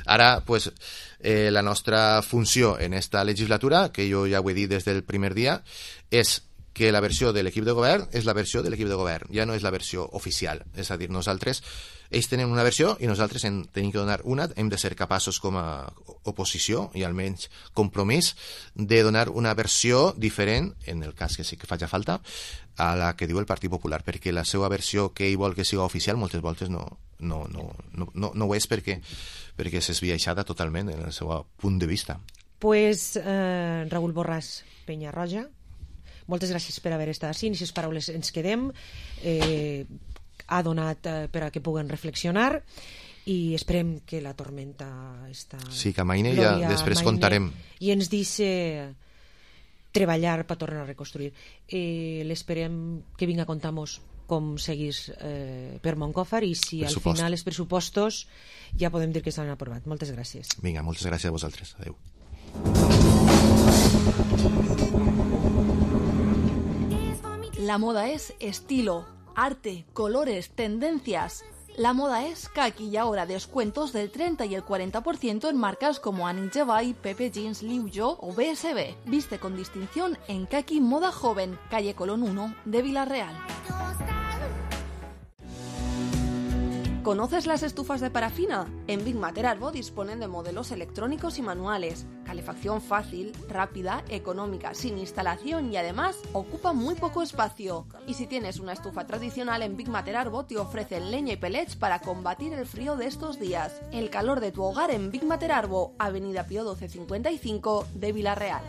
ara, pues, eh, la nostra funció en esta legislatura, que jo ja ho he dit des del primer dia, és que la versió de l'equip de govern és la versió de l'equip de govern, ja no és la versió oficial. És a dir, nosaltres, ells tenen una versió i nosaltres en tenim que donar una, hem de ser capaços com a oposició i almenys compromís de donar una versió diferent, en el cas que sí que faci falta, a la que diu el Partit Popular, perquè la seva versió que ell vol que siga oficial moltes voltes no, no, no, no, no, no ho és perquè, perquè s'és viatjada totalment en el seu punt de vista. Pues, eh, Raül Borràs Penyarroja, moltes gràcies per haver estat així, i aquestes paraules ens quedem. Eh, ha donat eh, per a que puguen reflexionar i esperem que la tormenta està... Sí, que amaine i ja després amaine, contarem. I ens deixe treballar per tornar a reconstruir. Eh, l'esperem que vinga a contar-nos com seguís eh, per Moncòfar i si al final els pressupostos ja podem dir que s'han aprovat. Moltes gràcies. Vinga, moltes gràcies a vosaltres. Adéu. La moda es estilo, arte, colores, tendencias. La moda es que aquí y ahora descuentos del treinta y el cuarenta por ciento en marcas como Annie Jevay, Pepe Jeans, Liu Yo o B S B. Viste con distinción en Kaki Moda Joven, calle Colón uno de Villarreal. ¿Conoces las estufas de parafina? En Big Mater Arbo disponen de modelos electrónicos y manuales, calefacción fácil, rápida, económica, sin instalación y además ocupa muy poco espacio. Y si tienes una estufa tradicional, en Big Mater Arbo te ofrecen leña y pellets para combatir el frío de estos días. El calor de tu hogar en Big Mater Arbo, Avenida Pío doce cincuenta y cinco de Villarreal.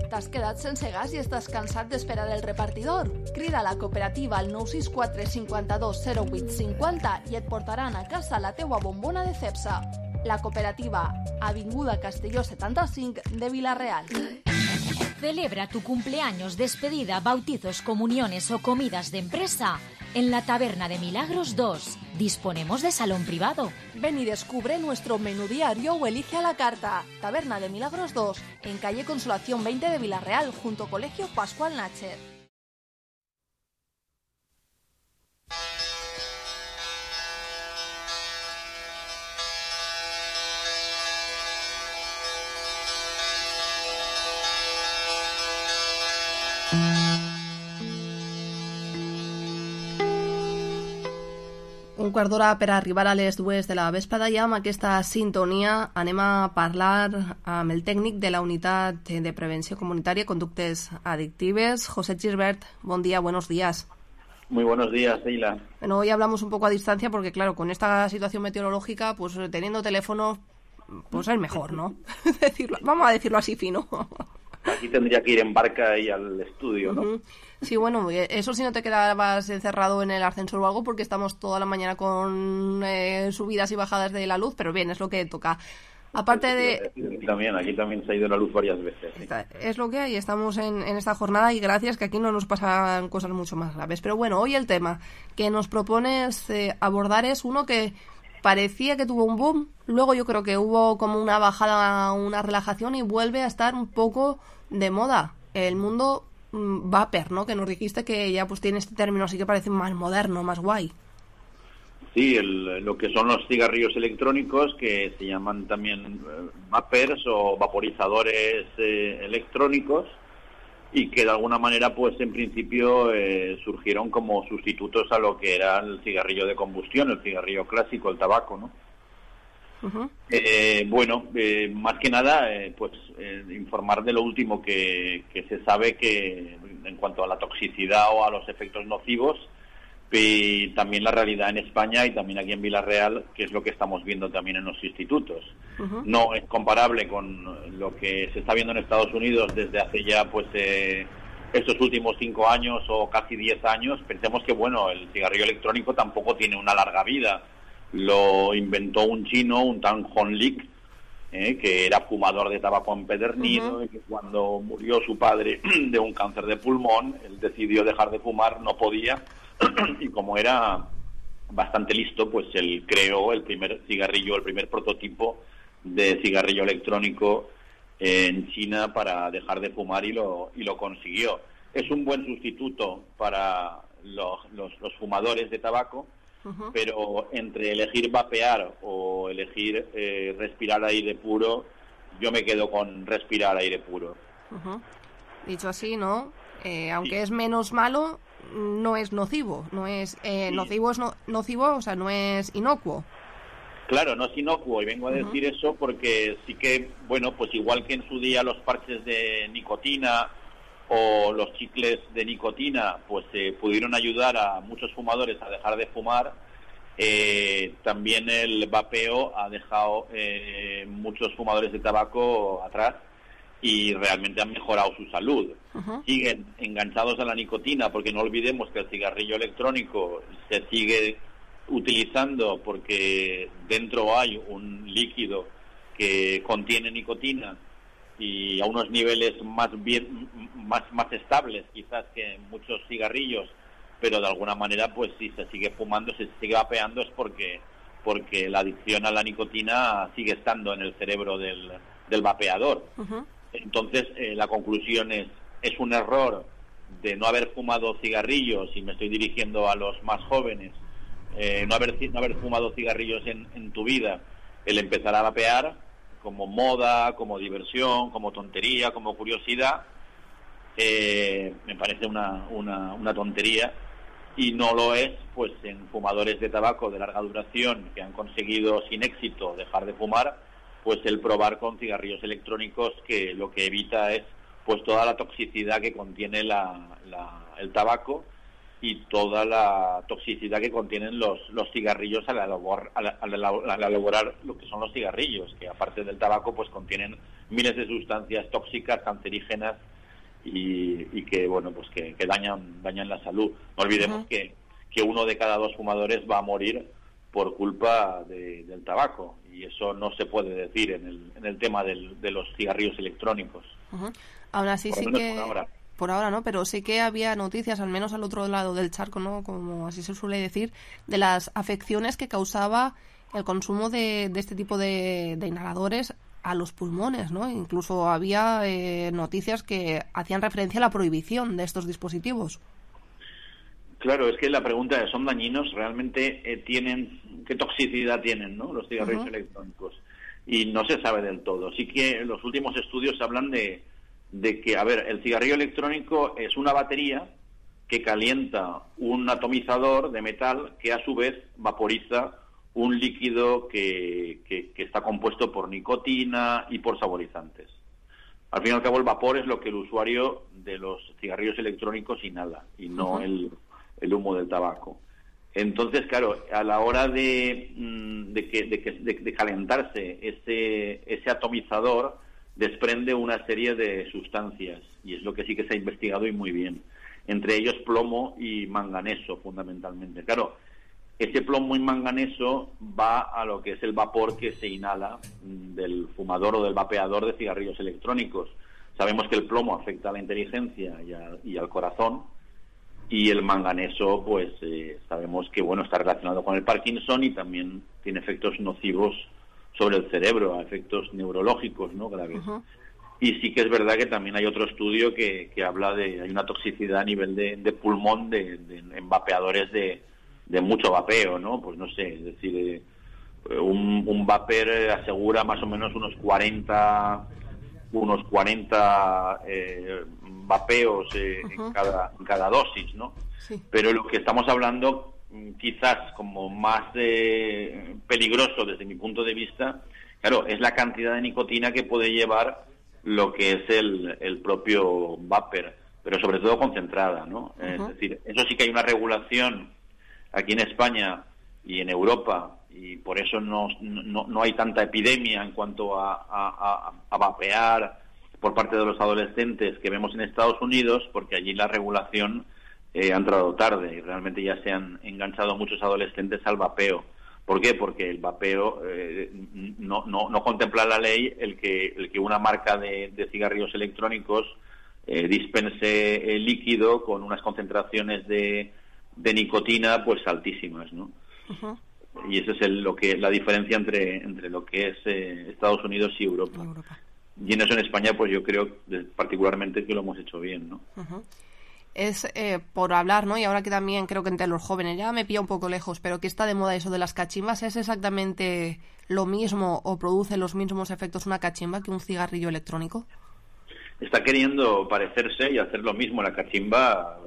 T'has quedat sense gas i estàs cansat d'esperar el repartidor? Crida a la cooperativa al nou sis quatre cinquanta-dos zero vuit cinquanta i et portaran a casa la teua bombona de Cepsa. La cooperativa, Avinguda Castelló setanta-cinc de Villarreal. Celebra tu cumpleaños, despedida, bautizos, comuniones o comidas de empresa en la Taberna de Milagros dos. Disponemos de salón privado. Ven y descubre nuestro menú diario o elige a la carta. Taberna de Milagros dos, en calle Consolación veinte de Villarreal, junto a Colegio Pascual Nacher. Un quart d'hora per arribar a les dues de la vesprada, i amb aquesta sintonia anem a parlar amb el tècnic de la Unitat de Prevenció Comunitària i Conductes Adictives, José Gilbert. Buen día, buenos días. Muy buenos días, Leila. Bueno, hoy hablamos un poco a distancia porque, claro, con esta situación meteorológica, pues teniendo teléfono, pues es mejor, ¿no? decirlo, vamos a decirlo así fino. Aquí tendría que ir en barca y al estudio, ¿no? Uh-huh. Sí, bueno, eso si no te quedabas encerrado en el ascensor o algo, porque estamos toda la mañana con eh, subidas y bajadas de la luz, pero bien, es lo que toca. Aparte de... Aquí también, aquí también se ha ido la luz varias veces. ¿Sí? Es lo que hay, estamos en, en esta jornada y gracias que aquí no nos pasan cosas mucho más graves. Pero bueno, hoy el tema que nos propones eh, abordar es uno que parecía que tuvo un boom, luego yo creo que hubo como una bajada, una relajación y vuelve a estar un poco de moda. El mundo mm, vapor, ¿no? Que nos dijiste que ya pues tiene este término así que parece más moderno, más guay. Sí, el, lo que son los cigarrillos electrónicos, que se llaman también eh, vapers o vaporizadores eh, electrónicos, y que de alguna manera, pues en principio eh, surgieron como sustitutos a lo que era el cigarrillo de combustión, el cigarrillo clásico, el tabaco, ¿no? Uh-huh. Eh, bueno, eh, más que nada, eh, pues eh, informar de lo último que, que se sabe que en cuanto a la toxicidad o a los efectos nocivos, y también la realidad en España y también aquí en Vila-real, que es lo que estamos viendo también en los institutos. Uh-huh. No es comparable con lo que se está viendo en Estados Unidos desde hace ya pues eh, estos últimos cinco años o casi diez años. Pensemos que bueno, el cigarrillo electrónico tampoco tiene una larga vida. Lo inventó un chino, un Tan Hon Lik, eh, que era fumador de tabaco empedernido, uh-huh. y que cuando murió su padre de un cáncer de pulmón, él decidió dejar de fumar, no podía, y como era bastante listo, pues él creó el primer cigarrillo, el primer prototipo de cigarrillo electrónico en China para dejar de fumar y lo y lo consiguió. Es un buen sustituto para los, los, los fumadores de tabaco, uh-huh. pero entre elegir vapear o elegir eh, respirar aire puro, yo me quedo con respirar aire puro. Uh-huh. Dicho así, ¿no? Eh, aunque sí. es menos malo, no es nocivo, no es eh, sí. nocivo es no, nocivo, o sea, no es inocuo. Claro, no es inocuo, y vengo a decir uh-huh. eso porque sí que, bueno, pues igual que en su día los parches de nicotina o los chicles de nicotina, pues eh, pudieron ayudar a muchos fumadores a dejar de fumar, eh, también el vapeo ha dejado eh, muchos fumadores de tabaco atrás y realmente han mejorado su salud. Uh-huh. Siguen enganchados a la nicotina, porque no olvidemos que el cigarrillo electrónico se sigue utilizando porque dentro hay un líquido que contiene nicotina y a unos niveles más bien más más estables quizás que en muchos cigarrillos, pero de alguna manera pues si se sigue fumando, si se sigue vapeando es porque porque la adicción a la nicotina sigue estando en el cerebro del, del vapeador. Uh-huh. Entonces eh, la conclusión es es un error de no haber fumado cigarrillos, y me estoy dirigiendo a los más jóvenes, eh, no haber no haber fumado cigarrillos en, en tu vida, el empezar a vapear como moda, como diversión, como tontería, como curiosidad, eh, me parece una, una, una tontería, y no lo es pues en fumadores de tabaco de larga duración que han conseguido sin éxito dejar de fumar, pues el probar con cigarrillos electrónicos, que lo que evita es pues toda la toxicidad que contiene la, la, el tabaco y toda la toxicidad que contienen los, los cigarrillos al elaborar, al, al, al elaborar lo que son los cigarrillos, que aparte del tabaco pues contienen miles de sustancias tóxicas, cancerígenas y, y que bueno pues que, que dañan dañan la salud. No olvidemos uh-huh. que, que uno de cada dos fumadores va a morir por culpa de, del tabaco, y eso no se puede decir en el, en el tema del, de los cigarrillos electrónicos. Uh-huh. Aún así por sí que... Por ahora. Por ahora no, pero sí que había noticias, al menos al otro lado del charco, ¿no? Como así se suele decir, de las afecciones que causaba el consumo de, de este tipo de, de inhaladores a los pulmones, ¿no? Incluso había eh, noticias que hacían referencia a la prohibición de estos dispositivos. Claro, es que la pregunta es, ¿son dañinos? ¿Realmente eh, tienen, qué toxicidad tienen, ¿no? Los cigarrillos uh-huh. electrónicos? Y no se sabe del todo. Sí que los últimos estudios hablan de de que, a ver, el cigarrillo electrónico es una batería que calienta un atomizador de metal que a su vez vaporiza un líquido que, que, que está compuesto por nicotina y por saborizantes. Al fin y al cabo el vapor es lo que el usuario de los cigarrillos electrónicos inhala y no uh-huh. el, el humo del tabaco. Entonces, claro, a la hora de, de, que, de, que, de, de calentarse ese, ese atomizador, desprende una serie de sustancias, y es lo que sí que se ha investigado y muy bien, entre ellos plomo y manganeso fundamentalmente. Claro, ese plomo y manganeso va a lo que es el vapor que se inhala del fumador o del vapeador de cigarrillos electrónicos. Sabemos que el plomo afecta a la inteligencia y, a, y al corazón, y el manganeso, pues eh, sabemos que bueno, está relacionado con el Parkinson y también tiene efectos nocivos sobre el cerebro, efectos neurológicos, ¿no? Graves. Uh-huh. Y sí que es verdad que también hay otro estudio que, que habla de hay una toxicidad a nivel de, de pulmón de, de, en vapeadores de, de mucho vapeo, ¿no? Pues no sé, es decir, eh, un, un vapor asegura más o menos unos cuarenta unos cuarenta eh, vapeos eh, uh-huh. en, cada, en cada dosis, ¿no? Sí. Pero lo que estamos hablando, quizás como más eh, peligroso desde mi punto de vista, claro, es la cantidad de nicotina que puede llevar lo que es el, el propio vapor, pero sobre todo concentrada, ¿no? Uh-huh. Es decir, eso sí que hay una regulación aquí en España y en Europa, y por eso no, no, no hay tanta epidemia en cuanto a, a, a, a vapear por parte de los adolescentes que vemos en Estados Unidos, porque allí la regulación eh, ha entrado tarde y realmente ya se han enganchado muchos adolescentes al vapeo. ¿Por qué? Porque el vapeo eh, no, no, no contempla la ley el que, el que una marca de, de cigarrillos electrónicos eh, dispense el líquido con unas concentraciones de, de nicotina pues altísimas, ¿no? Uh-huh. Y esa es el, lo que la diferencia entre entre lo que es eh, Estados Unidos y Europa. Europa. Y en eso en España pues yo creo particularmente que lo hemos hecho bien, ¿no? Uh-huh. Es eh, por hablar, ¿no? Y ahora que también creo que entre los jóvenes, ya me pilla un poco lejos, pero que está de moda eso de las cachimbas, ¿es exactamente lo mismo o produce los mismos efectos una cachimba que un cigarrillo electrónico? Está queriendo parecerse y hacer lo mismo. La cachimba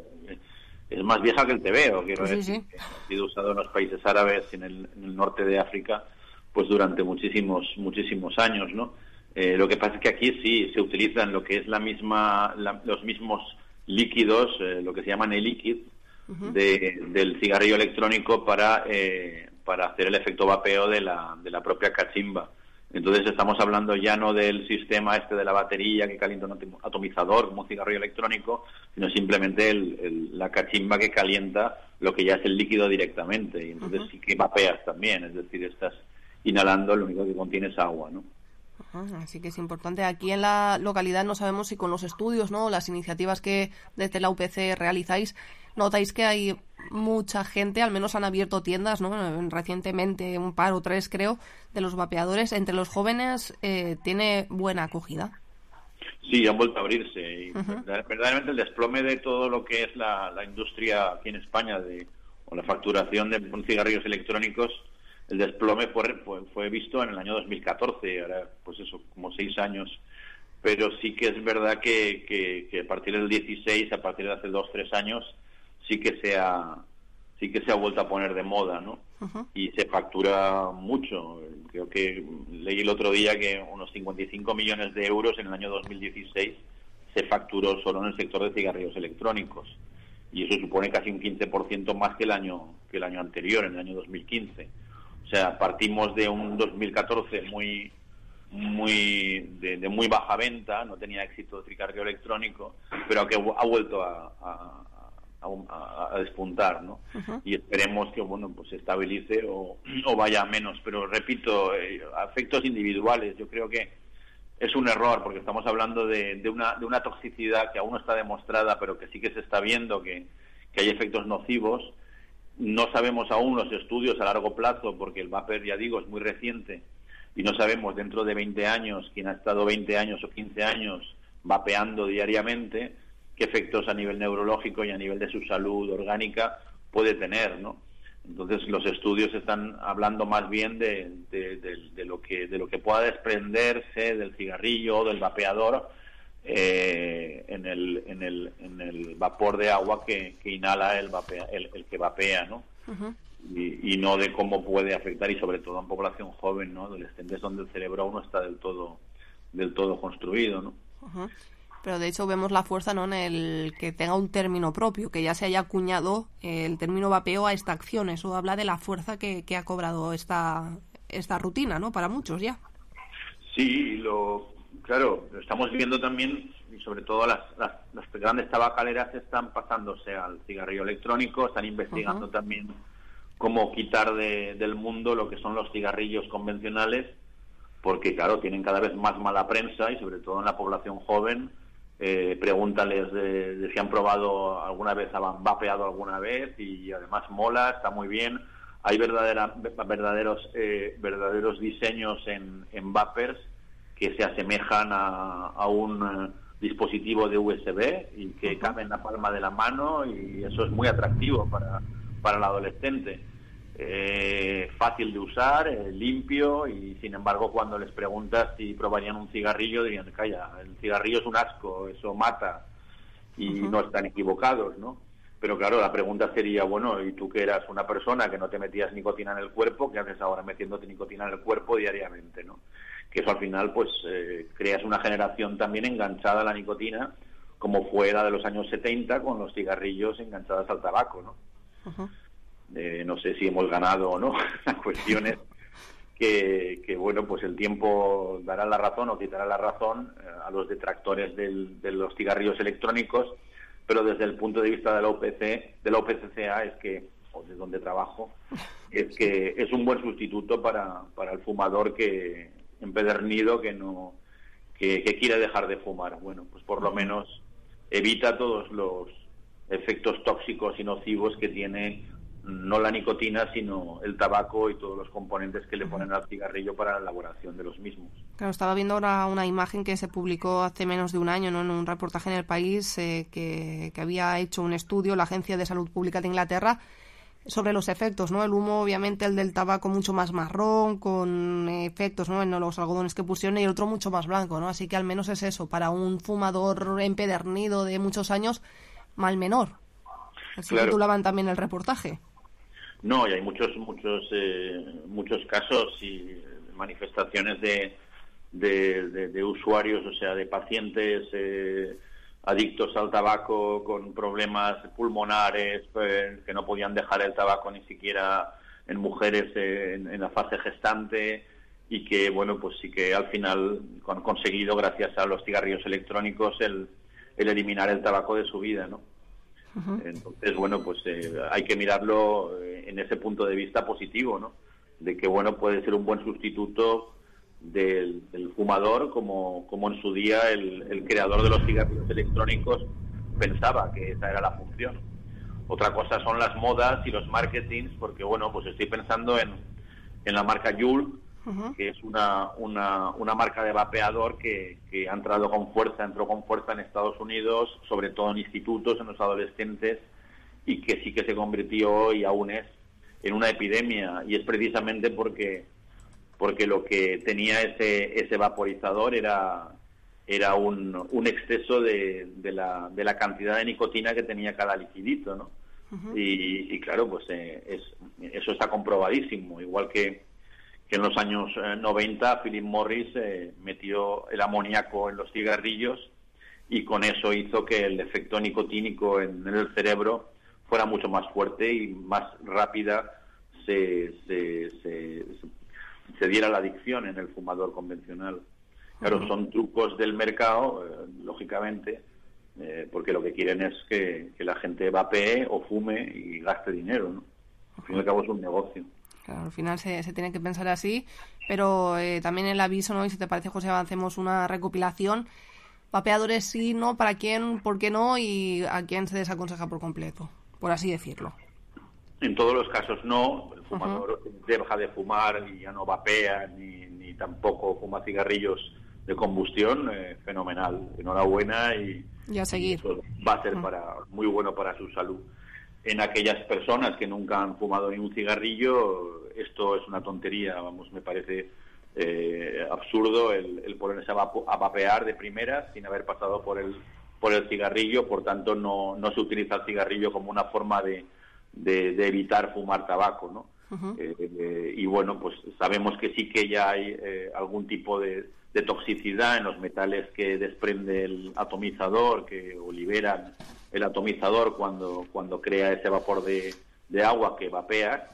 es más vieja que el tebeo, quiero sí, decir. Sí. Que ha sido usado en los países árabes y en el, en el norte de África pues durante muchísimos muchísimos años, ¿no? Eh, lo que pasa es que aquí sí se utilizan lo que es la misma la, los mismos líquidos, eh, lo que se llaman e-liquid, uh-huh. de, del cigarrillo electrónico para eh, para hacer el efecto vapeo de la de la propia cachimba. Entonces estamos hablando ya no del sistema este de la batería que calienta un atomizador como un cigarrillo electrónico, sino simplemente el, el, la cachimba que calienta lo que ya es el líquido directamente, y entonces uh-huh. sí que vapeas también, es decir, estás inhalando, lo único que contiene es agua, ¿no? Así que es importante. Aquí en la localidad no sabemos si con los estudios, ¿no?, las iniciativas que desde la U P C realizáis, notáis que hay mucha gente, al menos han abierto tiendas, ¿no? Recientemente, un par o tres creo, de los vapeadores. Entre los jóvenes eh, tiene buena acogida. Sí, han vuelto a abrirse. Y uh-huh. verdaderamente el desplome de todo lo que es la, la industria aquí en España de, o la facturación de cigarrillos electrónicos, el desplome fue, fue, fue visto en el año dos mil catorce, ahora pues eso, como seis años. Pero sí que es verdad que, que, que a partir del dieciséis, a partir de hace dos, tres años, sí que se ha, sí que se ha vuelto a poner de moda, ¿no? Uh-huh. Y se factura mucho. Creo que leí el otro día que unos cincuenta y cinco millones de euros en el año dos mil dieciséis se facturó solo en el sector de cigarrillos electrónicos. Y eso supone casi un quince por ciento más que el año, que el año anterior, en el año dos mil quince. O sea, partimos de un dos mil catorce muy muy de, de muy baja venta, no tenía éxito el cigarrillo electrónico, pero que ha vuelto a, a, a, a despuntar, ¿no? Uh-huh. Y esperemos que, bueno, pues se estabilice o, o vaya a menos. Pero repito, eh, efectos individuales, yo creo que es un error, porque estamos hablando de, de una de una toxicidad que aún no está demostrada, pero que sí que se está viendo que, que hay efectos nocivos. No sabemos aún los estudios a largo plazo, porque el vapor, ya digo, es muy reciente, y no sabemos dentro de veinte años, quien ha estado veinte años o quince años vapeando diariamente, qué efectos a nivel neurológico y a nivel de su salud orgánica puede tener, ¿no? Entonces los estudios están hablando más bien de, de, de, de lo que de lo que pueda desprenderse del cigarrillo o del vapeador eh, en el en el en el vapor de agua que, que inhala el vapea, el, el que vapea, ¿no? Uh-huh. Y, y no de cómo puede afectar, y sobre todo en población joven, ¿no?, adolescentes, donde el cerebro aún no está del todo del todo construido, ¿no? Uh-huh. Pero de hecho vemos la fuerza, ¿no?, en el que tenga un término propio, que ya se haya acuñado el término vapeo a esta acción. Eso habla de la fuerza que, que ha cobrado esta esta rutina, ¿no?, para muchos ya. Sí, lo claro, lo estamos viendo también, y sobre todo las, las, las grandes tabacaleras están pasándose al cigarrillo electrónico, están investigando uh-huh. también cómo quitar de, del mundo lo que son los cigarrillos convencionales, porque claro, tienen cada vez más mala prensa y sobre todo en la población joven. Eh, pregúntales de, de si han probado alguna vez, han vapeado alguna vez, y además mola, está muy bien. Hay verdadera, verdaderos eh, verdaderos diseños en, en vapers que se asemejan a, a un eh, dispositivo de U S B y que cabe en la palma de la mano, y eso es muy atractivo para, para el adolescente. Eh, fácil de usar, eh, limpio, y sin embargo cuando les preguntas si probarían un cigarrillo dirían, calla, el cigarrillo es un asco, eso mata, y uh-huh. no están equivocados, ¿no? Pero claro, la pregunta sería, bueno, ¿y tú que eras una persona que no te metías nicotina en el cuerpo, qué haces ahora metiéndote nicotina en el cuerpo diariamente, ¿no? Que eso al final, pues, eh, creas una generación también enganchada a la nicotina, como fue la de los años setenta con los cigarrillos enganchados al tabaco, ¿no? Uh-huh. Eh, no sé si hemos ganado o no. La cuestión es que, que, bueno, pues el tiempo dará la razón o quitará la razón eh, a los detractores del, de los cigarrillos electrónicos, pero desde el punto de vista de la U P C, de la U P C C A, es que, o de donde trabajo, es que es un buen sustituto para, para el fumador que empedernido que no que, que quiere dejar de fumar. Bueno, pues por lo menos evita todos los efectos tóxicos y nocivos que tiene no la nicotina, sino el tabaco y todos los componentes que le ponen al cigarrillo para la elaboración de los mismos. Claro, estaba viendo ahora una imagen que se publicó hace menos de un año, ¿no?, en un reportaje en El País, eh, que, que había hecho un estudio la Agencia de Salud Pública de Inglaterra sobre los efectos, ¿no? El humo, obviamente, el del tabaco mucho más marrón, con efectos, ¿no?, en los algodones que pusieron, y el otro mucho más blanco, ¿no? Así que al menos es eso, para un fumador empedernido de muchos años, mal menor. Así claro. Titulaban también el reportaje. No, y hay muchos muchos eh, muchos casos y manifestaciones de, de, de, de usuarios, o sea, de pacientes eh, adictos al tabaco con problemas pulmonares, eh, que no podían dejar el tabaco ni siquiera en mujeres eh, en, en la fase gestante, y que, bueno, pues sí que al final han conseguido, gracias a los cigarrillos electrónicos, el, el eliminar el tabaco de su vida, ¿no? Uh-huh. Entonces, bueno, pues eh, hay que mirarlo eh, en ese punto de vista positivo, ¿no? De que, bueno, puede ser un buen sustituto del, del fumador, como, como en su día el, el creador de los cigarrillos electrónicos pensaba que esa era la función. Otra cosa son las modas y los marketings, porque, bueno, pues estoy pensando en, en la marca Juul, uh-huh. que es una, una, una marca de vapeador que, que ha entrado con fuerza, entró con fuerza en Estados Unidos, sobre todo en institutos, en los adolescentes, y que sí que se convirtió, y aún es, en una epidemia, y es precisamente porque porque lo que tenía ese ese vaporizador era era un, un exceso de, de la de la cantidad de nicotina que tenía cada liquidito, ¿no? Uh-huh. y, y claro, pues eh, es eso está comprobadísimo, igual que que en los años eh, noventa Philip Morris eh, metió el amoníaco en los cigarrillos, y con eso hizo que el efecto nicotínico en, en el cerebro fuera mucho más fuerte y más rápida se, se, se, se diera la adicción en el fumador convencional. Claro, uh-huh. son trucos del mercado, eh, lógicamente, eh, porque lo que quieren es que, que la gente vapee o fume y gaste dinero, ¿no? Al fin y al cabo es un negocio. Claro, al final se, se tiene que pensar así, pero eh, también el aviso, ¿no? Y si te parece, José, avancemos una recopilación. Vapeadores sí, ¿no? ¿Para quién? ¿Por qué no? Y a quién se desaconseja por completo, por así decirlo. En todos los casos no. El fumador uh-huh. deja de fumar y ya no vapea, ni, ni tampoco fuma cigarrillos de combustión. Eh, fenomenal. Enhorabuena, y, y a seguir. Y eso va a ser uh-huh. para, muy bueno para su salud. En aquellas personas que nunca han fumado ni un cigarrillo, esto es una tontería, vamos, me parece eh, absurdo el, el ponerse a, vapo, a vapear de primeras sin haber pasado por el por el cigarrillo. Por tanto, no, no se utiliza el cigarrillo como una forma de, de, de evitar fumar tabaco, ¿no? Uh-huh. Eh, eh, y bueno, pues sabemos que sí que ya hay eh, algún tipo de, de toxicidad en los metales que desprende el atomizador, que o liberan el atomizador cuando cuando crea ese vapor de, de agua que vapea,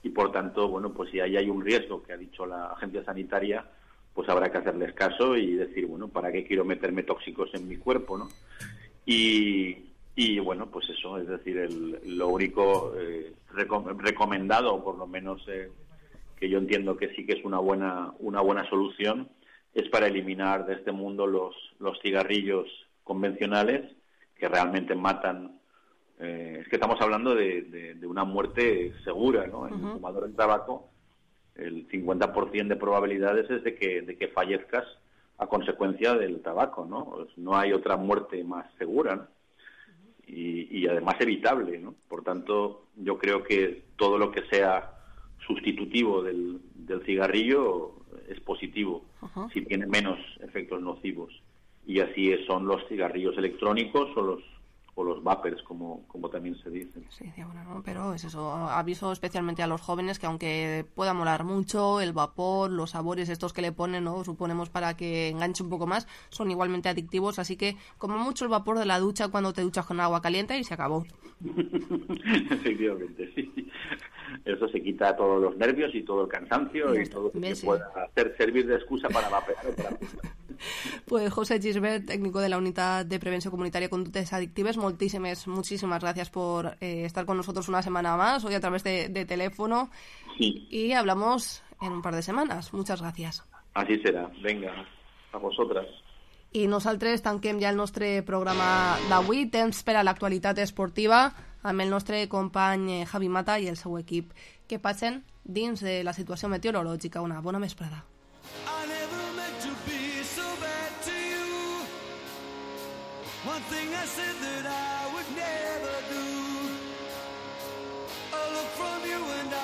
y por tanto, bueno, pues si ahí hay un riesgo que ha dicho la agencia sanitaria, pues habrá que hacerles caso y decir, bueno, ¿para qué quiero meterme tóxicos en mi cuerpo, no? Y, Y bueno, pues eso, es decir, el, lo único eh, recom- recomendado, por lo menos eh, que yo entiendo que sí que es una buena una buena solución, es para eliminar de este mundo los, los cigarrillos convencionales que realmente matan. Eh, es que estamos hablando de, de, de una muerte segura, ¿no? En uh-huh. el fumador de tabaco, el cincuenta por ciento de probabilidades es de que, de que fallezcas a consecuencia del tabaco, ¿no? Pues no hay otra muerte más segura, ¿no? Y, y además evitable, ¿no? Por tanto, yo creo que todo lo que sea sustitutivo del, del cigarrillo es positivo, uh-huh. si tiene menos efectos nocivos. Y así son los cigarrillos electrónicos o los o los vapers, como, como también se dice. Sí, bueno, ¿no? Pero es eso, aviso especialmente a los jóvenes que aunque pueda molar mucho el vapor, los sabores estos que le ponen, ¿no? Suponemos para que enganche un poco más, son igualmente adictivos, así que como mucho el vapor de la ducha cuando te duchas con agua caliente y se acabó. Efectivamente, sí. Eso se quita todos los nervios y todo el cansancio y, y todo lo que sí. pueda hacer servir de excusa para vapear o para Pues José Gisbert, técnico de la Unitat de Prevenció Comunitària de Conductes Adictives, moltíssimes, muchísimas gracias por eh, estar con nosotros una semana más, hoy a través de, de teléfono. Sí. Y hablamos en un par de semanas. Muchas gracias. Así serà. Venga, a vosotras. I nosaltres tanquem ja el nostre programa d'avui, temps per a l'actualitat esportiva, amb el nostre company Javi Mata i el seu equip, que passen dins de la situació meteorològica. Una bona vesprada. One thing I said that I